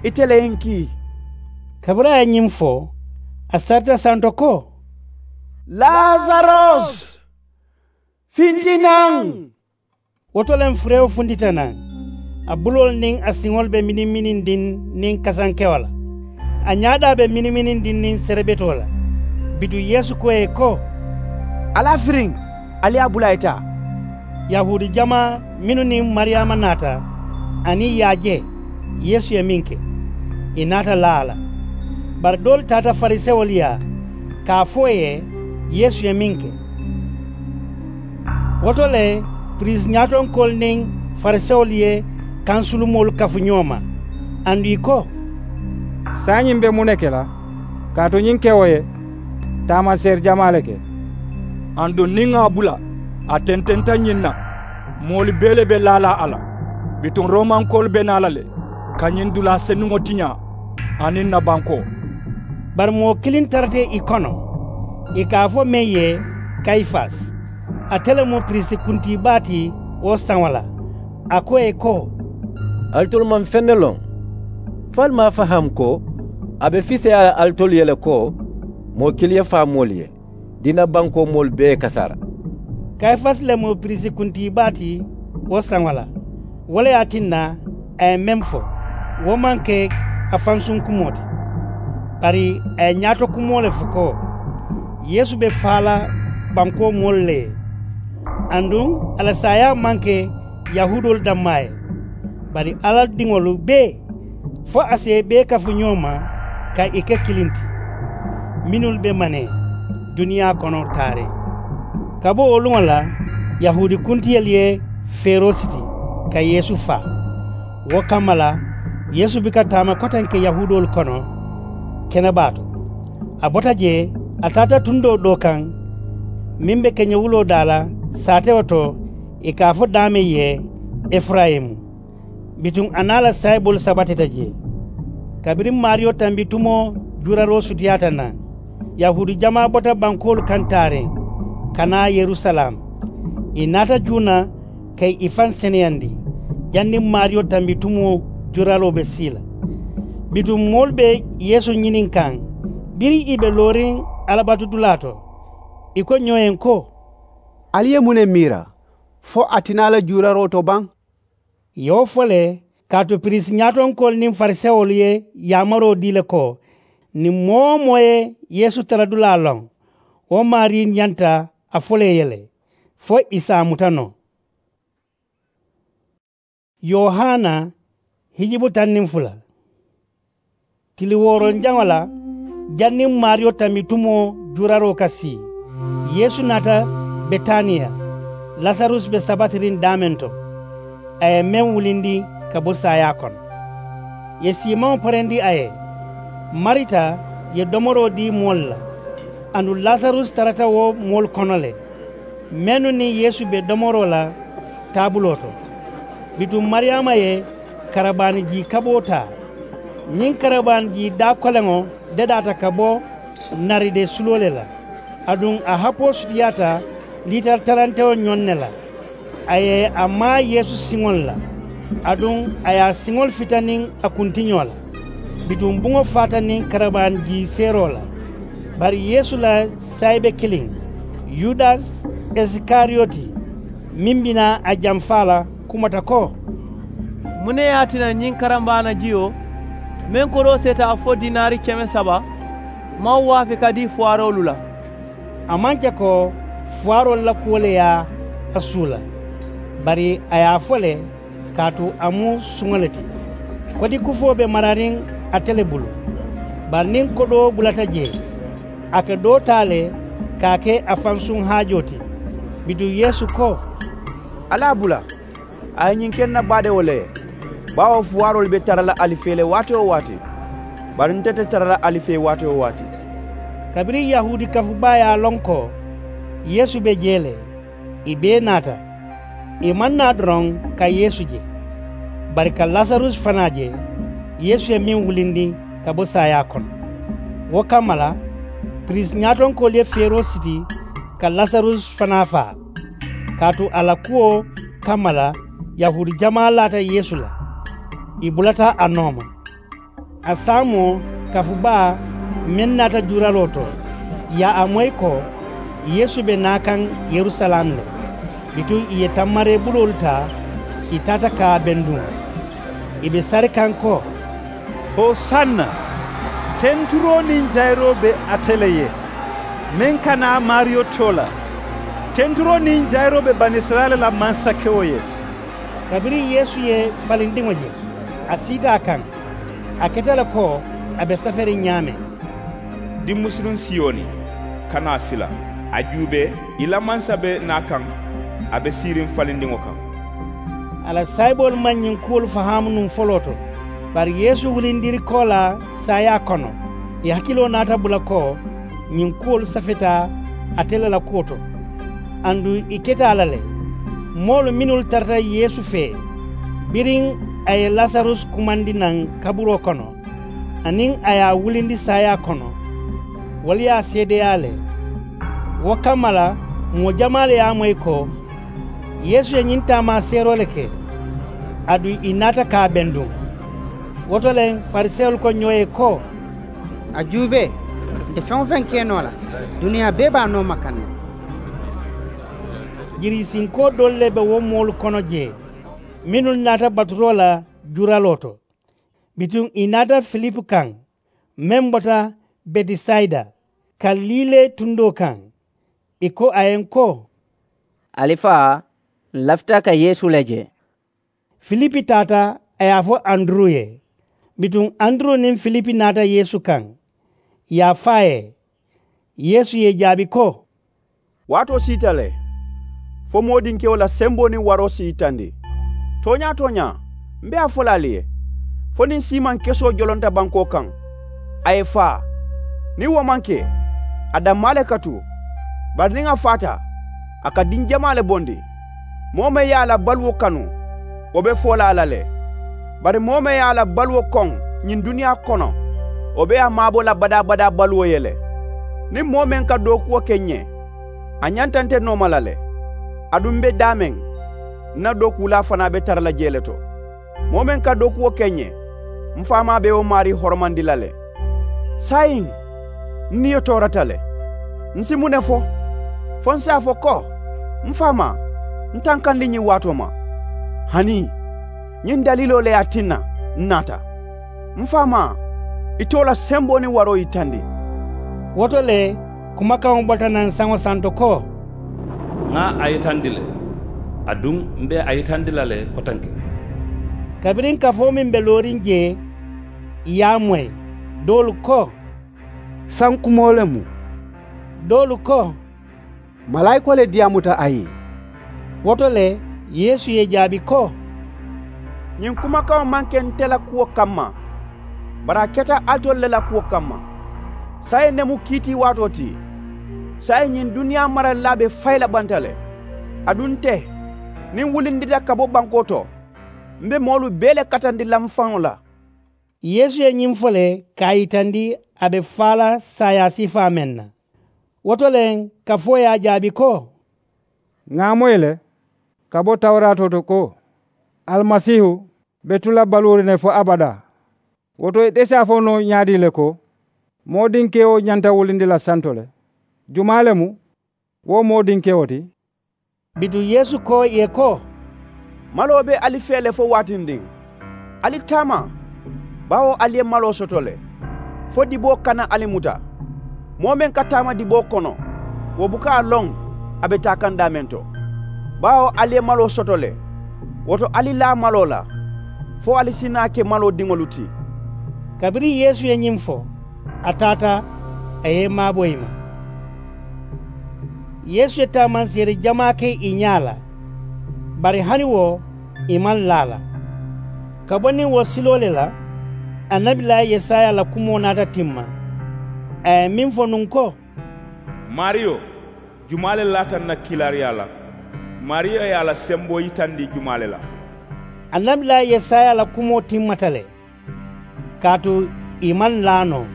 ite le ye n kii. Kabiriŋ a ye ñiŋ fo, a sarita santo ko, lasaros, finti naŋ. Wo to le furewo funtita naŋ, a buloolu niŋ a siŋolu be miniŋ-minindiŋ niŋ kasankewo la. A ñaadaa be miniminindiŋ niŋ serebetoo la. Bituŋ yeesu ko ì ye ko, ali a firiŋ, ali ye a bula a ye taa. Yahuudi jamaa mennu niŋ mariyaama naata, aniŋ i ye a je yeesu ye meŋ ke, ì naata laa a la. Bari doolu taata farisewolu yaa ka a fo ì ye yeesu ye meŋ ke. Wo to le, piriisi ñaatonkoolu niŋ farisewolu ye kansulumoolu kafu ñoo ma, aduŋ ì ko, saayiŋ ñiŋ be muŋ ne ke la? Kaatu ñiŋ kewo ye taamaseeri jamaa le ke. Aduŋ niŋ ŋà a bula, a tententa ñiŋ na, moolu bee le be laa la a la. Bituŋ romankoolu be naa la le ka ñiŋ dulaa senuŋo tiñaa, aniŋ ǹ na bankoo. Bari moo kiliŋ tarata ì kono, ì ka a fo meŋ ye, kayifasi. Ate le mu piriisi kuntii baa ti wo saŋo la. A ko ì ye ko, alitolu maŋ feŋ ne loŋ? Fo ali maŋ a fahaamu ko a be fiseyaa la alitolu ye le ko moo kiliŋ ye faa moolu ye, diina bankoo moolu bee ye kasaara? Kayifasi le mu piriisi kuntii baa ti wo saŋo la. Wo le ye a tinna a ye meŋ fo, wo maŋ ke a fansuŋ kumoo ti. Bari a ye ñaato kumoo le fo ko, yeesu be faa la bankoo moolu le ye. Aduŋ a la saayaa maŋ ke yahuudoolu dammaa ye, bari alla diŋolu bee, fo a si i bee kafu ñoo ma ka ì ke kiliŋ ti, mennu be manee duniyaa kono taariŋ. Ka bo wo luŋo la, yahuudi kuntiyolu ye feeroo siti ka yeesu faa. Wo kamma la, yeesu buka taama kotenke yahuudoolu kono kenebaa to. A bota jee, a taata tundoo doo kaŋ meŋ be keñewuloo daa la saatewo to, ì ka a fo daameŋ ye efurayimu. Bituŋ a niŋ a la saayiboolu sabatita jee. Kabiriŋ maariyo tambitumoo juuraroo sutiyaata naŋ, yahuudi jamaa bota bankoolu kaŋ taariŋ ka naa yerusalaamu. Ì naata juuna ka ì faŋ seneyandi janniŋ maariyo tambitumoo juuraroo be sii la. Bituŋ moolu be yeesu ñininkaŋ biriŋ ì be looriŋ alabatudulaa to. Ì ko ñoo ye ko, ali ye muŋ ne miira? Fo a ti naa la juuraroo to baŋ? Ì ye wo fo le, kaatu piriisi ñaatonkoolu niŋ farisewolu ye yaamaroo dii le ko, niŋ moo-wo-moo ye yeesu tara dulaa loŋ, wo maarii ñanta a fo le ì ye le, fo ì si a muta noo. Yohana hijibu taŋ niŋ fula. Tili wooronjaŋo la, janniŋ maariyo tambitumoo juuraroo ka sii, yeesu naata betaniya. Lasarusi be sabatiriŋ daameŋ to, a ye meŋ wulindi ka bo saayaa kono. Ì ye siimaŋo parendi a ye. Marita ye domoroo dii moolu la, aduŋ lasarusi tarata wo moolu kono le, mennu niŋ yeesu be domoroo la taabuloo to. Bituŋ mariyaama ye karabaani jii kaboo taa. Ñiŋ karabaani jii daa koleŋo dedaata ka bo naride suloo le la. Aduŋ a hapoo sutiyaata liitari tarantewo ñoŋ ne la. A ye a maa yeesu siŋolu la, aduŋ a ye a siŋolu fita niŋ a kuntiñoo la. Bituŋ buŋo faata niŋ karabaani jii seeroo la. Bari yeesu la saayibe kiliŋ, yudasi, isikariyoti, meŋ bi naa a jamfaa la, kumata ko, muŋ ne ye a tinna ñiŋ karambaana jiyo meŋ kodoo seeta fo diinaari keme saba maŋ waafi ka dii fuwaaroolu la? A maŋ ke ko fuwaaroolu la kuwo le ye a suula, bari a ye a fo le, kaatu a mu suŋo le ti. Kotikufoo be marariŋ ate le bulu. Bari niŋ kodoo bulata jee, a ka doo taa le ka a ke a fansuŋ haajoo ti. Bituŋ yeesu ko, ali a bula, a ye ñiŋ ke ǹ na baadewo le ye. Baawo fuwaaroolu be tara la ali fee le waati-wo-waati, bari nte te tara la ali fee waati-wo-waati. Kabiriŋ yahuudi kafubaa ye a loŋ ko yeesu be jee le, ì bee naata. Ì maŋ naa doroŋ ka yeesu je, bari ka lasarusi fanaa je, yeesu ye meŋ wulindi ka bo saayaa kono. Wo kamma la, piriisi ñaatonkoolu ye feeroo siti ka lasarusi fanaa faa. Kaatu a la kuwo kamma la, yahuudi jamaa laata yeesu la, ì bulata a nooma. A saamoo, kafubaa meŋ naata juuraroo to, ì ye a moyi ko yeesu be naa kaŋ yerusalaamu le. Bituŋ ì ye tammareebuloolu taa, ì taata ka a benduŋ, ì be sari kaŋ ko, hosanna! Tenturoo niŋ jayiroo be ate le ye, meŋ ka naa maariyo too la. Tenturoo niŋ jayiroo be banisirayila la mansakewo ye. Kabiriŋ yeesu ye falindiŋo je, a siita a kaŋ, a keta le ko a be saferiŋ ñaameŋ. Dimmusunuŋ siyoni, kana a sila. A juubee, i la mansa be naa kaŋ, a be siiriŋ falindiŋo kaŋ. A la saayiboolu maŋ ñiŋ kuwolu fahaamu nuŋ foloo to. Bari yeesu wulindiri koolaa saayaa kono, ì hakiloo naata bula ko ñiŋ kuwolu safeta ate le la kuwo to. Aduŋ ì keta a la le, moolu mennu tarata yeesu fee biriŋ a ye lasarusi kumandi naŋ kaburoo kono, aniŋ a ye a wulindi saayaa kono, wolu ye a seedeyaa le. Wo kamma la, moo jamaa le ye a moyi ko yeesu ye ñiŋ taamaaseeroo le ke. Aduŋ ì naata ka a benduŋ. Wo to le farisewolu ko ñoo ye ko, a juubee, nte feŋ-wo-feŋ ke noo la, duniyaa bee be a nooma kaŋ ne. Jiriisinkoo doolu le be wo moolu kono jee, mennu naata baturoo la juraloo to. Bituŋ ì naata filipu kaŋ, meŋ bota betisayida, kalilee tundoo kaŋ. Ì ko a ye n ko, ali faa, ǹ lafita ka yeesu le je. Filipi taata, a ye a fo anduru ye. Bituŋ anduru niŋ filipi naata yeesu kaŋ, ì ye a fo a ye. Yeesu ye ì jaabi ko, waatoo siita le, fo moodinkewo la semboo niŋ waroo si yitandi. Tooñaa-tooñaa, m̀ be a fo la ali ye, fo niŋ siimaŋ kesoo jolonta bankoo kaŋ, a ye faa. Niŋ wo maŋ ke, a dammaa le ka tu. Bari niŋ a faata, a ka diŋ jamaa le bondi. Moo meŋ ye a la baluwo kanu, wo be foo la a la le. Bari moo meŋ ye a la baluwo koŋ ñiŋ duniyaa kono, wo be a maabo la badaa-badaa baluwo ye le. Niŋ moo meŋ ka dookuwo ke ǹ ye, a ñanta nte nooma la le. Aduŋ m̀ be daameŋ, ǹ na dookuulaa fanaa be tara la jee le to. Moo meŋ ka dookuwo ke ǹ ye, m faamaa be wo maarii horomandi la le. Saayiŋ, n niyo toorata le. N si muŋ ne fo? Fo n si a fo ko, m faamaa, n tankandi ñiŋ waatoo ma? Hanii, ñiŋ daliiloo le ye a tinna n naata. M faamaa, ite wo la semboo niŋ waroo yitandi. Wo to le, kumakaŋo bota naŋ saŋo santo ko, ŋa a yitandi le, aduŋ m be a yitandi la le kotenke. Kabiriŋ kafoo meŋ be looriŋ jee, ì ye a moyi. Doolu ko, sankumoo le mu. Doolu ko, malaayikoo le diyaamuta a ye. Wo to le, yeesu ye ì jaabi ko, ñiŋ kumakaŋo maŋ ke nte la kuwo kamma, bari a keta alitolu le la kuwo kamma. Saayiŋ ne mu kiitiiwaatoo ti. Saayiŋ ñiŋ duniyaa maralilaa be fayi la banta le. Aduŋ nte, niŋ n wulindita ka bo bankoo to, m be moolu bee le katandi la m faŋo la. Yeesu ye ñiŋ fo le ka a yitandi a be faa la saayaa siifaa meŋ na. Wo to le, kafoo ye a jaabi ko, ŋa a moyi le, ka bo tawuraatoo to ko, alimasiihu be tu la baluuriŋ ne fo abadaa. Wo to ite si a fo noo ñaadii le ko, moodinkewo ñanta wulindi la santo le? Jumaa le mu wo moodinkewo ti? Bituŋ yeesu ko ì ye ko, maloo be ali fee le fo waatindiŋ. Ali taama, baawo ali ye maloo soto le, fo diboo kana ali muta. Moo meŋ ka taama diboo kono, wo buka a loŋ a be taa kaŋ daameŋ to. Baawo ali ye maloo soto le, wo to ali laa maloo la, fo ali si naa ke maloo diŋolu ti. Kabiriŋ yeesu ye ñiŋ fo, a taata, a ye i maabo i ma. Yeesu ye taamanseeri jamaa ke ì ñaa la, bari hani wo, ì maŋ laa a la. Ka bo niŋ wo siloo le la, annabilaa yesaya la kumoo naata timma. A ye meŋ fo nuŋ ko, maariyo, jumaa le laata n na kiilaariyaa la? Maariyo ye a la semboo yitandi jumaa le la? Annabilaa yesaya la kumoo timmata le, kaatu ì maŋ laa noo.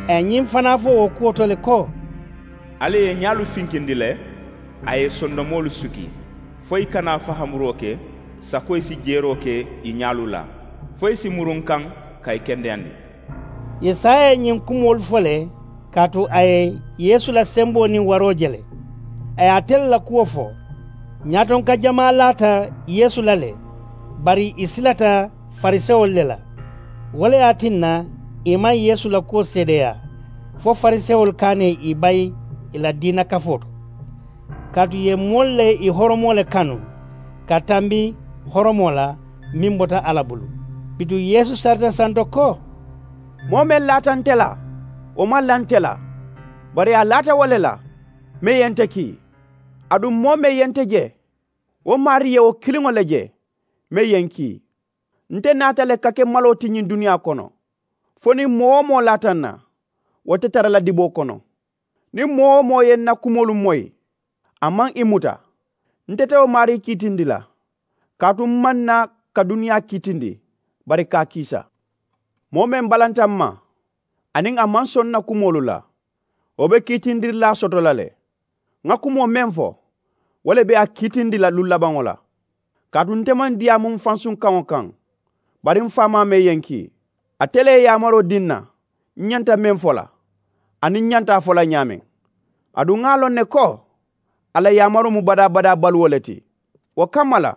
A ye ñiŋ fanaa fo wo kuwo to le ko, alla ye i ñaalu finkindi le, a ye i sondomoolu suki, fo i kana fahamuroo ke, sakoyi si jeeroo ke i ñaalu la, fo i si murunkaŋ ka i kendeyandi. Yesaya ye ñiŋ kumoolu fo le, kaatu a ye yeesu la semboo niŋ waroo je le. A ye ate le la kuwo fo. Ñaatonka jamaa laata yeesu la le, bari ì silata farisewolu le la. Wo le ye a tinna, Ì maŋ yeesu la kuwo seedeyaa fo farisewolu ka a ne ì bayi ì la diina kafoo to. Kaatu ì ye moolu la ì horomoo le kanu ka tambi horomoo la meŋ bota alla bulu. Bituŋ yeesu sarita santo ko, moo meŋ laata nte la, wo maŋ la nte la, bari a laata wo le la meŋ ye nte kii. Aduŋ moo meŋ ye nte je, wo maarii ye wo kiliŋo le je meŋ ye ǹ kii. Nte naata le ka ke maloo ti ñiŋ duniyaa kono fo niŋ moo-wo-moo laata n na, wo te tara la diboo kono. Niŋ moo-wo-moo ye n na kumoolu moyi, a maŋ ì muta. Nte te wo maarii kiitindi la, kaatu m maŋ naa ka duniyaa kiitindi, bari ka a kiisa. Moo meŋ balanta m ma, aniŋ a maŋ soŋ n na kumoolu la, wo be kiitindirilaa soto la le. Ŋa kumoo meŋ fo, wo le be a kiitindi la luŋ labaŋo la. Kaatu nte maŋ diyaamu m fansuŋ kaŋo kaŋ, bari m faamaa meŋ ye ǹ kii, ate le ye yaamaroo dii n na, m ñanta meŋ fo la, aniŋ m ñanta a fo la ñaameŋ. Aduŋ ŋa a loŋ ne ko, a la yaamaroo mu badaa-badaa baluwo le ti. Wo kamma la,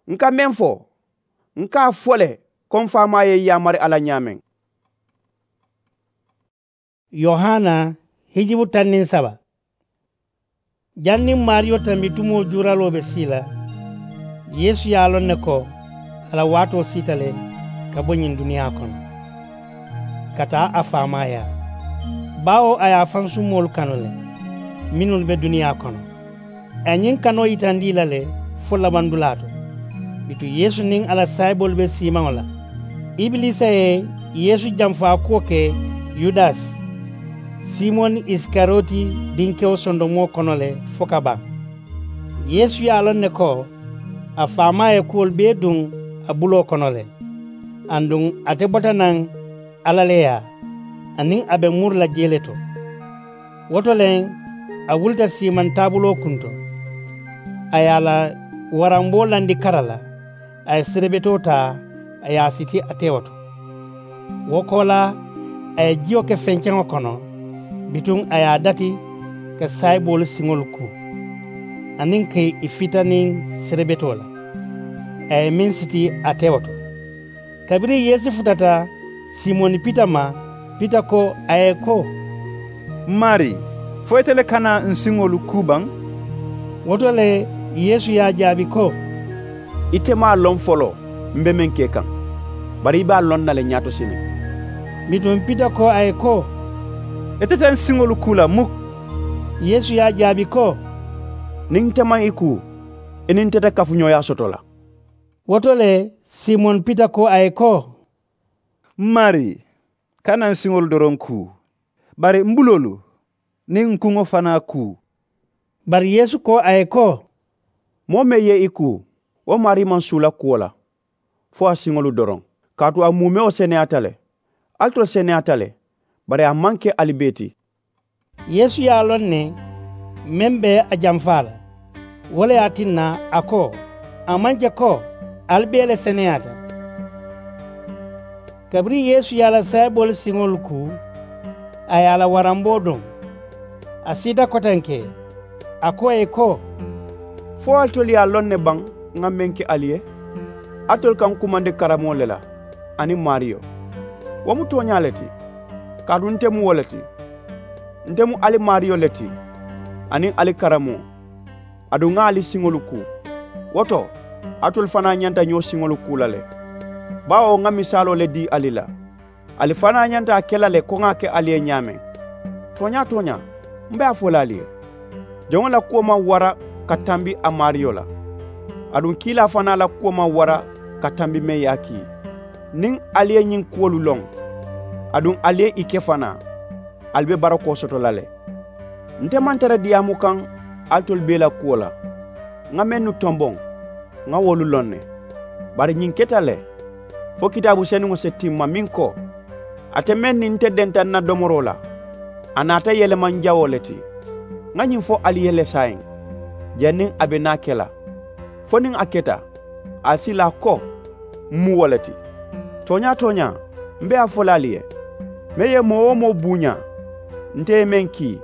ǹ ka meŋ fo, ǹ ka a fo le ko m faamaa ye ǹ yaamari a la ñaameŋ. Yohana hijibu taŋ niŋ saba. Janniŋ maariyo tambi tumoo juuraloo be sii la, yeesu ye a loŋ ne ko a la waatoo siita le ka bo ñiŋ duniyaa kono ka taa a faamaayaa. Baawo a ye a fansumoolu kanu le mennu be duniyaa kono. A ye ñiŋ kanoo yitandi ì la le fo labandulaa to. Bituŋ yeesu niŋ a la saayiboolu be siimaŋo la. Ibiliisa ye yeesu janfaa kuwo ke yudasi, simoni isikariyoti dinkewo sondomoo kono le fo ka baŋ. Yeesu ye a loŋ ne ko a faamaa ye kuwolu bee duŋ a buloo kono le. Aduŋ ate bota naŋ alla le yaa, aniŋ a be muri la jee le to. Wo to le a wulita siimaŋ taabuloo kunto. A ye a la waramboo landi kara la, a ye serebetoo taa, a ye a siti a tewo to. Wo koolaa a ye jiyo ke fenkeŋo kono, bituŋ a ye a dati ka saayiboolu siŋolu kuu, aniŋ ka ì fita niŋ serebetoo la, a ye meŋ siti a tewo to. Kabiriŋ yeesu futata simoni pita ma, pita ko a ye ko, m maarii, fo ite le kana ǹ siŋolu kuu baŋ? Wo to le yeesu ye a jaabi ko, ite maŋ a loŋ foloo m be meŋ ke kaŋ, bari i be a loŋ na le ñaato siniŋ. Bituŋ pita ko a ye ko, ite te ǹ siŋolu kuu la muk. Yeesu ye a jaabi ko, niŋ nte maŋ i kuu, i niŋ nte te kafuñooyaa soto la. Wo to le simoni pita ko a ye ko, m maarii, kana ǹ siŋolu doroŋ kuu, bari m buloolu niŋ ǹ kuŋo fanaa kuu. Bari yeesu ko a ye ko, moo meŋ ye i kuu, wo maarii maŋ suula kuwo la fo a siŋolu doroŋ. Kaatu a muumewo seneyaata le. Ali tolu seneyaata le, bari a maŋ ke ali bee ti. Yeesu ye a loŋ ne meŋ be a janfaa la. Wo le ye a tinna a ko, a maŋ je ko ali bee le seneyaata. Kabiriŋ yeesu ye a la saayiboolu siŋolu kuu, a ye a la waramboo duŋ, a siita kotenke, a ko ì ye ko, fo alitolu ye a loŋ ne baŋ ŋa meŋ ke ali ye? Alitolu ka ǹ kumandi karamoo le la aniŋ maariyo. Wo mu tooñaa le ti, kaatu nte mu wo le ti. Nte mu ali maariyo le ti aniŋ ali karamoo. Aduŋ ŋa ali siŋolu kuu. Wo to, alitolu fanaa ñanta ñoo siŋolu kuu la le. Baawo ŋa misaaloo le dii ali la, ali fanaa ñanta a ke la le ko ŋa a ke ali ye ñaameŋ. Tooñaa-tooñaa, m be a fo la ali ye, joŋo la kuwo maŋ wara ka tambi a maariyo la. Aduŋ kiilaa fanaa la kuwo maŋ wara ka tambi meŋ ye a kii. Niŋ ali ye ñiŋ kuwolu loŋ, aduŋ ali ye ì ke fanaa, ali be barakoo soto la le. Nte maŋ tara diyaamu kaŋ alitolu bee la kuwo la. Ŋa mennu tomboŋ, ŋa wolu loŋ ne. Bari ñiŋ keta le, fo kitaabu senuŋo si timma meŋ ko, ate meŋ niŋ nte denta ǹ na domoroo la, a naata yelemaŋ jawoo le ti. Ŋa ñiŋ fo ali ye le saayiŋ, janniŋ a be naa ke la, fo niŋ a keta, ali si laa ko m mu wo le ti. Tooñaa-tooñaa, m be a fo la ali ye, meŋ ye moo-wo-moo buuñaa, nte ye meŋ kii,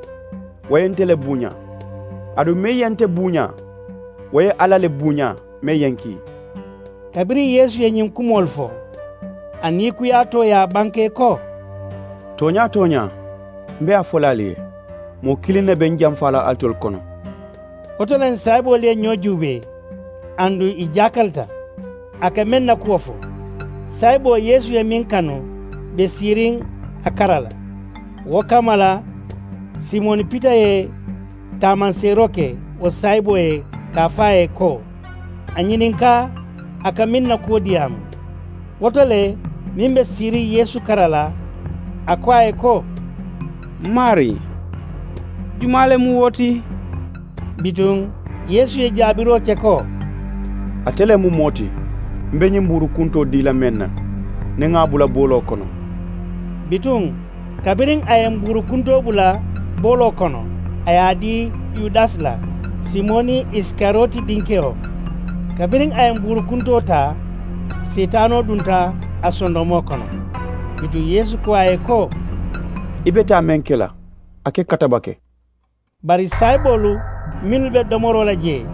wo ye nte le buuñaa. Aduŋ meŋ ye nte buuñaa, wo ye alla le buuñaa meŋ ye ǹ kii. Kabiriŋ yeesu ye ñiŋ kumoolu fo, a niikuyaatoo ye a banke ko, Tooñaa-tooñaa, m be a fo la ali ye, moo kiliŋ ne be n jamfaa la alitolu kono. Wo to le saayiboolu ye ñoo juubee, aduŋ ì jaakalita. A ka meŋ na kuwo fo, saayiboo yeesu ye meŋ kanu be siiriŋ a kara la. Wo kamma la, simoni pita ye taamanseeroo ke wo saayiboo ye, ka a fo a ye ko, a ñininkaa a ka meŋ na kuwo diyaamu. Wo to le, meŋ be siiriŋ yeesu kara la, a ko a ye ko, m maarii, jumaa le mu wo ti? Bituŋ yeesu ye jaabiroo ke ko, ate le mu moo ti m be ñiŋ buuru kuntoo dii la meŋ na, niŋ ŋa a bula booloo kono. Bituŋ kabiriŋ a ye mbuuru kuntoo bula booloo kono, a ye a dii yudasi la, simoni isikariyoti dinkewo. Kabiriŋ a ye mbuuru kuntoo taa, seetaanoo dunta a sondomoo kono. Bituŋ yeesu ko a ye ko, i be taa meŋ ke la, a ke katabake. Bari saayiboolu mennu be domoroo la jee,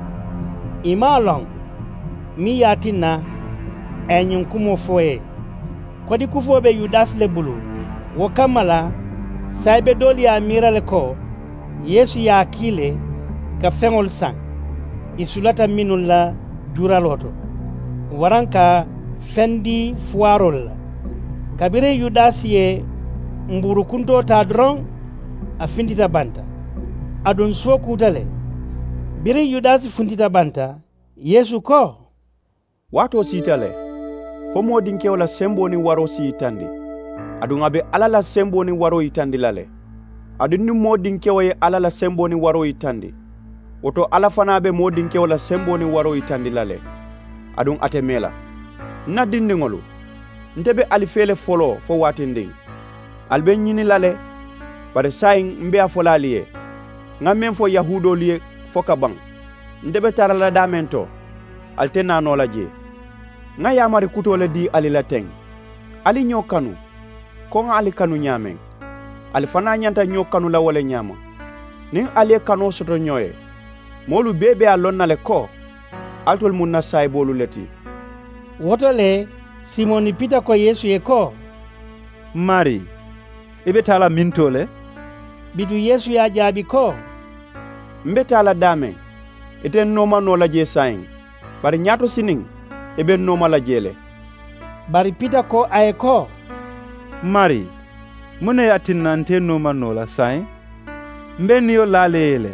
ì maŋ a loŋ meŋ ye a tinna a ye ñiŋ kumoo fo ì ye. Kodikufoo be yudasi le bulu. Wo kamma la, saayibe doolu ye a miira le ko yeesu ye a kii le ka feŋolu saŋ ì sulata mennu la juuraloo to, waraŋ ka feŋ dii fuwaaroolu la. Kabiriŋ yudasi ye mbuuru kuntoo taa doroŋ, a fintita banta, aduŋ suwo kuuta le. Biriŋ yudasi funtita banta, yeesu ko, waatoo siita le, fo moo dinkewo la semboo niŋ waroo si yitandi, aduŋ a be alla la semboo niŋ waroo yitandi la le. Aduŋ niŋ moo dinkewo ye alla la semboo niŋ waroo yitandi, wo to alla fanaa be moo dinkewo la semboo niŋ waroo yitandi la le. Aduŋ a te mee la. N na dindiŋolu, nte be ali fee le foloo fo waatindiŋ. Ali be n ñini la le. Bari saayiŋ m be a fo la ali ye, ŋa meŋ fo yahuudoolu ye fo ka baŋ, nte be tara la daameŋ to, ali te naa noo la jee. Ŋa yaamari kutoo le dii ali la teŋ, ali ñoo kanu, ko ŋa ali kanu ñaameŋ. Ali fanaa ñanta ñoo kanu la wo le ñaama. Niŋ ali ye kanoo soto ñoo ye, moolu bee be a loŋ na le ko alitolu mu n na saayiboolu le ti. Wo to le, simoni pita ko yeesu ye ko, m maarii, i be taa la mintoo le? Bituŋ yeesu ye a jaabi ko, m be taa la daameŋ, ite n nooma noo la jee saayiŋ, bari ñaatosiniŋ i be n nooma la jee le. Bari pita ko a ye ko, m maarii, muŋ ne ye a tinna nte i nooma noo la saayiŋ? M be i niyo laa la i ye le.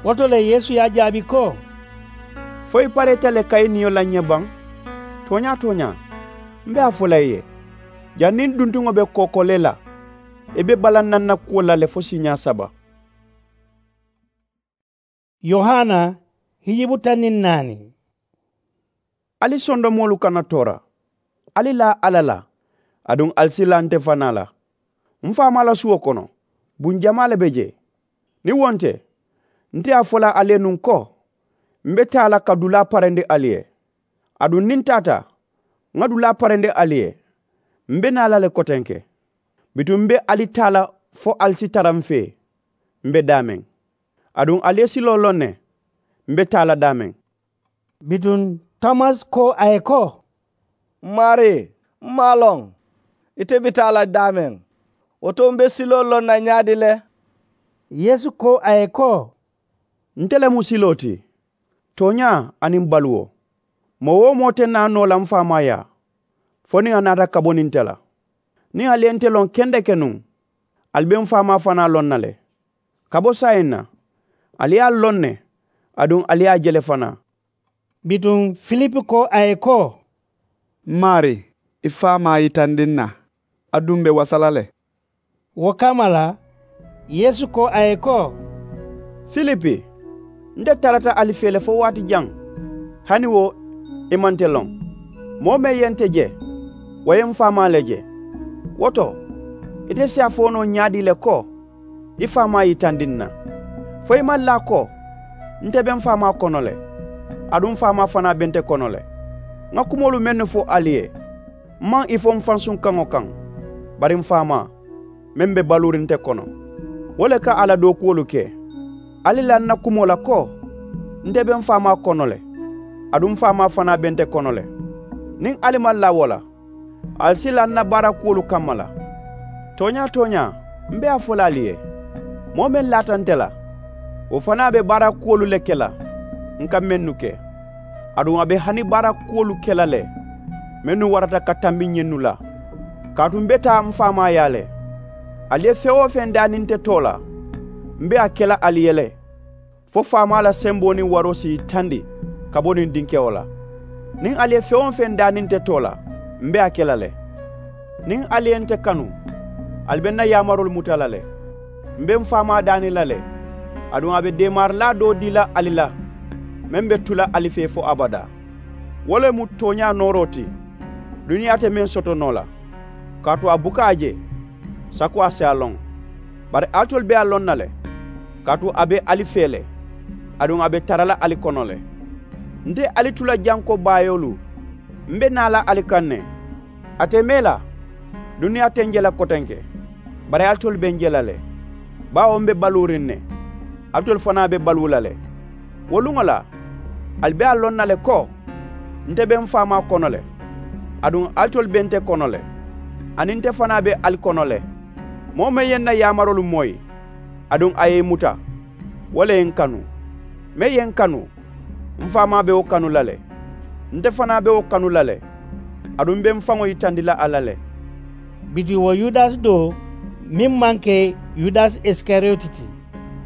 Wo to le yeesu ye a jaabi ko, fo i pareeta le ka i niyo la n ye baŋ? Tooñaa-tooñaa, m be a fo la i ye, janniŋ duntuŋo be kookolee la, i be balaŋ na n na kuwo la le fo siiñaa saba. Yohana, hijibu taŋ niŋ naani. Ali sondomoolu kana toora. Ali laa alla la, aduŋ ali si laa nte fanaa la. M faamaa la suwo kono, buŋ jamaa le be jee. Niŋ wo nte, nte ye a fo la ali ye nuŋ ko, m be taa la ka dulaa parendi ali ye. Aduŋ niŋ n taata, ŋa dulaa parendi ali ye, m be naa la le kotenke. Bituŋ m be ali taa la fo ali si tara m fee, m be daameŋ. Aduŋ ali ye siloo loŋ ne, m be taa la daameŋ. Bituŋ tomasi ko a ye ko, m maarii, m maŋ a loŋ ite be taa la daameŋ. Wo to m be siloo loŋ na ñaadi le? Yeesu ko a ye ko, nte le mu siloo ti, tooñaa aniŋ baluwo. Moo-wo-moo te naa noo la m faamaa yaa, fo niŋ a naata ka bo niŋ nte la. Niŋ ali ye nte loŋ kendeke nuŋ, ali be m faamaa fanaa loŋ na le. Ka bo saayiŋ na, ali ye a loŋ ne, aduŋ ali ye a je le fanaa. Bituŋ filipi ko a ye ko, m maarii, i faamaa yitandi n na, aduŋ m be wasa la le. Wo kamma la, yeesu ko a ye ko, filipi, nte tarata ali fee le fo waati jaŋ, hani wo i maŋ nte loŋ? Moo meŋ ye nte je, wo ye m faamaa le je. Wo to, ite si a fo noo ñaadii le ko, i faamaa yitandi n na? Fo i maŋ laa ko, nte be m faamaa kono le, aduŋ m faamaa fanaa be nte kono le. Ŋa kumoolu mennu fo ali ye, m maŋ ì fo m fansuŋ kaŋo kaŋ, bari m faamaa, meŋ be baluuriŋ nte kono, wo le ka a la dookuwolu ke. Ali la n na kumoo la ko, nte be m faamaa kono le, aduŋ m faamaa fanaa be nte kono le. Niŋ ali maŋ laa wo la, ali si laa n na baarakuwolu kamma la. Tooñaa tooñaa, m be a fo la ali ye, moo meŋ laata nte la, wo fanaa be baara kuwolu le ke la n ka mennu ke, aduŋ a be hani baara kuwolu ke la le mennu warata ka tambi ñinnu la. Kaatu m be taa m faamaa yaa le. Ali ye feŋ-wo-feŋ daani nte too la, m be a ke la ali ye le, fo faamaa la semboo niŋ waroo si yitandi ka bo niŋ dinkewo la. Niŋ ali ye feŋ-wo-feŋ daani nte too la, m be a ke la le. Niŋ ali ye nte kanu, ali be n na yaamaroolu muta la le. M be m faamaa daani la le, aduŋ a be deemaarilaa doo dii la ali la, meŋ be tu la ali fee fo abadaa. Wo le mu tooñaa nooroo ti, duniyaa te meŋ soto noo la, kaatu a buka a je, sako a si a loŋ. Bari alitolu be a loŋ na le, kaatu a be ali fee le, aduŋ a be tara la ali kono le. Nte ali tu la janko baayoolu, m be naa la ali kaŋ ne. A te mee la, duniyaa te n je la kotenke, bari alitolu be n je la le, baawo m be baluuriŋ ne, alitolu fanaa be baluu la le. Wo luŋo la, ali be a loŋ na le ko, nte be m faamaa kono le, aduŋ alitolu be nte kono le, aniŋ nte fanaa be ali kono le. Moo meŋ ye n na yaamaroolu moyi, aduŋ a ye i muta, wo le ye n kanu. Meŋ ye n kanu, m faamaa be wo kanu la le, nte fanaa be wo kanu la le, aduŋ m be m faŋo yitandi la a la le. Bituŋ wo yudasi do, meŋ maŋ ke yudasi isikariyoti ti,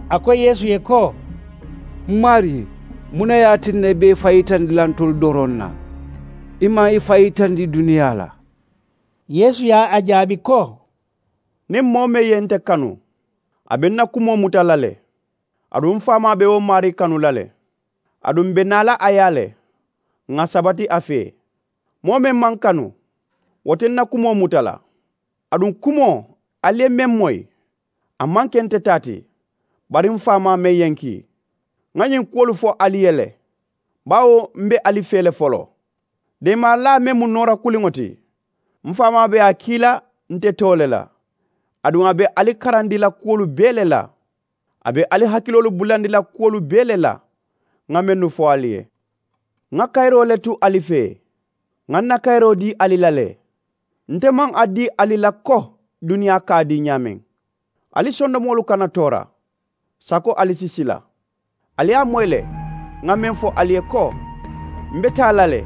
a ko yeesu ye ko, m maarii, muŋ ne ye a tinna i be i faŋ yitandi la ntolu doroŋ na, i maŋ i faŋ yitandi duniyaa la? Yeesu ye a jaabi ko, niŋ moo meŋ ye nte kanu, a be n na kumoo muta la le, aduŋ m faamaa be wo maarii kanu la le, aduŋ m be naa la a yaa le, ŋà sabati a fee. Moo meŋ maŋ kanu, wo te n na kumoo muta la. Aduŋ kumoo, ali ye meŋ moyi, a maŋ ke nte taa ti, bari m faamaa meŋ ye n kii. Ŋa ñiŋ kuwolu fo ali ye le, baawo m be ali fee le foloo. Deemaarilaa meŋ mu noora kuliŋo ti, m faamaa be a kii la nte too le la, aduŋ a be ali karandi la kuwolu bee le la. A be ali hakiloolu bulandi la kuwolu bee le la, ŋa mennu fo ali ye. Ŋa kayiroo le tu ali fee, ŋa n na kayiroo dii ali la le. Nte maŋ a dii ali la ko duniyaa ka a dii ñaameŋ. Ali sondomoolu kana toora, sako ali si sila. Ali ye a moyi le, ŋa meŋ fo ali ye ko, m be taa la le,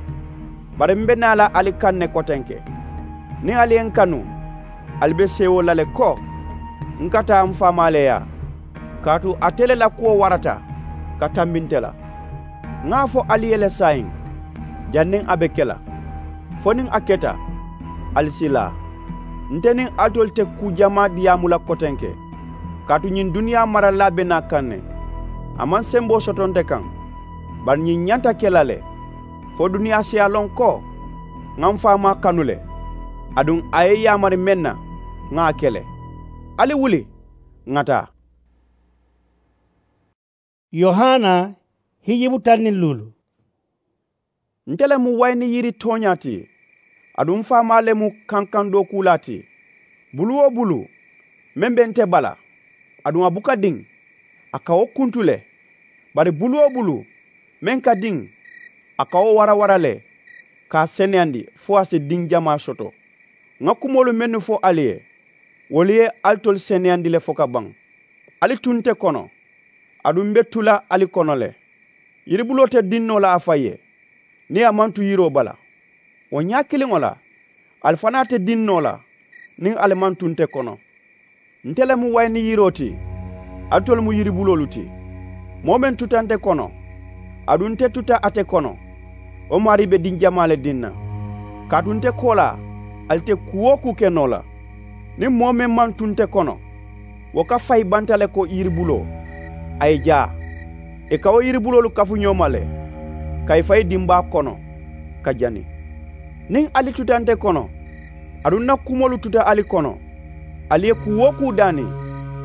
bari m be naa la ali kaŋ ne kotenke. Niŋ ali ye n kanu, ali be seewoo la le ko, n ka taa m faamaa le yaa, kaatu ate le la kuwo warata ka tambi nte la. Ŋa a fo ali ye le saayiŋ, janniŋ a be ke la, fo niŋ a keta, ali si laa. Nte niŋ alitolu te kuu jamaa diyaamu la kotenke, kaatu ñiŋ duniyaa maralilaa be naa kaŋ ne. A maŋ semboo soto nte kaŋ, bari ñiŋ ñanta ke la le, fo duniyaa si a loŋ ko, ŋa m faamaa kanu le, aduŋ a ye yaamari meŋ na, ŋa a ke le. Ali wuli, ŋa taa. Yohana, hijibu taŋ niŋ luulu. Nte le mu wayini yiri tooñaa ti, aduŋ m faamaa le mu kankandookuulaa ti. Bulu wo bulu, meŋ be nte bala, aduŋ a buka diŋ, a ka wo kuntu le. Bari bulu wo bulu, meŋ ka diŋ, a ka wo warawara le, ka a seneyandi fo a si diŋ jamaa soto. Ŋa kumoolu mennu fo ali ye, wolu ye alitolu seneyandi le fo ka baŋ. Ali tu nte kono, aduŋ m be tu la ali kono le. Yiribuloo te diŋ noo la a faŋ ye, niŋ a maŋ tu yiroo bala. Wo ñaa kiliŋo la, ali fanaa te diŋ noo la, niŋ ali maŋ tu nte kono. Nte le mu wayini yiroo ti, alitolu mu yiribuloolu ti. Moo meŋ tuta nte kono, aduŋ nte tuta ate kono, wo maarii be diŋ jamaa le diŋ na. Kaatu nte koolaa, ali te kuu wo kuu ke noo la. Niŋ moo meŋ maŋ tu nte kono, wo ka fayi banta le ko yiribuloo, a ye jaa. Ì ka wo yiribuloolu kafu ñoo ma le, ka ì fayi dimbaa kono, ka jani. Niŋ ali tuta nte kono, aduŋ n na kumoolu tuta ali kono, ali ye kuu wo kuu daani,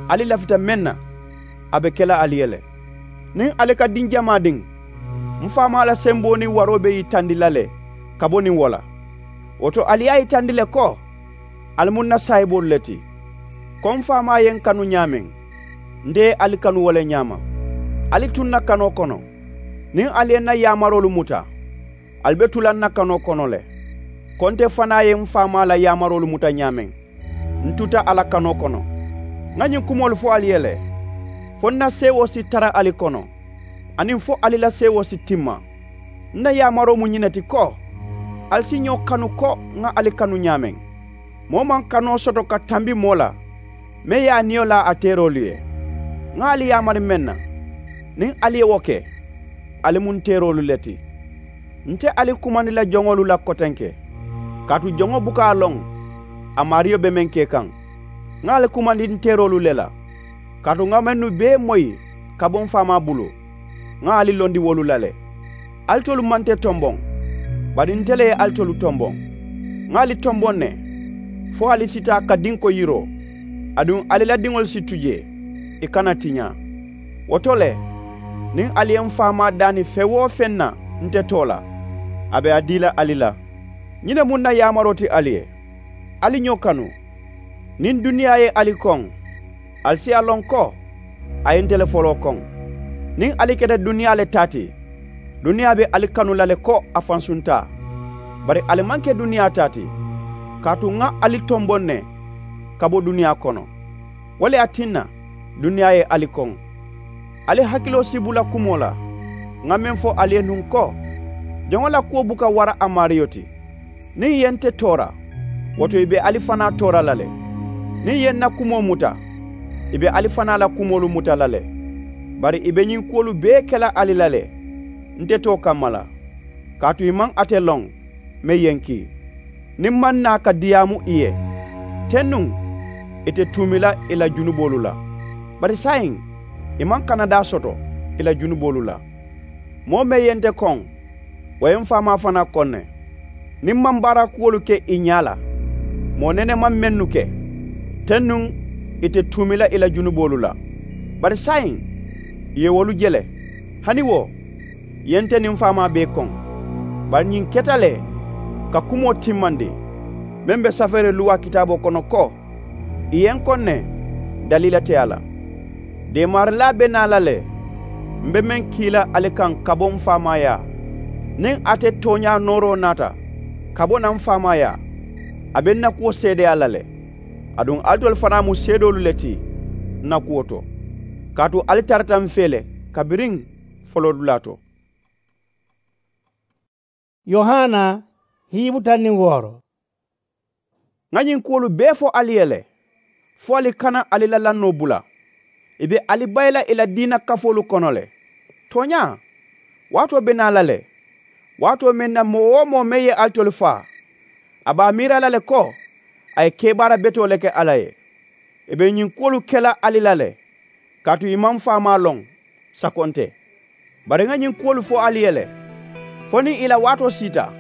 ali lafita meŋ na, a be ke la ali ye le. Niŋ ali ka diŋ jamaa diŋ, m faamaa la semboo niŋ waroo be yitandi la le ka bo niŋ wo la. Wo to ali ye a yitandi le ko, ali mu n na saayiboolu le ti. Ko m faamaa ye n kanu ñaameŋ, nte ye ali kanu wo le ñaama. Ali tu n na kanoo kono, niŋ ali ye n na yaamaroolu muta, ali be tu la n na kanoo kono le. Ko nte fanaa ye m faamaa la yaamaroolu muta ñaameŋ, N tuta a la kanoo kono. Ŋa ñiŋ kumoolu fo ali ye le, fo n na seewoo si tara ali kono, aniŋ fo ali la seewoo si timma. N na yaamaroo mu ñiŋ ne ti ko, ali si ñoo kanu ko ŋa ali kanu ñaameŋ. Moo maŋ kanoo soto ka tambi moo la, meŋ ye a niyo laa a teeroolu ye. Ŋa ali yaamari meŋ na, niŋ ali ye wo ke, ali mu n teeroolu le ti. N te ali kumandi la joŋolu la kotenke, kaatu joŋo buka a loŋ a maariyo be meŋ ke kaŋ. Ŋa ali kumandi n teeroolu le la, kaatu ŋa mennu bee moyi ka bo m faamaa bulu, ŋa ali londi wolu la le. Ali tolu maŋ nte tomboŋ, bari nte le ye ali tolu tomboŋ. Ŋa ali tomboŋ ne, fo ali si taa ka dinko yiroo, aduŋ ali la diŋolu si tu jee, ì kana tiñaa. Wo to le, niŋ ali ye m faamaa daani feŋ-wo-feŋ na nte too la, a be a dii la ali la. Ñiŋ ne mu n na yaamaroo ti ali ye, ali ñoo kanu. Niŋ duniyaa ye ali koŋ, ali si a loŋ ko a ye nte le foloo koŋ. Niŋ ali keta duniyaa le taa ti, duniyaa be ali kanu la le ko a fansuntaa. Bari ali maŋ ke duniyaa taa ti, kaatu ŋa ali tomboŋ ne ka bo duniyaa kono. Wo le ye a tinna duniyaa ye ali koŋ. Ali hakiloo si bula kumoo la ŋa meŋ fo ali ye nuŋ ko, joŋo la kuwo buka wara a maariyo ti. Niŋ ì ye nte toora, wo to ì be ali fanaa toora la le. Niŋ ì ye n na kumoo muta, ì be ali fanaa la kumoolu muta la le. Bari ì be ñiŋ kuwolu bee ke la ali la le, nte too kamma la, kaatu ì maŋ ate loŋ meŋ ye n kii. Niŋ m maŋ naa ka diyaamu ì ye, tennuŋ ì te tuumi la ì la junuboolu la. Bari saayiŋ, ì maŋ kanadaa soto ì la junuboolu la. Moo meŋ ye nte koŋ, wo ye m faamaa fanaa koŋ ne. Niŋ m maŋ baara kuwolu ke ì ñaa la, moo nene maŋ mennu ke, tennuŋ ì te tuumi la ì la junuboolu la. Bari saayiŋ, ì ye wolu je le. Hani wo, ì ye nte niŋ m faamaa bee koŋ. Bari ñiŋ keta le ka kumoo timmandi, meŋ be safeere luwaa kitaaboo kono ko, ì ye n koŋ ne, daliila te a la. Deemaarilaa be naa la le, m be meŋ kii la ali kaŋ ka bo m faamaayaa. Niŋ ate tooñaa nooroo naata ka bo naŋ m faamaayaa, a be n na kuwo seedeyaa la le. Aduŋ alitolu fanaa mu seedoolu le ti n na kuwo to, kaatu ali tarata m fee le kabiriŋ foloodulaa to. Yohana, hiibu taŋ niŋ wooro. Ŋa ñiŋ kuwolu bee fo ali ye le, fo ali kana ali la lannoo bula. Ì be ali bayi la ì la diina kafoolu kono le. Tooñaa, waatoo be naa la le, waatoo meŋ na moo-wo-moo meŋ ye alitolu faa, a be a miira la le ko a ye kebaara betoo le ke alla ye. Ì be ñiŋ kuwolu ke la ali la le, kaatu ì maŋ faamaa loŋ sako nte. Bari ŋa ñiŋ kuwolu fo ali ye le, fo niŋ ì la waatoo siita,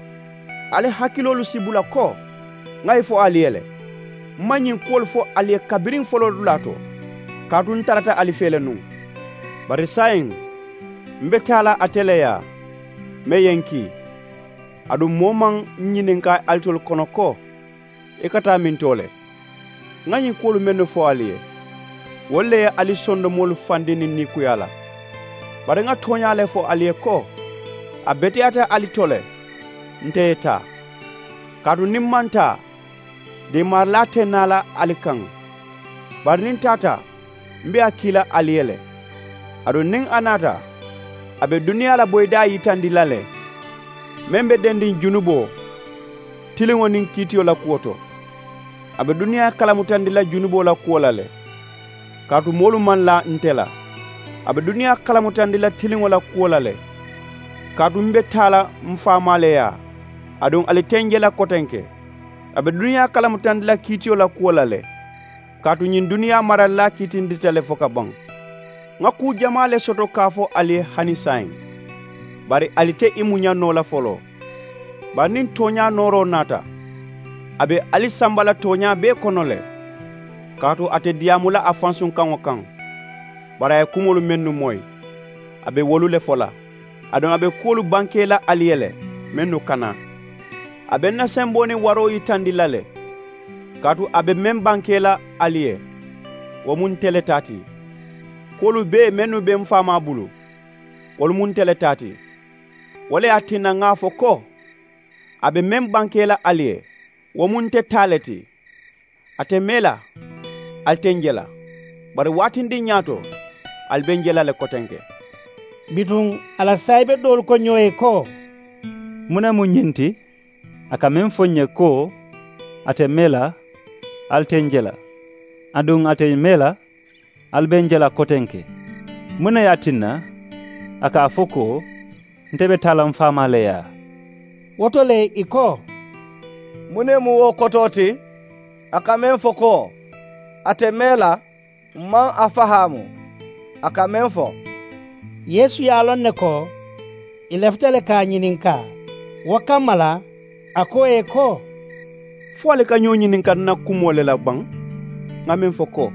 ali hakiloolu si bula ko ŋa ì fo ali ye le. M maŋ ñiŋ kuwolu fo ali ye kabiriŋ foloodulaa to, kaatu n tarata ali fee le nuŋ. Bari saayiŋ, m be taa la ate le yaa, meŋ ye n kii. Aduŋ moo maŋ ñininkaa alitolu kono ko, i ka taa mintoo le? Ŋa ñiŋ kuwolu mennu fo ali ye, wolu le ye ali sondomoolu fandi niŋ niikuyaa la. Bari ŋa tooñaa le fo ali ye ko, a beteyaata ali to le nte ye taa. Kaatu niŋ m maŋ taa, deemaarilaa te naa la ali kaŋ. Bari niŋ n taata, m be a kii la ali ye le. Aduŋ niŋ a naata, a be duniyaa la boyidaa yitandi la le, meŋ be dendiŋ junuboo tiliŋo niŋ kiitiyo la kuwo to. A be duniyaa kalamutandi la junuboo la kuwo la le, kaatu moolu maŋ laa nte la. A be duniyaa kalamutandi la tiliŋo la kuwo la le, kaatu m be taa la m faamaa le yaa, aduŋ ali te n je la kotenke. A be duniyaa kalamutandi la kiitiyo la kuwo la le, kaatu ñiŋ duniyaa maralilaa kiitindita le fo ka baŋ. Ŋa kuu jamaa le soto ka a fo ali ye hani saayiŋ, bari ali te i muña noo la foloo. Bari niŋ tooñaa nooroo naata, a be ali samba la tooñaa bee kono le, kaatu a te diyaamu la a fansunkaŋo kaŋ. Bari a ye kumoolu mennu moyi, a be wolu le fo la. Aduŋ a be kuwolu bankee la ali ye le, mennu kana. A be n na semboo niŋ waroo yitandi la le, kaatu a be meŋ bankee la ali ye, wo mu nte le taa ti. Kuwolu bee mennu be m faamaa bulu, wolu mu nte le taa ti. Wo le ye a tinna ŋa a fo ko, a be meŋ bankee la ali ye, wo mu nte taa le ti. A te mee la, ali te ǹ je la. Bari waatindiŋ ñaato, ali be ǹ je la le kotenke. Bituŋ a la saayibe doolu ko ñoo ye ko, muŋ ne mu ñiŋ ti? A ka meŋ fo ǹ ye ko, a te mee la, ali te ǹ je la, aduŋ a te mee la, ali be ǹ je la kotenke. Muŋ ne ye a tinna a ka a fo ko, nte be taa la m faamaa le yaa? Wo to le ì ko, muŋ ne mu wo kotoo ti? A ka meŋ fo ko, a te mee la, m maŋ a fahaamu. A ka meŋ fo. Yeesu ye a loŋ ne ko ì lafita le ka a ñininkaa. Wo kamma la a ko ì ye ko, fo ali ka ñoo ñininka n na kumoo le la baŋ? Ŋà meŋ fo ko,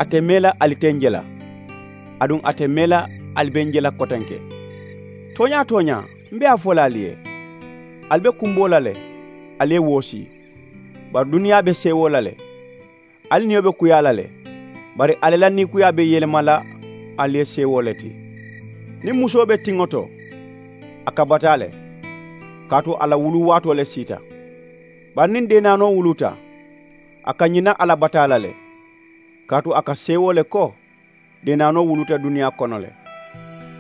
a te mee la, ali te ǹ je la, aduŋ a te mee la, ali be ǹ je la kotenke. Tooñaa-tooñaa, m be a fo la ali ye, ali be kumboo la le, ali ye woosii. Bari duniyaa be seewoo la le, ali niyo be kuyaa la le. Bari ali la niikuyaa be yelema la ali ye seewoo le ti. Niŋ musoo be tiŋo to, a ka bataa le, kaatu a la wuluu waatoo le siita. Bari niŋ deenaanoo wuluuta, a ka ñina a la bataa la le, kaatu a ka seewoo le ko deenaanoo wuluuta duniyaa kono le.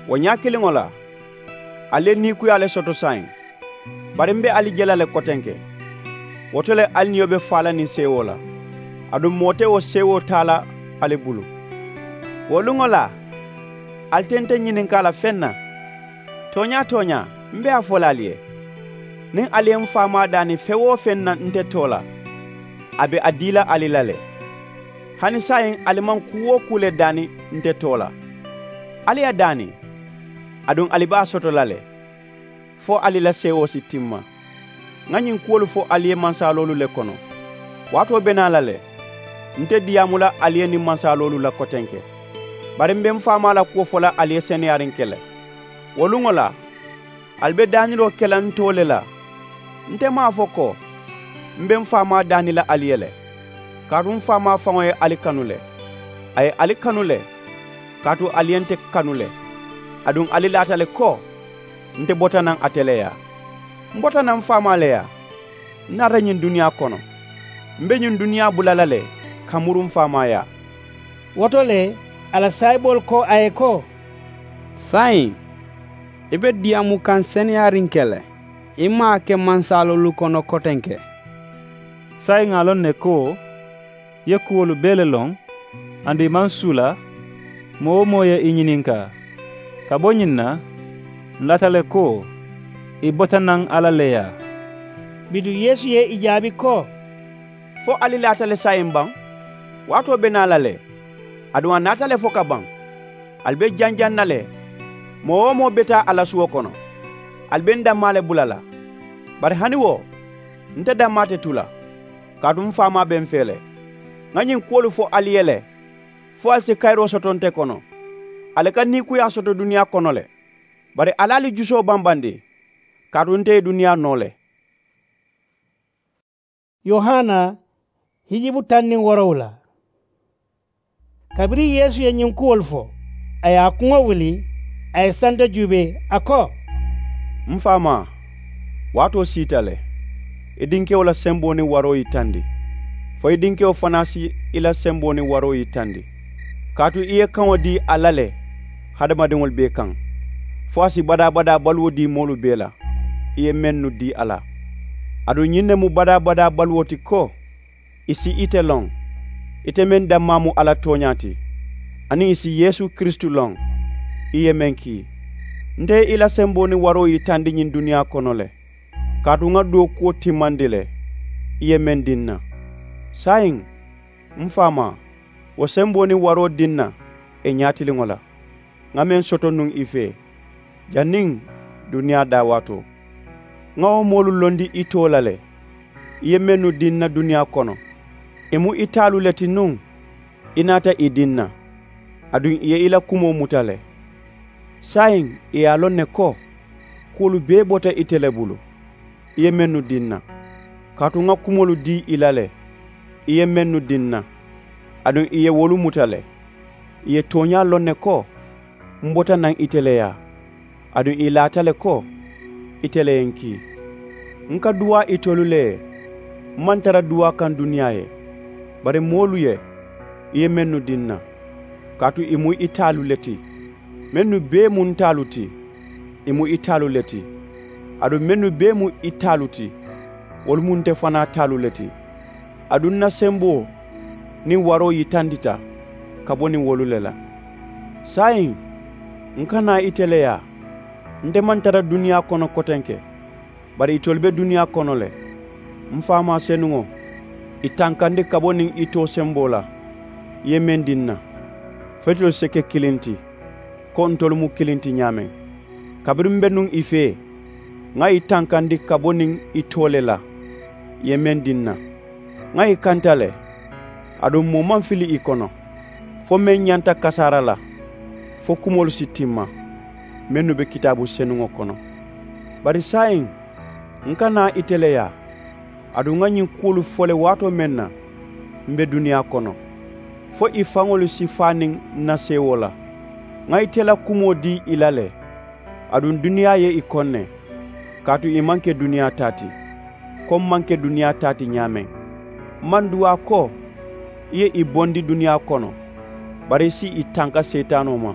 Wo ñaa kiliŋo la, ali ye niikuyaa le soto saayiŋ. Bari m be ali je la le kotenke. Wo to le ali niyo be faa la niŋ seewoo la, aduŋ moo te wo seewoo taa la ali bulu. Wo luŋo la, ali te nte ñininkaa la feŋ na. Tooñaa-tooñaa, m be a fo la ali ye, niŋ ali ye m faamaa daani feŋ-wo-feŋ na nte too la, a be a dii la ali la le. Hani saayiŋ ali maŋ kuu-wo-kuu le daani nte too la. Ali a daani, aduŋ ali be a soto la le, fo ali la seewoo si timma. Ŋà ñiŋ kuwolu fo ali ye mansaaloolu le kono. Waatoo be naa la le, nte diyaamu la ali ye niŋ mansaaloolu la kotenke. Bari m be m faamaa la kuwo fo la ali ye seneyaariŋ ke le. Wo luŋo la, ali be daaniloo ke la n too le la. Nte maŋ a fo ko, m be m faamaa daani la ali ye le, kaatu m faamaa faŋo ye ali kanu le. A ye ali kanu le, kaatu ali ye nte kanu le, aduŋ ali laata le ko, nte bota naŋ ate le yaa. M bota naŋ m faamaa le yaa. N naata ñiŋ duniyaa kono. M be ñiŋ duniyaa bula la le ka muru m faamaa yaa. Wo to le, a la saayiboolu ko a ye ko, saayiŋ, i be diyaamu kaŋ seneyaariŋ ke le, i maŋ a ke mansaaloolu kono kotenke. Saayiŋ ŋà a loŋ ne ko, i ye kuwolu bee le loŋ, aduŋ i maŋ suula, moo wo moo ye i ñininkaa. Ka bo ñiŋ na, ǹ laata le ko, i bota naŋ alla le yaa. Bituŋ yeesu ye i jaabi ko, fo ali laata le saayiŋ baŋ? Waatoo be naa la le, aduŋ a naata le fo ka baŋ. Ali be janjaŋ na le, moo-wo-moo be taa a la suwo kono. Ali be n dammaa le bula la. Bari hani wo, nte dammaa te tu la, kaatu m faamaa be m fee le. Ŋà ñiŋ kuwolu fo ali ye le, fo ali si kayiroo soto nte kono. Ali ka niikuyaa soto duniyaa kono le, bari ali ali jusoo bambandi, kaatu nte ye duniyaa noo le. Yohana hijibu taŋ niŋ woorowula. Kabiriŋ yeesu ye ñiŋ kuwolu fo, a ye a kuŋo wuli, a ye santa juubee, a ko, m faamaa, waatoo siita le. I dinkewo la semboo niŋ waroo yitandi, fo i dinkewo fanaa si i la semboo niŋ waroo yitandi. Kaatu i ye kaŋo dii a la le hadamadiŋolu bee kaŋ, fo a si badaa-badaa baluwo dii moolu bee la, i ye mennu dii a la. Aduŋ ñiŋ ne mu badaa-badaa baluwo ti ko, i si ite loŋ, ite meŋ dammaa mu alla tooñaa ti, aniŋ i si yeesu kiristu loŋ, i ye meŋ kii. Nte ye i la semboo niŋ waroo yitandi ñiŋ duniyaa kono le, kaatu ŋa dookuwo timmandi le, i ye meŋ dii n na. Saayiŋ, m faamaa, wo semboo niŋ waroo dii n na ì ñaatiliŋo la, ŋa meŋ soto nuŋ i fee, janniŋ duniyaa daawaatoo. Ŋa wo moolu londi i too la le, i ye mennu dii n na duniyaa kono, ì mu i taalu le ti nuŋ. I naata ì dii n na, aduŋ ì ye i la kumoo muta le. Saayiŋ ì ye a loŋ ne ko, kuwolu bee bota ite le bulu, i ye mennu dii n na, kaatu ŋa kumoolu dii ì la le, i ye mennu dii n na, aduŋ ì ye wolu muta le. Ì ye tooñaa loŋ ne ko, m bota naŋ ite le yaa, aduŋ ì laata le ko, ite le ye n kii. N ka duwaa itolu le ye, m maŋ tara duwaa kaŋ duniyaa ye. Bari moolu ye, i ye mennu dii ǹ na, kaatu ì mu i taalu le ti. Mennu bee mu ǹ taalu ti, ì mu i taalu le ti. Aduŋ mennu bee mu i taalu ti, wolu mu nte fanaa taalu le ti. Aduŋ ǹ na semboo niŋ waroo yitandita ka bo niŋ wolu le la. Saayiŋ, ǹ ka naa ite le yaa? Nte maŋ tara duniyaa kono kotenke, bari itolu be duniyaa kono le. M̀ faamaa senuŋo, ì tankandi ka bo niŋ i too semboo la, i ye meŋ dii ǹ na, fo itolu si ke kiliŋ ti, ko ntolu mu kiliŋ ti ñaameŋ. Kabiriŋ m̀ be nuŋ ì fee, ŋà ì tankandi ka bo niŋ i too le la, ì ye meŋ dii ǹ na. Ŋà ì kanta le, aduŋ moo maŋ fili ì kono, fo meŋ ñanta kasaara la, fo kumoolu si timma, mennu be kitaabu senuŋo kono. Bari saayiŋ, ǹ ka naa ite le yaa? Aduŋ ŋà ñiŋ kuwolu fo le waatoo meŋ na, m̀ be duniyaa kono, fo ì faŋolu si faa niŋ ǹ na seewoo la. Ŋà ite la kumoo dii ì la le, aduŋ duniyaa ye ì koŋ ne, kaatu ì maŋ ke duniyaa taa ti, ko m̀ maŋ ke duniyaa taa ti ñaameŋ. M̀ maŋ duwaa ko ì ye ì bondi duniyaa kono, bari ì si ì tanka seetaanoo ma.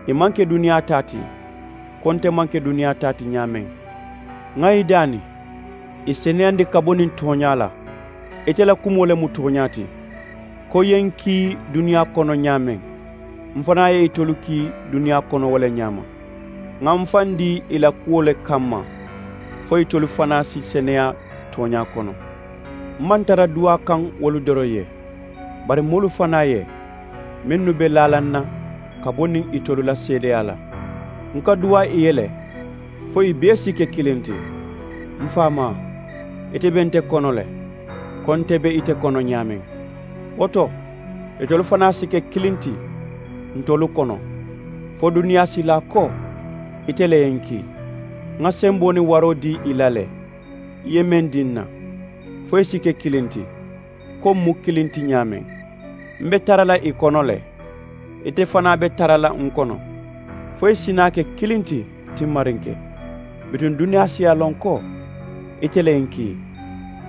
Ì maŋ ke duniyaa taa ti, ko nte maŋ ke duniyaa taa ti ñaameŋ. Ŋà ì daani, ì seneyandi ka bo niŋ tooñaa la. Ite la kumoo le mu tooñaa ti. Ko ì ye ǹ kii duniyaa kono ñaameŋ, m̀ fanaa ye itolu kii duniyaa kono wo le ñaama. Ŋà m̀ faŋ dii ì la kuwo le kamma, fo itolu fanaa si seneyaa tooñaa kono. M̀ maŋ tara duwaa kaŋ wolu doroŋ ye, bari moolu fanaa ye, mennu be laalaŋ na ka bo niŋ itolu la seedeyaa la. Ǹ ka duwaa ì ye le, fo ì bee si ke kiliŋ ti. M̀ faamaa, ite be nte kono le, ko nte be ite kono ñaameŋ. Wo to, itolu fanaa si ke kiliŋ ti ntolu kono, fo duniyaa si laa ko ite le ye ǹ kii. Ŋà semboo niŋ waroo dii ì la le, ì ye meŋ dii ǹ na, fo ì si ke kiliŋ ti, ko m̀ mu kiliŋ ti ñaameŋ. M̀ be tara la ì kono le, ite fanaa be tara la ǹ kono, fo ì si naa ke kiliŋ ti timmariŋ ke. Bituŋ duniyaa si a loŋ ko ite le ye ǹ kii,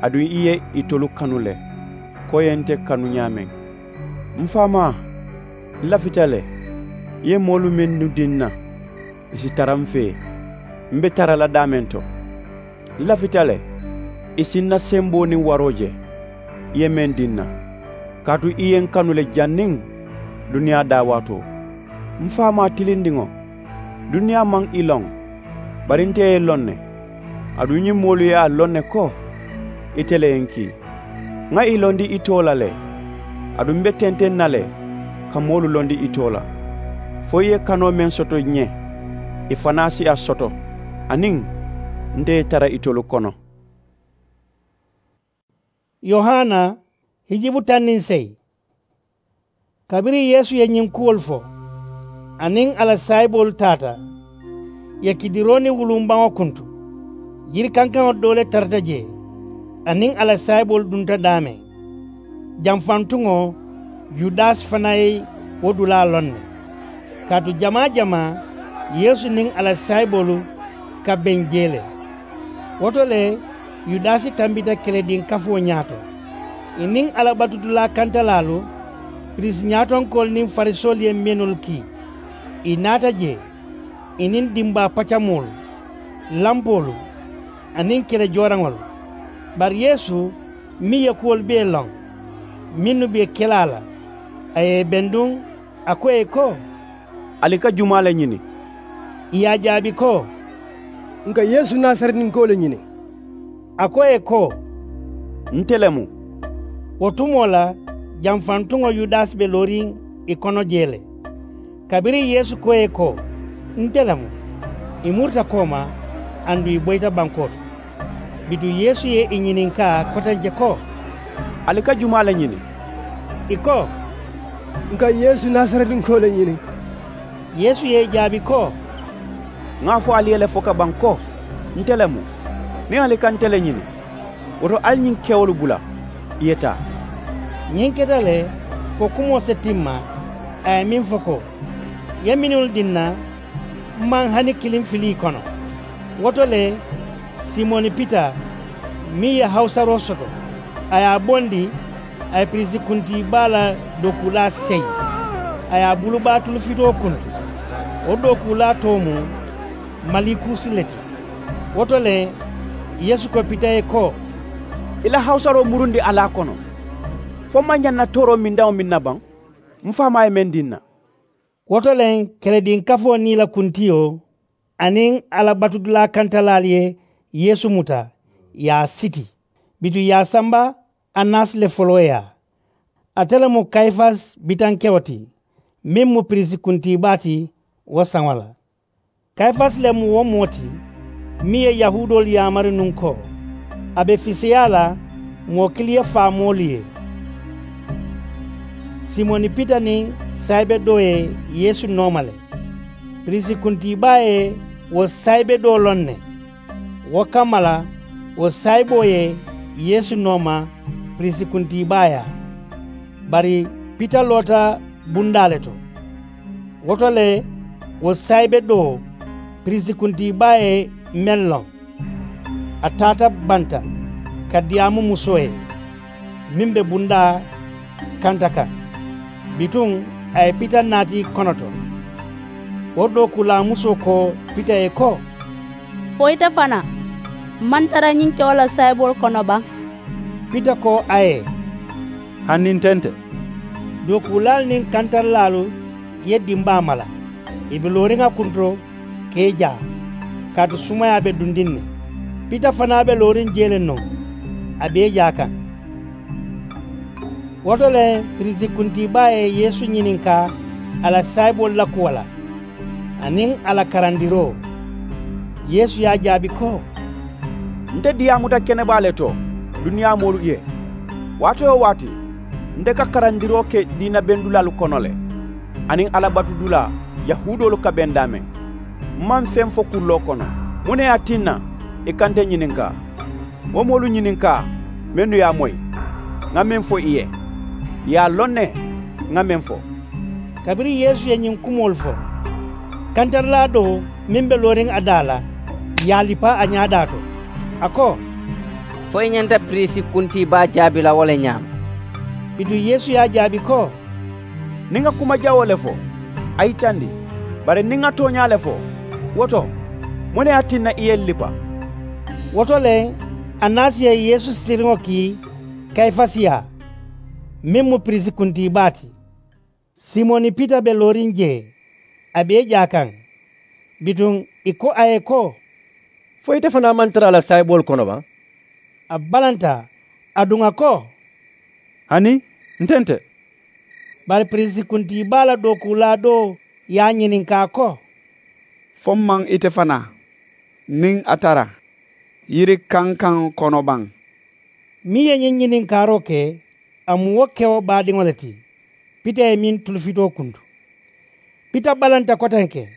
aduŋ ì ye itolu kanu le, ko ì ye nte kanu ñaameŋ. M̀ faamaa, ǹ lafita le, ì ye moolu mennu dii ǹ na, ì si tara m̀ fee, m̀ be tara la daameŋ to. Ǹ lafita le, ì si ǹ na semboo niŋ waroo je, ì ye meŋ dii ǹ na, kaatu ì ye ǹ kanu le janniŋ duniyaa daawaatoo. M̀ faamaa tilindiŋo, duniyaa maŋ ì loŋ, bari nte ye ì loŋ ne. Aduŋ ñiŋ moolu ye a loŋ ne ko ite le ye ǹ kii. Ŋà ì londi ì too la le, aduŋ m̀ be tenteŋ na le ka moolu londi ì too la, fo ì ye kanoo meŋ soto ǹ ye, ì fanaa si a soto, aniŋ nte ye tara itolu kono. Yohana, hijibu taŋ niŋ seyi. Kabiriŋ yeesu ye ñiŋ kuwolu fo, a niŋ a la saayiboolu taata, ì ye kidiroo niŋ wuluŋ baŋo kuntu. Yiri kankaŋo doo le tarata jee, a niŋ a la saayiboolu dunta daameŋ. Janfantuŋo, yudasi fanaa ye wo dulaa loŋ ne, kaatu jamaa-jamaa yeesu niŋ a la saayiboolu ka beŋ jee le. Wo to le, yudasi tambita kelediŋ kafoo ñaato. Ì niŋ alla batudulaa kantalaalu, piriisi ñaatonkoolu niŋ farisoolu ye menul kii, ì naata jee, ì niŋ dimbaa pacamoolu, lampoolu, aniŋ kele jooraŋolu. Bari yeesu meŋ ye kuwolu bee loŋ mennu be ke la a la, a ye ì benduŋ, a ko ì ye ko, ali ka jumaa le ñini? Ì ye a jaabi ko, ǹ ka yeesu nasaretinkoo le ñini. A ko ì ye ko, nte le mu. Wo tumoo la, janfantuŋo yudasi be looriŋ ì kono jee le. Kabiriŋ yeesu ko ì ye ko, nte le mu, ì murita kooma, aduŋ ì boyita bankoo to. Bituŋ yeesu ye ì ñininkaa kotenke ko, ali ka jumaa le ñini? Ì ko, ǹ ka yeesu nasaretinkoo le ñini. Yeesu ye ì jaabi ko, ŋa a fo ali ye le fo ka baŋ ko, nte le mu. Niŋ ali ka nte le ñini, wo to ali ñiŋ kewolu bula, ì ye taa. Ñiŋ keta le, fo kumoo si timma, a ye meŋ fo ko, ì ye menul dii ǹ na, m̀ maŋ hani kiliŋ fili ì kono. Wo to le, simoni pita, meŋ ye hawusaroo soto, a ye a bondi, A ye piriisi kuntii baa la dookuulaa seyi, a ye a bulu baa tulufitoo kuntu. Wo dookuulaa too mu malikuusi le ti. Wo to le, yeesu ko pita ye ko, i la hawusaroo murundi a la a kono. Fo m maŋ ñaŋ na tooroo mindaŋo miŋ na baŋ? M faamaa ye meŋ dii n na. Wo to le, kelediŋ kafoo niŋ i la kuntiyo aniŋ a la batudulaa kantalaalu ye yeesu muta, ì ye a siti. Bituŋ ì ye a samba, annasi le foloo yaa. Ate le mu kayifasi bitankewo ti, meŋ mu piriisi kuntii baa ti. Wo saŋo la, kayifasi le mu wo moo ti meŋ ye yahuudoolu yaamari nuŋ ko a be fiseyaa la moo kiliŋ ye faa moolu ye. Simoni pita niŋ saayibe doo ye yeesu nooma le. Piriisi kuntii baa ye wo saayibe doo loŋ ne. Wo kamma la, wo saayiboo ye yeesu nooma piriisi kuntii baa yaa. Bari pita loota bundaa le to. Wo to le, wo saayibe doo piriisi kuntii baa ye meŋ loŋ, a taata banta ka diyaamu musoo ye meŋ be bundaa kanta kaŋ. Bituŋ a ye pita naati konoto. Wo dookuulaa musoo ko pita ye ko, fo ite fanaa maŋ tara ñiŋ kewo la saayiboolu kono baŋ? Pita ko a ye, hani nte nte. Dookuulaalu niŋ kantaralaalu ye dimbaa mala, ì be looriŋ a kunto ka i jaa, kaatu sumayaa be dundiŋ ne. Pita fanaa be looriŋ jee le nuŋ, a be i jaa kaŋ. Wo to le, piriisi kuntii baa ye yeesu ñininkaa a la saayiboolu la kuwo la aniŋ a la karandiroo. Yeesu ye a jaabi ko, nte diyaamuta kene baa le to duniyaa moolu ye. Waati-wo-waati nte ka karandiroo ke diina bendulaalu kono le, aniŋ alla batudulaa yahuudoolu ka beŋ daameŋ. M maŋ feŋ fo kulloo kono. Muŋ ne ye a tinna i ka nte ñininkaa? Wo moolu ñininkaa mennu ye a moyi ŋa meŋ fo i ye. Ì ye a loŋ ne ŋa meŋ fo. Kabiriŋ yeesu ye ñiŋ kumoolu fo, kantarilaa doo meŋ be looriŋ a daa la ye a lipa a ñaadaa to, a ko, fo i ñanta piriisi kuntii baa jaabi la wo le ñaama? Bituŋ yeesu ye a jaabi ko, niŋ ŋa kuma jawoo le fo, a yitandi. Bari niŋ ŋa tooñaa le fo, wo to muŋ ne ye a tinna i ye n lipa? Wo to le, annasi ye yeesu sitiriŋo kii kayifasi yaa, meŋ mu piriisi kuntii baa ti. Simoni pita be looriŋ jee, a be i jaa kaŋ. Bituŋ ì ko a ye ko, fo ite fanaa maŋ tara a la saayiboolu kono baŋ? A balanta, aduŋ a ko, hani nte nte. Bari piriisi kuntii baa la dookuulaa doo ye a ñininkaa ko, fo m maŋ ite fanaa niŋ a tara yiri kankaŋo kono baŋ? Meŋ ye ñiŋ ñininkaaroo ke, a mu wo kewo baadiŋo le ti pita ye meŋ tulufitoo kuntu. Pita balanta kotenke.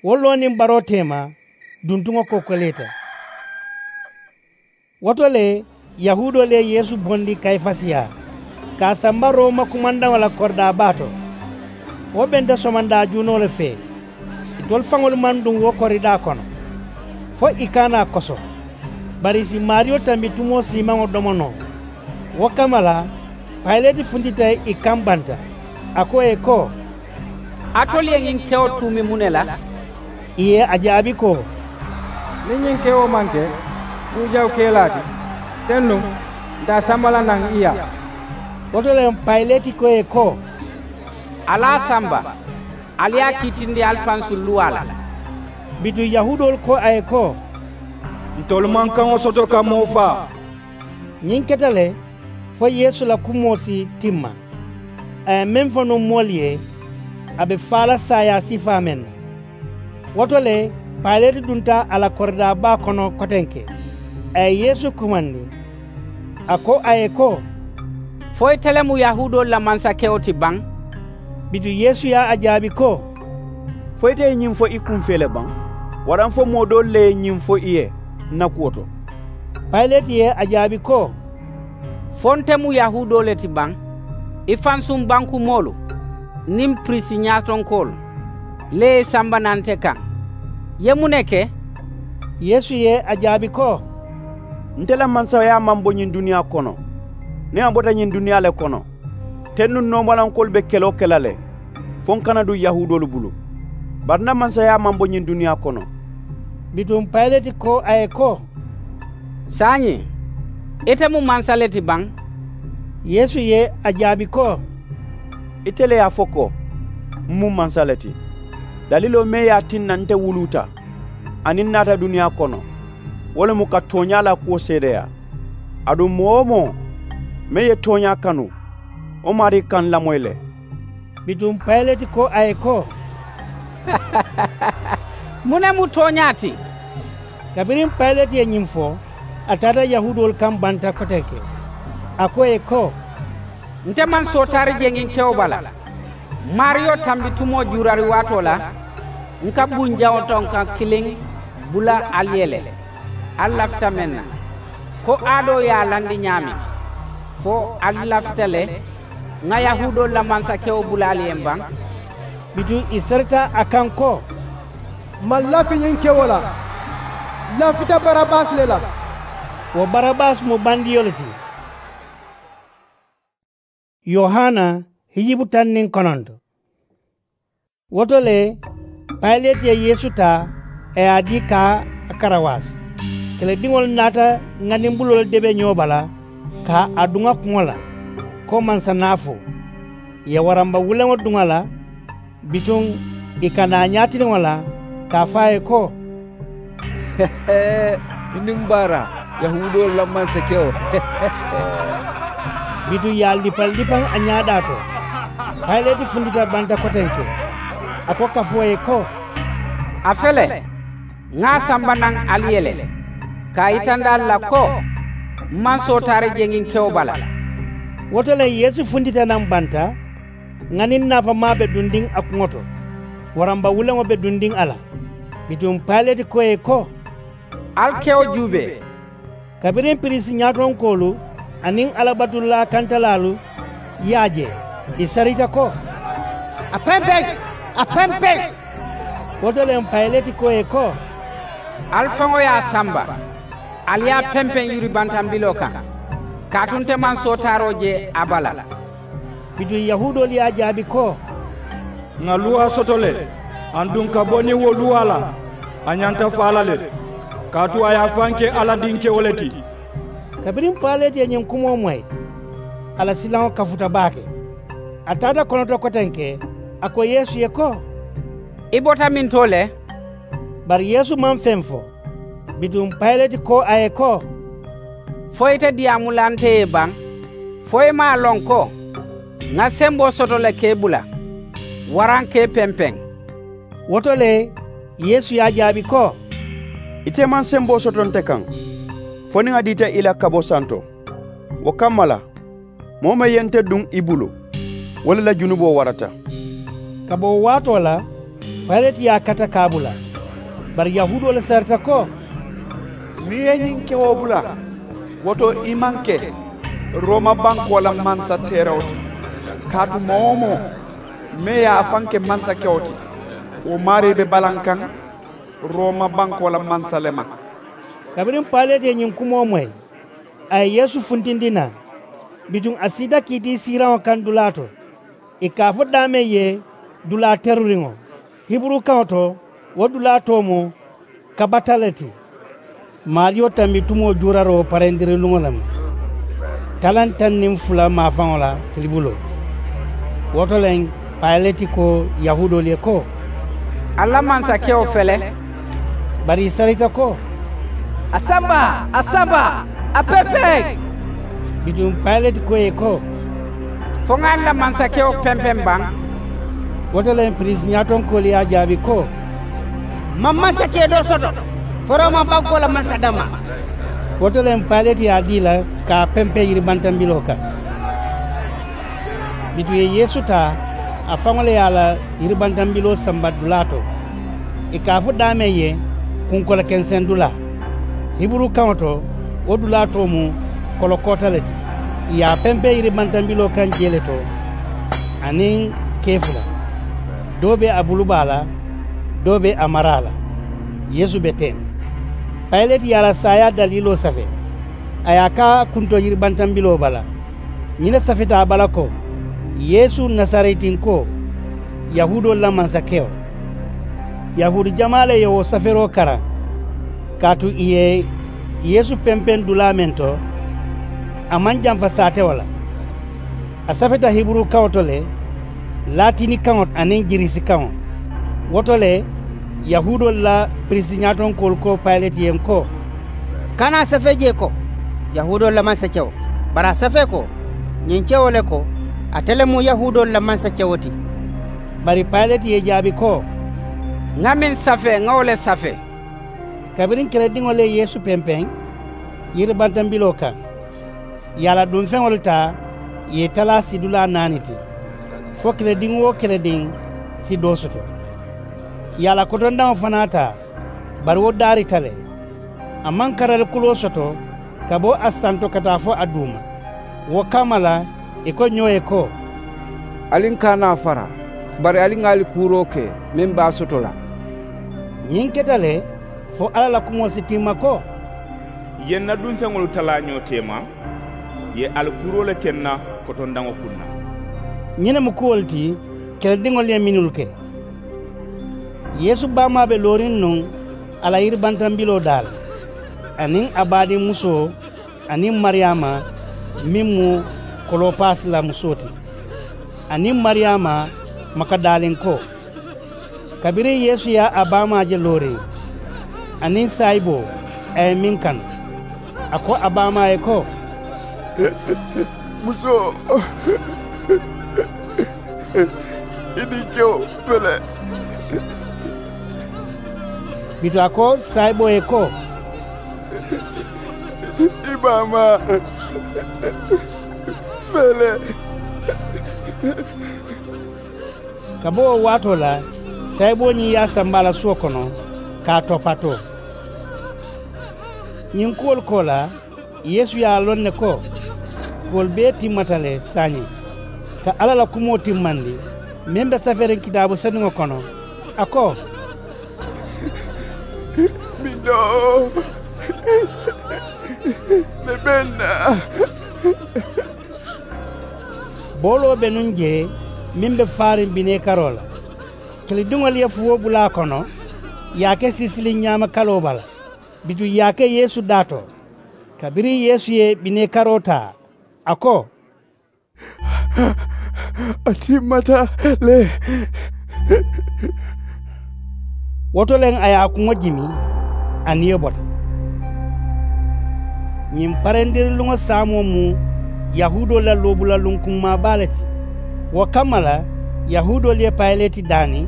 Wo loo niŋ baroo teema, duntuŋo kokoleeta. Wo to le, yahuudoolu ye yeesu bondi kayifasi yaa, ka a samba rooma kumandaŋo la koridaa baa to. Wo benta somondaa juunoo le fee. Itolu faŋolu maŋ duŋ wo koridaa kono fo i kaanaa koso. Bari ì si maariyo tambi tumoo siimaŋo domo noo. Wo kamma la, payileti funtita ì kaŋ banta. A ko ì ye ko, alitolu ye ñiŋ kewo tuumi muŋ ne la? Ì ye a jaabi ko, niŋ ñiŋ kewo maŋ ke kuu jawu kelaa ti, teŋ nuŋ ǹ te a samba la naŋ i yaa. Wo to le, payileti ko ì ye ko, ali a samba, ali ye a kiitindi ali fansuŋ luwaa la. Bituŋ yahuudoolu ko a ye ko, ntolu maŋ kaŋo soto ka moo faa. Ñiŋ keta le fo yeesu la kumoo si timma. A ye meŋ fo nuŋ moolu ye, a be faa la saayaa sifaa meŋ na. Wo to le, payileti dunta a la koridaa baa kono kotenke. A ye yeesu kumandi, a ko a ye ko, fo ite le mu yahuudoolu la mansakewo ti baŋ? Bituŋ yeesu ye a jaabi ko, fo ite ye ñiŋ fo i kuŋ fee le baŋ? Waraŋ fo moo doolu le ye ñiŋ fo i ye ǹ na kuwo to? Payileti ye a jaabi ko, fo nte mu yahuudoo le ti baŋ? I fansuŋ bankumoolu niŋ piriisi ñaatonkoolu le ye i samba naŋ nte kaŋ. Ì ye muŋ ne ke? Yeesu ye a jaabi ko, nte la mansayaa maŋ bo ñiŋ duniyaa kono. Niŋ a bota ñiŋ duniyaa le kono, teŋ nuŋ noomalankoolu be keloo ke la le, fo ǹ kana duŋ yahuudoolu bulu. Bari ǹ na mansayaa maŋ bo ñiŋ duniyaa kono. Bituŋ payileti ko a ye ko, saayiŋ, ite mu mansa le ti baŋ? Yeesu ye a jaabi ko, ite le ye a fo ko, m mu mansa le ti. Daliloo meŋ ye a tinna nte wuluuta aniŋ n naata duniyaa kono, wo le mu ka tooñaa la kuwo seedeyaa. Aduŋ moo-wo-moo meŋ ye tooñaa kanu, wo maarii ka ǹ lamoyi le. Bituŋ payileti ko a ye ko, muŋ ne mu tooñaa ti? Kabiriŋ payileti ye ñiŋ fo, a taata yahuudoolu kaŋ banta kotenke. A ko ì ye ko, nte maŋ sootaari je ñiŋ kewo bala. Maariyo tambi tumoo juurari waatoo la, ǹ ka buŋ jaŋo to ǹ kaŋ kiliŋ bula ali ye le. Ali lafita meŋ na, ko aadoo ye a landi ñaameŋ, fo ali lafita le ŋà yahuudoolu la mansakewo bula ali ye m̀ baŋ? Bituŋ ì sarita a kaŋ ko, m maŋ lafi ñiŋ kewo la. N lafita barabasi le la. Wo barabasi mu bandiyo le ti. Yohana hijibu taŋ niŋ kononto. Wo to le, payileti ye yeesu taa, a ye a dii ka a karawaasi. Kelediŋolu naata ŋanimbuloo le debe ñoo bala, ka a duŋ a kuŋo la, ko mansa naafoo. Ì ye waramba wuleŋo duŋ a la, bituŋ ì ka naa ñaatiliŋo la, ka a fo a ye ko, i niŋ baara, yahuudoolu la mansakewo. Bituŋ ì ye a lipalipaŋ a ñaadaa to. Payileti funtita banta kotenke, a ko kafoo ye ko, a fele, ŋà a samba naŋ ali ye le, ka a yitandi ali la ko, m maŋ sootaari je ñiŋ kewo bala. Wo to le yeesu funtita naŋ banta, ŋaniŋ naafamaa be dundiŋ a kuŋo to, waramba wuleŋo be dundiŋ a la. Bituŋ payileti ko ì ye ko, ali kewo juubee. Kabiriŋ piriisi ñaatonkoolu aniŋ alabatulaa kantalaalu ye a je, ì sarita ko, a pempeŋ, a pempeŋ. Wo to le payileti ko ì ye ko, ali faŋo ye a samba, ali ye a pempeŋ yuribantambiloo kaŋ, kaatu nte maŋ sootaaroo je a bala. Bituŋ yahuudoolu ye a jaabi ko, ŋà luwaa soto le, aduŋ ka bo niŋ wo luwaa la, a ñanta faa la le, kaatu a ye a faŋ ke alla dinkewo le ti. Kabiriŋ payileti ye ñiŋ kumoo moyi, a la silaŋo kafuta baake. A taata konoto kotenke, a ko yeesu ye ko, i bota mintoo le? Bari yeesu maŋ feŋ fo. Bituŋ payileti ko a ye ko, fo ite diyaamu la nte ye baŋ? Fo i maŋ a loŋ ko, ŋà semboo soto le ka i bula, waraŋ ka i pempeŋ? Wo to le, yeesu ye a jaabi ko, ite maŋ semboo soto nte kaŋ, fo niŋ a diita i la ka bo santo. Wo kamma la, moo meŋ ye nte duŋ i bulu, wo le la junuboo warata. Ka bo wo waatoo la, payileti ye a kata ka a bula. Bari yahuudoolu sarita ko, niŋ i ye ñiŋ kewo bula, wo to i maŋ ke rooma bankoo la mansa teerawo ti. Kaatu moo-wo-moo meŋ ye a faŋ ke mansakewo ti, wo maarii be balaŋ kaŋ rooma bankoo la mansa le ma. Kabiriŋ payileti ye ñiŋ kumoo moyi, a ye yeesu funtindi naŋ. Bituŋ a siita kiitii siiraŋo kaŋ dulaa to, ì ka a fo daameŋ ye dulaa teruriŋo. Hiburu kaŋo to, wo dulaa too mu kabata le ti. Maariyo tambi tumoo juuraroo parendiriluŋo le mu, talaŋ taŋ niŋ fula maafaŋo la tilibuloo. Wo to le, payileti ko yahuudoolu ye ko, ali la mansakewo fele? Bari ì sarita ko, a samba, a samba, a pempeŋ. Bituŋ payileti ko ì ye ko, fo ŋà ali la mansakewo pempeŋ baŋ? Wo to le piriisi ñaatonkoolu ye a jaabi ko, m maŋ mansakee doo soto, fo rooma bankoo la mansa dammaa. Wo to le payileti ye a dii ì la ka a pempeŋ yiribantambiloo kaŋ. Bituŋ ì ye yeesu taa, a faŋo le ye a la yiribantambiloo samba dulaa to, ì ka a fo daameŋ ye, kunkola kenseŋ dulaa. Hiburu kaŋo to, wo dulaa too mu kolokoota le ti. Ì ye a pempeŋ yiribantambiloo kaŋ jee le to, aniŋ kee fula. Doo be a bulu baa la, doo be a maraa la. Yeesu be teŋ. Payileti ye a la saayaa daliiloo safee, a ye a kaa a kunto yiribantambiloo bala. Ñiŋ ne safeta a bala ko, yeesu nasaretinkoo, yahuudoolu la mansakewo. Yahuudi jamaa le ye wo safeeroo karaŋ, kaatu ì ye yeesu pempeŋ dulaa meŋ to, a maŋ jamfa saatewo la. A safeta hiburu kaŋo to le, laatini kaŋo aniŋ girisi kaŋo. Wo to le, yahuudoolu la piriisi ñaatonkoolu ko payileti ye n ko, kana a safee jee ko, yahuudoolu la mansakewo. Bari a safee ko, ñiŋ kewo le ko, ate le mu yahuudoolu la mansakewo ti. Bari payileti ye jaabi ko, ŋa meŋ safee ŋa wo le safee. Kabiriŋ kelediŋolu ye yeesu pempeŋ yiribantambiloo kaŋ, ì ye a la dunfeŋolu taa, ì ye i talaa sidulaa naani ti, fo kelediŋ-wo-kelediŋ si doo soto. Ì ye a la kotondaŋo fanaa taa, bari wo daarita le. A maŋ karali kuloo soto ka bo a santo ka taa fo a duuma. Wo kamma la, ì ko ñoo ye ko, ali n kaana a fara, bari ali ŋa ali kuuroo ke meŋ be a soto la. Ñiŋ keta le, fo alla la kumoo si timma ko, ì ye n na dunfeŋolu talaa ñoo teema, ì ye ali kuuroo le ke n na kotondaŋo kuŋ na. Ñiŋ ne mu kuwolu ti kelediŋolu ye mennu ke. Yeesu baamaa be looriŋ nuŋ a la yiribantambiloo daa la, aniŋ a baadiŋ musoo, aniŋ mariyaama meŋ mu kolopaasi la musoo ti, aniŋ mariyaama makadaalinkoo. Kabiriŋ yeesu ye a baamaa je looriŋ, aniŋ saayiboo, a ye meŋ kanu, a ko a baamaa ye ko, musoo, i dinkewo fele. Bituŋ a ko saayiboo ye ko, i baamaa fele. Ka bo wo waatoo la, saayiboo ñiŋ ye a samba a la suwo kono ka a topatoo. Ñiŋ kuwolu koolaa, yeesu ye a loŋ ne ko, kuwolu bee timmata le saayiŋ, ka alla la kumoo timmandi meŋ be safeeriŋ kitaabu senuŋo kono, a ko, bindoo le be n na. Booloo be nuŋ jee meŋ be faariŋ bineekaroo la. Kilidiŋolu ye fuwoo bula a kono, ì ye a ke siisiliŋ ñaama kaloo bala. Bituŋ ì ye a ke yeesu daa to. Kabiriŋ yeesu ye bineekaroo taa, a ko, a timmata le. Wo to le a ye a kuŋo jimi, a niyo bota. Ñiŋ parendiriluŋo saamoo mu yahuudoolu la loobulaluŋ kummaa baa le ti. Wo kamma la, yahuudoolu ye payileti daani,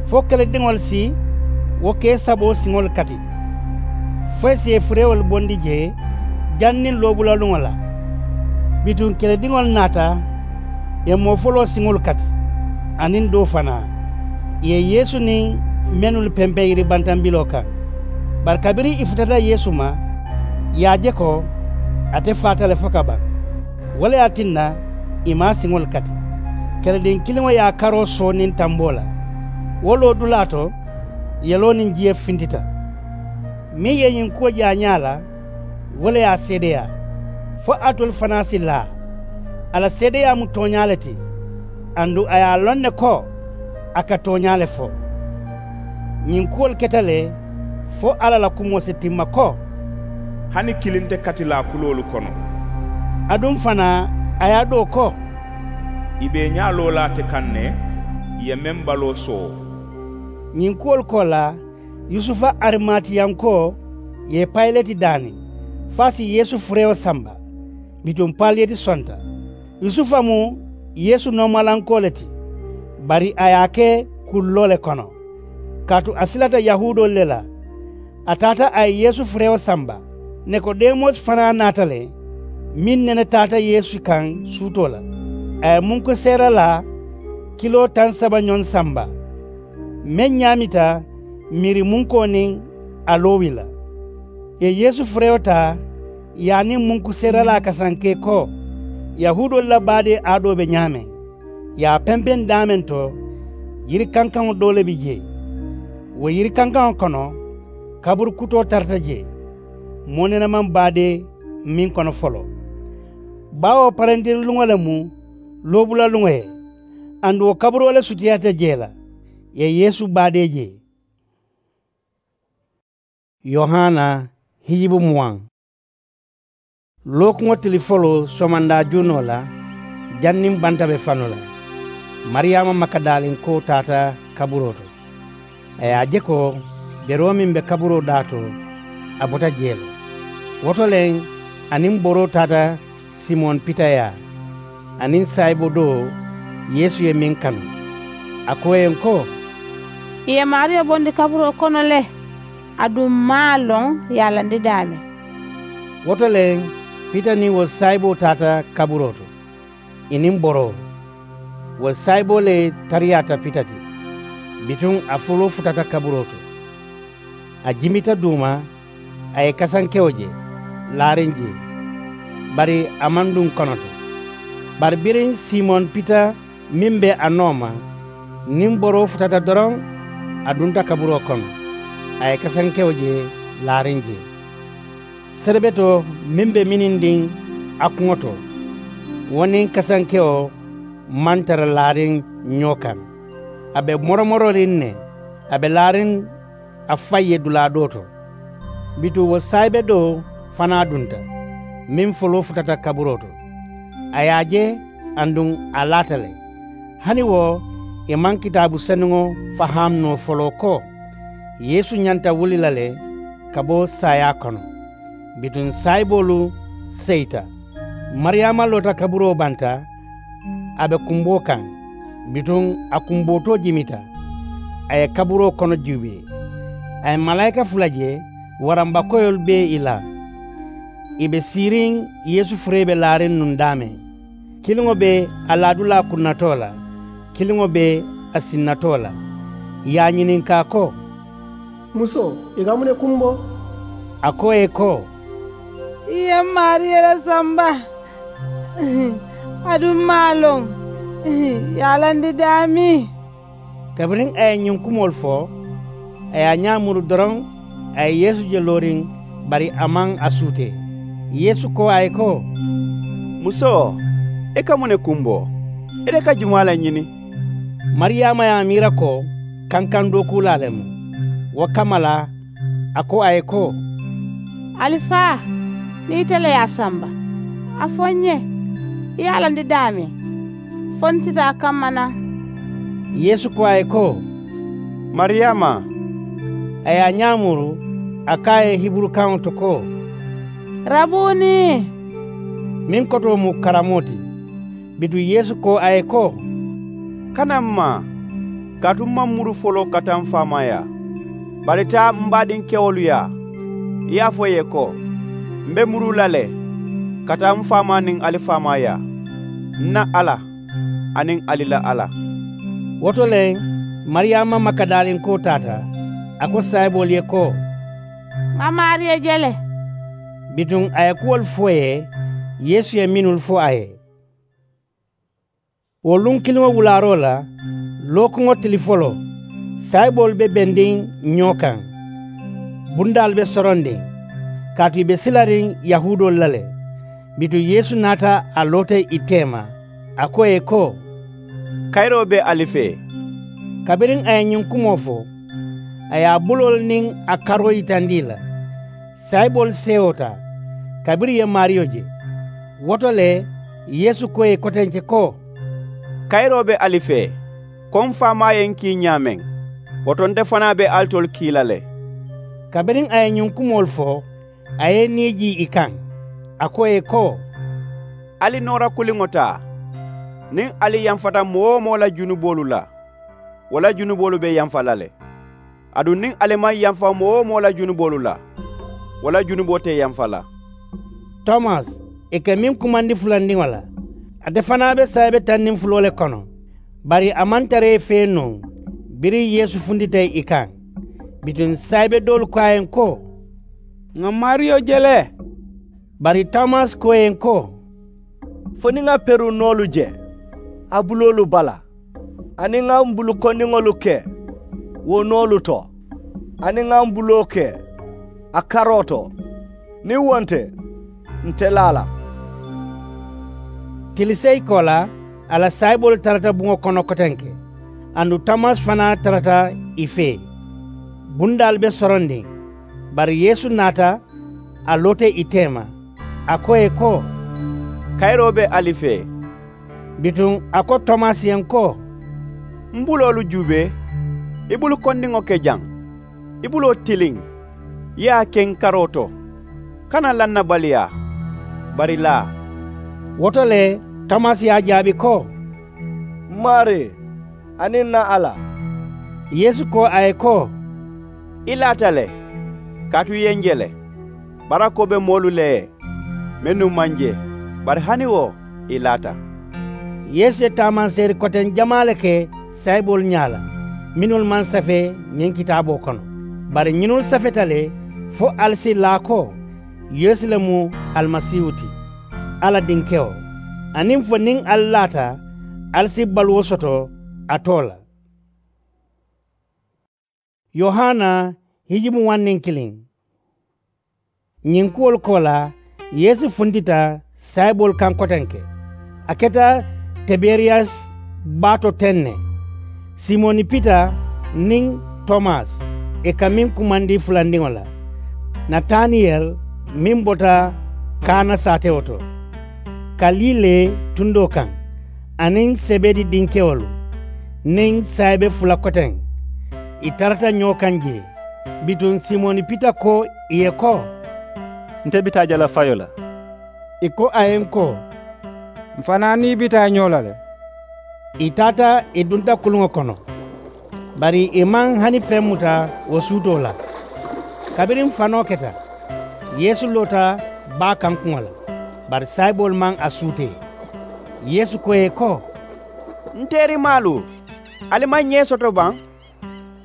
fo kelediŋolu si wo kee saboo siŋolu kati, fo ì si ì furewolu bondi jee janniŋ loobulaluŋo la. Bituŋ kelediŋolu naata, ì ye moo foloo siŋolu kati, aniŋ doo fanaa, ì ye yeesu niŋ mennu pempeŋ yiribantambiloo kaŋ. Bari kabiriŋ ì futata yeesu ma, ì ye a je ko ate faata le fo ka baŋ. Wo le ye a tinna ì maŋ a siŋolu kati. Kelediŋ kiliŋo ye a karoo soo niŋ tamboo la. Wo loodulaa to, yeloo niŋ jiyo fintita. Meŋ ye ñiŋ kuwo je a ñaa la, wo le ye a seedeyaa, fo alitolu fanaa si laa. A la seedeyaa mu tooñaa le ti, aduŋ a ye a loŋ ne ko a ka tooñaa le fo. Ñiŋ kuwolu keta le, fo alla la kumoo si timma ko, hani kiliŋ te katilaa kuloolu kono. Aduŋ fanaa, a ye a doo ko, ì be ì ñaa loo la ate kaŋ ne, ì ye meŋ baloo soo. Ñiŋ kuwolu koolaa, yusufa arimatiyankoo ye payileti daani, fo a si yeesu furewo samba. Bituŋ payileti sonta. Yusufa mu yeesu noomalankoo le ti, bari a ye a ke kulloo le kono, kaatu a silata yahuudoolu le la. A taata a ye yeesu furewo samba. Nikodemosi fanaa naata le, meŋ nene taata yeesu kaŋ suutoo la. A ye munkuseeralaa kiloo taŋ saba ñoŋ samba, meŋ ñaamita miirimunkoo niŋ aloowi la. Ì ye yeesu furewo taa, ì ye a niŋ munkuseeralaa kasankee ko, yahuudoolu la baadee aadoo be ñaameŋ. Ì ye a pempeŋ daameŋ to, yiri kankaŋo doo le be jee. Wo yiri kankaŋo kono, kaburu kutoo tarata jee, moo nene maŋ baadee meŋ kono foloo. Baawo parentiri luŋo le mu loobula luŋo ye. Aduŋ wo kaburoo le sutiyaata jee la ì ye yeesu baadee jee. Yohana hijibu muwaŋ. Lookuŋo tili foloo somandaa juunoo la, janniŋ banta be fanu la, mariyaama makadaalinkoo taata kaburoo to. A ye a je ko beroo meŋ be kaburoo daa to, a bota jee le. Wo to le a niŋ boroo taata simoŋ pita yaa, aniŋ saayibo doo yeesu ye meŋ kanu. A ko ì ye n ko, ì ye maariyo bondi kaburoo kono le, aduŋ m maŋ a loŋ ì ye a landi daameŋ. Wo to le pita niŋ wo saayiboo taata kaburoo to, ì niŋ boroo. Wo saayiboo le tariyaata pita ti, bituŋ a foloo futata kaburoo to. A jimita duuma, a ye kasankewo je, laariŋ jee. Bari a maŋ duŋ kono to. Bari biriŋ simoŋ pita meŋ be a nooma, niŋ boroo futata doroŋ, a dunta kaburoo kono, a ye kasankewo je, laariŋ jee. Serebetoo meŋ be minindiŋ a kuŋo to, wo niŋ kasankewo maŋ tara laariŋ ñoo kaŋ. A be moromororiŋ ne, a be laariŋ a faŋ ye dulaa doo to. Bituŋ wo saayibe doo fanaa dunta, meŋ foloo futata kaburoo to. A ye a je, aduŋ a laata le. Hani wo, ì maŋ kitaabu senuŋo faham noo foloo ko yeesu ñanta wuli la le ka bo saayaa kono. Bituŋ saayiboolu seyita. Mariyaama loota kaburoo banta, a be kumboo kaŋ. Bituŋ a kumbootoo jimita, a ye kaburoo kono juubee. A ye malaayika fula je, warambakoyolu bee ì la. Ì be siiriŋ yeesu furee be laariŋ nuŋ daameŋ. Kiliŋo be a laadulaa kunnatoo la, kiliŋo be a sinnatoo la. Ì ye a ñininkaa ko, musoo, ì ka muŋ ne kumbo? A ko ì ye ko, ì ye m maariyo le samba, aduŋ m maŋ a loŋ ì ye a landi daameŋ. Kabiriŋ a ye ñiŋ kumoolu fo, a ye a ñaa muru doroŋ, a ye yeesu je looriŋ, bari a maŋ a suutee. Yeesu ko a ye ko, musoo, i ka muŋ ne kumbo? Ite ka jumaa le ñini? Mariyaama ye a miira ko kankaŋ dookuulaa le mu. Wo kamma la a ko a ye ko, alifaa, niŋ ite le ye a samba, a fo n ye ì ye a landi daameŋ, fo n si taa kamma naŋ. Yeesu ko a ye ko, mariyaama. A ye a ñaa muru, a ko a ye hiburukaŋo to ko, rabuuni, meŋ kotoo mu karamoo ti. Bituŋ yeesu ko a ye ko, kana m maa, kaatu m maŋ muru foloo ka taa m faamaa yaa. Bari taa m baadiŋ kewolu yaa, i ye a fo ì ye ko, m be muruu la le ka taa m faamaa niŋ ali faamaa yaa, n na alla aniŋ ali la alla. Wo to le, mariyaama makadaalinkoo taata, a ko saayiboolu ye ko, ŋà maariyo je le. Bituŋ a ye kuwolu fo ì ye, yeesu ye mennu fo a ye. Wo luŋ kiliŋo wulaaroo la, lookuŋo tili foloo, saayiboolu be bendiŋ ñoo kaŋ, bundaalu be sorondiŋ, kaatu ì be silariŋ yahuudoolu la le. Bituŋ yeesu naata, a loota ì teema, a ko ì ye ko, kayiroo be ali fee. Kabiriŋ a ye ñiŋ kumoo fo, a ye a buloolu niŋ a karoo yitandi ì la. Saayiboolu seewoota, kabiriŋ ì ye maariyo je. Wo to le, yeesu ko ì ye kotenke ko, kayiroo be ali fee, ko m faamaa ye n kii ñaameŋ, wo to nte fanaa be alitolu kii la le. Kabiriŋ a ye ñiŋ kumoolu fo, a ye i nii jii ì kaŋ, a ko ì ye ko, ali noora kuliŋo taa. Niŋ ali yamfata moo-wo-moo la junuboolu la, wo la junuboolu be yamfa la le. Aduŋ niŋ ali maŋ yamfa moo-wo-moo la junuboolu la, wo la junuboo te yamfa la. Tomasi, ì ka meŋ kumandi fulandiŋo la, ate fanaa be saayibe taŋ niŋ fuloo le kono. Bari a maŋ tara ì fee nuŋ, biriŋ yeesu funtita ì kaŋ. Bituŋ saayibe doolu ko a ye ko, ŋà maariyo je le. Bari tomasi ko ì ye ko, fo niŋ ŋà peruŋ noolu je a buloolu bala, aniŋ ŋà m bulu kondiŋolu ke wo noolu to, aniŋ ŋà m buloo ke a karoo to, niŋ wo nte, nte laa la. Tiliseyi koolaa, a la saayiboolu tarata buŋo kono kotenke, aduŋ tomasi fanaa tarata ì fee. Bundaalu be sorondiŋ. Bari yeesu naata, a loota ì teema, a ko ì ye ko, kayiroo be ali fee. Bituŋ a ko tomasi ye ko, m buloolu juubee, i bulu kondiŋo ke jaŋ, i buloo tiliŋ, i ye a ke n karoo to. Kana lannabaliyaa, bari laa. Wo to le, tomasi ye a jaabi ko, m maarii, aniŋ n na alla. Yeesu ko a ye ko, i laata le, kaatu i ye n je le. Barakoo be moolu le ye, mennu maŋ je, bari hani wo, i laata. Yeesu ye taamanseeri koteŋ jamaa le ke saayiboolu ñaa la, mennu maŋ safee ñiŋ kitaaboo kono. Bari ñinnu safeta le, fo ali si laa ko yeesu le mu alimasiihu ti, alla dinkewo, aniŋ fo niŋ ali laata, ali si baluwo soto a too la. Yohana, hijimu waŋ niŋ kiliŋ. Ñiŋ kuwolu koolaa, yeesu funtita saayiboolu kaŋ kotenke. A keta tiberiyasi baa to teŋ ne. Simoni pita niŋ tomasi, ì ka meŋ kumandi fulandiŋo la, nataniyeli meŋ bota kaana saatewo to, kalile tundoo kaŋ, aniŋ sebedi dinkewolu niŋ saayibe fula koteŋ. Ì tarata ñoo kaŋ jee. Bituŋ simoni pita ko ì ye ko, nte bi taa jalafayo la. Ì ko a ye n ko, m fanaa niŋ i bi taa ñoo la le. Ì taata, ì dunta kuluŋo kono, bari ì maŋ hani feŋ muta wo suutoo la. Kabiriŋ fanoo keta, yeesu loota baa kankuŋo la, bari saayiboolu maŋ a suutee. Yeesu ko ì ye ko, n teerimaalu, ali maŋ ñee soto baŋ?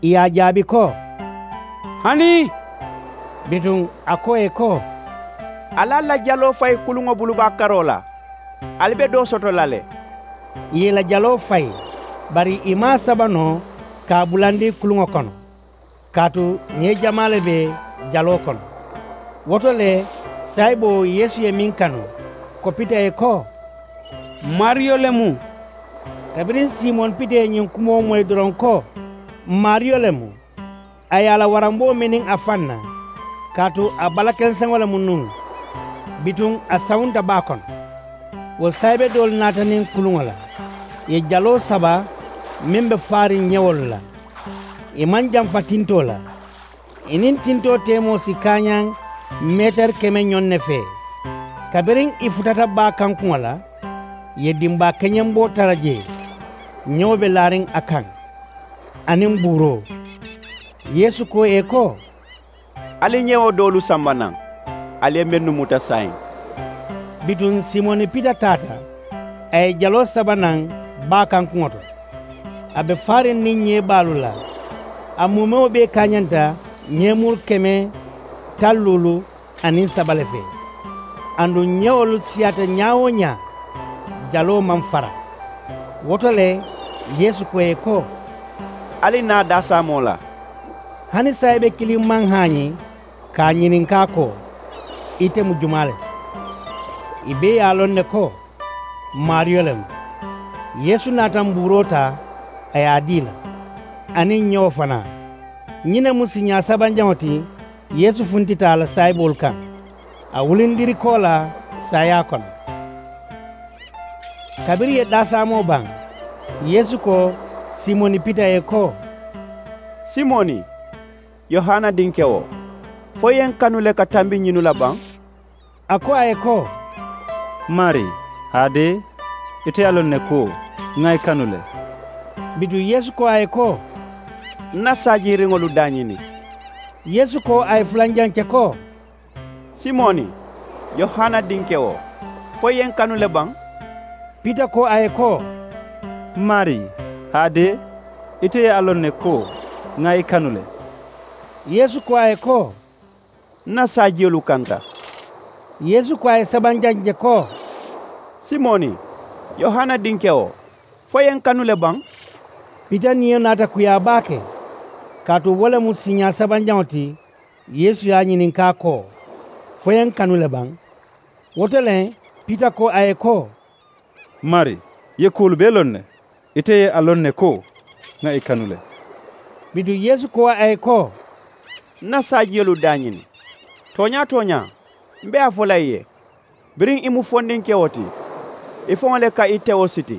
Ì ye a jaabi ko, hanii. Bituŋ a ko ì ye ko, ali ali la jaloo fayi kuluŋo bulu baa karoo la, ali be doo soto la le. Ì ye ì la jaloo fayi, bari ì maŋ a saba noo ka a bulandi kuluŋo kono, kaatu ñee jamaa le be jaloo kono. Wo to le, saayiboo yeesu ye meŋ kanu, kopita ì ye ko, m maariyo le mu. Kabiriŋ simoni pita ye ñiŋ kumoo moyi doroŋ ko, m maariyo le mu, a ye a la waramboo miniŋ a faŋ na, kaatu a balakenseŋo le mu nuŋ. Bituŋ a sawunta baa kono. Wo saayibe doolu naata niŋ kuluŋo la, ì ye jaloo saba meŋ be faariŋ ñewolu la. Ì maŋ jamfa tintoo la. Ì niŋ tintoo teemoo si kaañaŋ meetari keme ñoŋ ne fee. Kabiriŋ ì futata baa kankuŋo la, ì ye dimbaa keñenboo tara jee, ñewo be laariŋ a kaŋ, aniŋ buuroo. Yeesu ko ì ye ko, ali ñewo doolu samba naŋ, ali ye mennu muta saayiŋ. Bituŋ simoni pita taata, a ye jaloo saba naŋ baa kankuŋo to. A be faariŋ niŋ ñee baalu la. A muumewo bee kaañanta ñeemuru keme taŋ luulu aniŋ saba le fee. Aduŋ ñewolu siyaata ñaa-wo-ñaa, jaloo maŋ fara. Wo to le, yeesu ko ì ye ko, ali naa daasaamoo la. Hani saayibe kiliŋ maŋ haañi ka a ñininkaa ko, ite mu jumaa le ti? Ì bee ye a loŋ ne ko, m maariyo le mu. Yeesu naata mbuuroo taa, a ye a dii ì la, aniŋ ñewo fanaa. Ñiŋ ne mu siiñaa sabanjaŋo ti yeesu funtita a la saayiboolu kaŋ, a wulindiri koolaa saayaa kono. Kabiriŋ ì ye daasaamoo baŋ, yeesu ko simoni pita ye ko, simoni, yohana dinkewo, fo i ye n kanu le ka tambi ñinnu la baŋ? A ko a ye ko, m maarii, haadee, ite ye a loŋ ne ko ŋa i kanu le. Bituŋ yeesu ko a ye ko, n na saajiiriŋolu daañini. Yeesu ko a ye fulanjaŋ ce ko, simoni, yohana dinkewo, fo i ye n kanu le baŋ? Pita ko a ye ko, m maarii, haadee, ite ye a loŋ ne ko ŋa i kanu le. Yeesu ko a ye ko, n na saajiyolu kanta. Yeesu ko a ye sabanjaŋ je ko, simoni, yohana dinkewo, fo i ye n kanu le baŋ? Pita niyo naata kuyaa baake, kaatu wo le mu siiñaa sabanjaŋo ti yeesu ye a ñininkaa ko, fo i ye n kanu le baŋ? Wo to le, pita ko a ye ko, Mari, i ye kuwolu bee loŋ ne. Ite ye a loŋ ne ko ŋa i kanu le. Bituŋ yeesu ko a ye ko, n na saajiyolu daañini. Tooñaa tooñaa, m be a fo la i ye, biriŋ i mu fondinkewo ti, i faŋo le ka i tewo siti.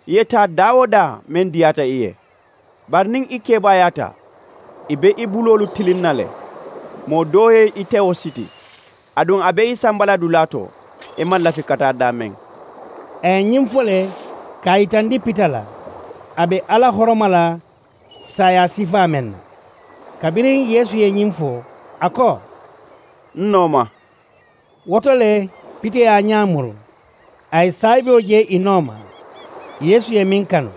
I ye taa daa-wo-daa meŋ diyaata i ye. Bari niŋ i kebaayaata, i be i buloolu tiliŋ na le. Moo doo ye i tewo siti, aduŋ a be i samba la dulaa to, i maŋ lafi ka taa daameŋ. A ye ñiŋ fo le ka a yitandi pita la, a be alla horoma la saayaa sifaa meŋ na. Kabiriŋ yeesu ye ñiŋ fo, a ko, n nooma. Wo to le, pita ye a ñaa muru, a ye saayiboo je ì nooma. Yeesu ye meŋ kanu,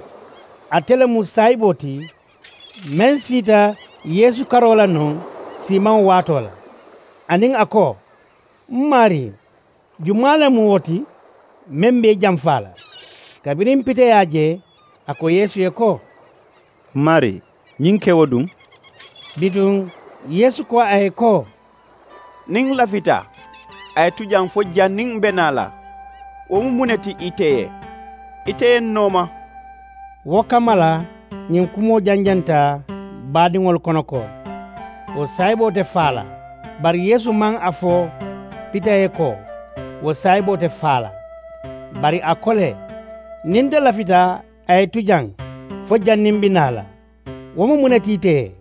ate le mu saayiboo ti meŋ siita yeesu karoo la nuŋ siimaŋo waatoo la. Aniŋ a ko, m maarii, jumaa le mu wo ti meŋ be i jamfaa la? Kabiriŋ pita ye a je, a ko yeesu ye ko, m maarii, ñiŋ kewo duŋ? Bituŋ yeesu ko a ye ko, niŋ n lafita a ye tu jaŋ fo janniŋ m be naa la, wo mu muŋ ne ti ite ye? Ite ye n nooma. Wo kamma la ñiŋ kumoo janjanta baadiŋolu kono ko, wo saayiboo te faa la. Bari yeesu maŋ a fo pita ye ko, wo saayiboo te faa la. Bari a ko le, niŋ nte lafita a ye tu jaŋ fo janniŋ m be naa la, wo mu muŋ ne ti ite ye?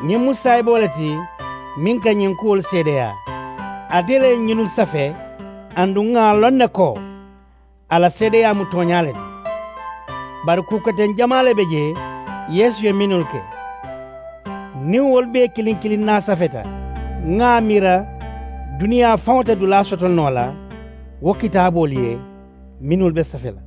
Ñiŋ mu saayiboo le ti meŋ ka ñiŋ kuwolu seedeyaa. Ate le ye ñinnu safe, aduŋ ŋà a loŋ ne ko a la seedeyaa mu tooñaa le ti. Bari kuu koteŋ jamaa le be jee yeesu ye mennu ke. Niŋ wolu bee kiliŋ kiliŋ naa safeta, ŋà a miira duniyaa faŋo te dulaa soto noo la wo kitaaboolu ye mennu be safe la.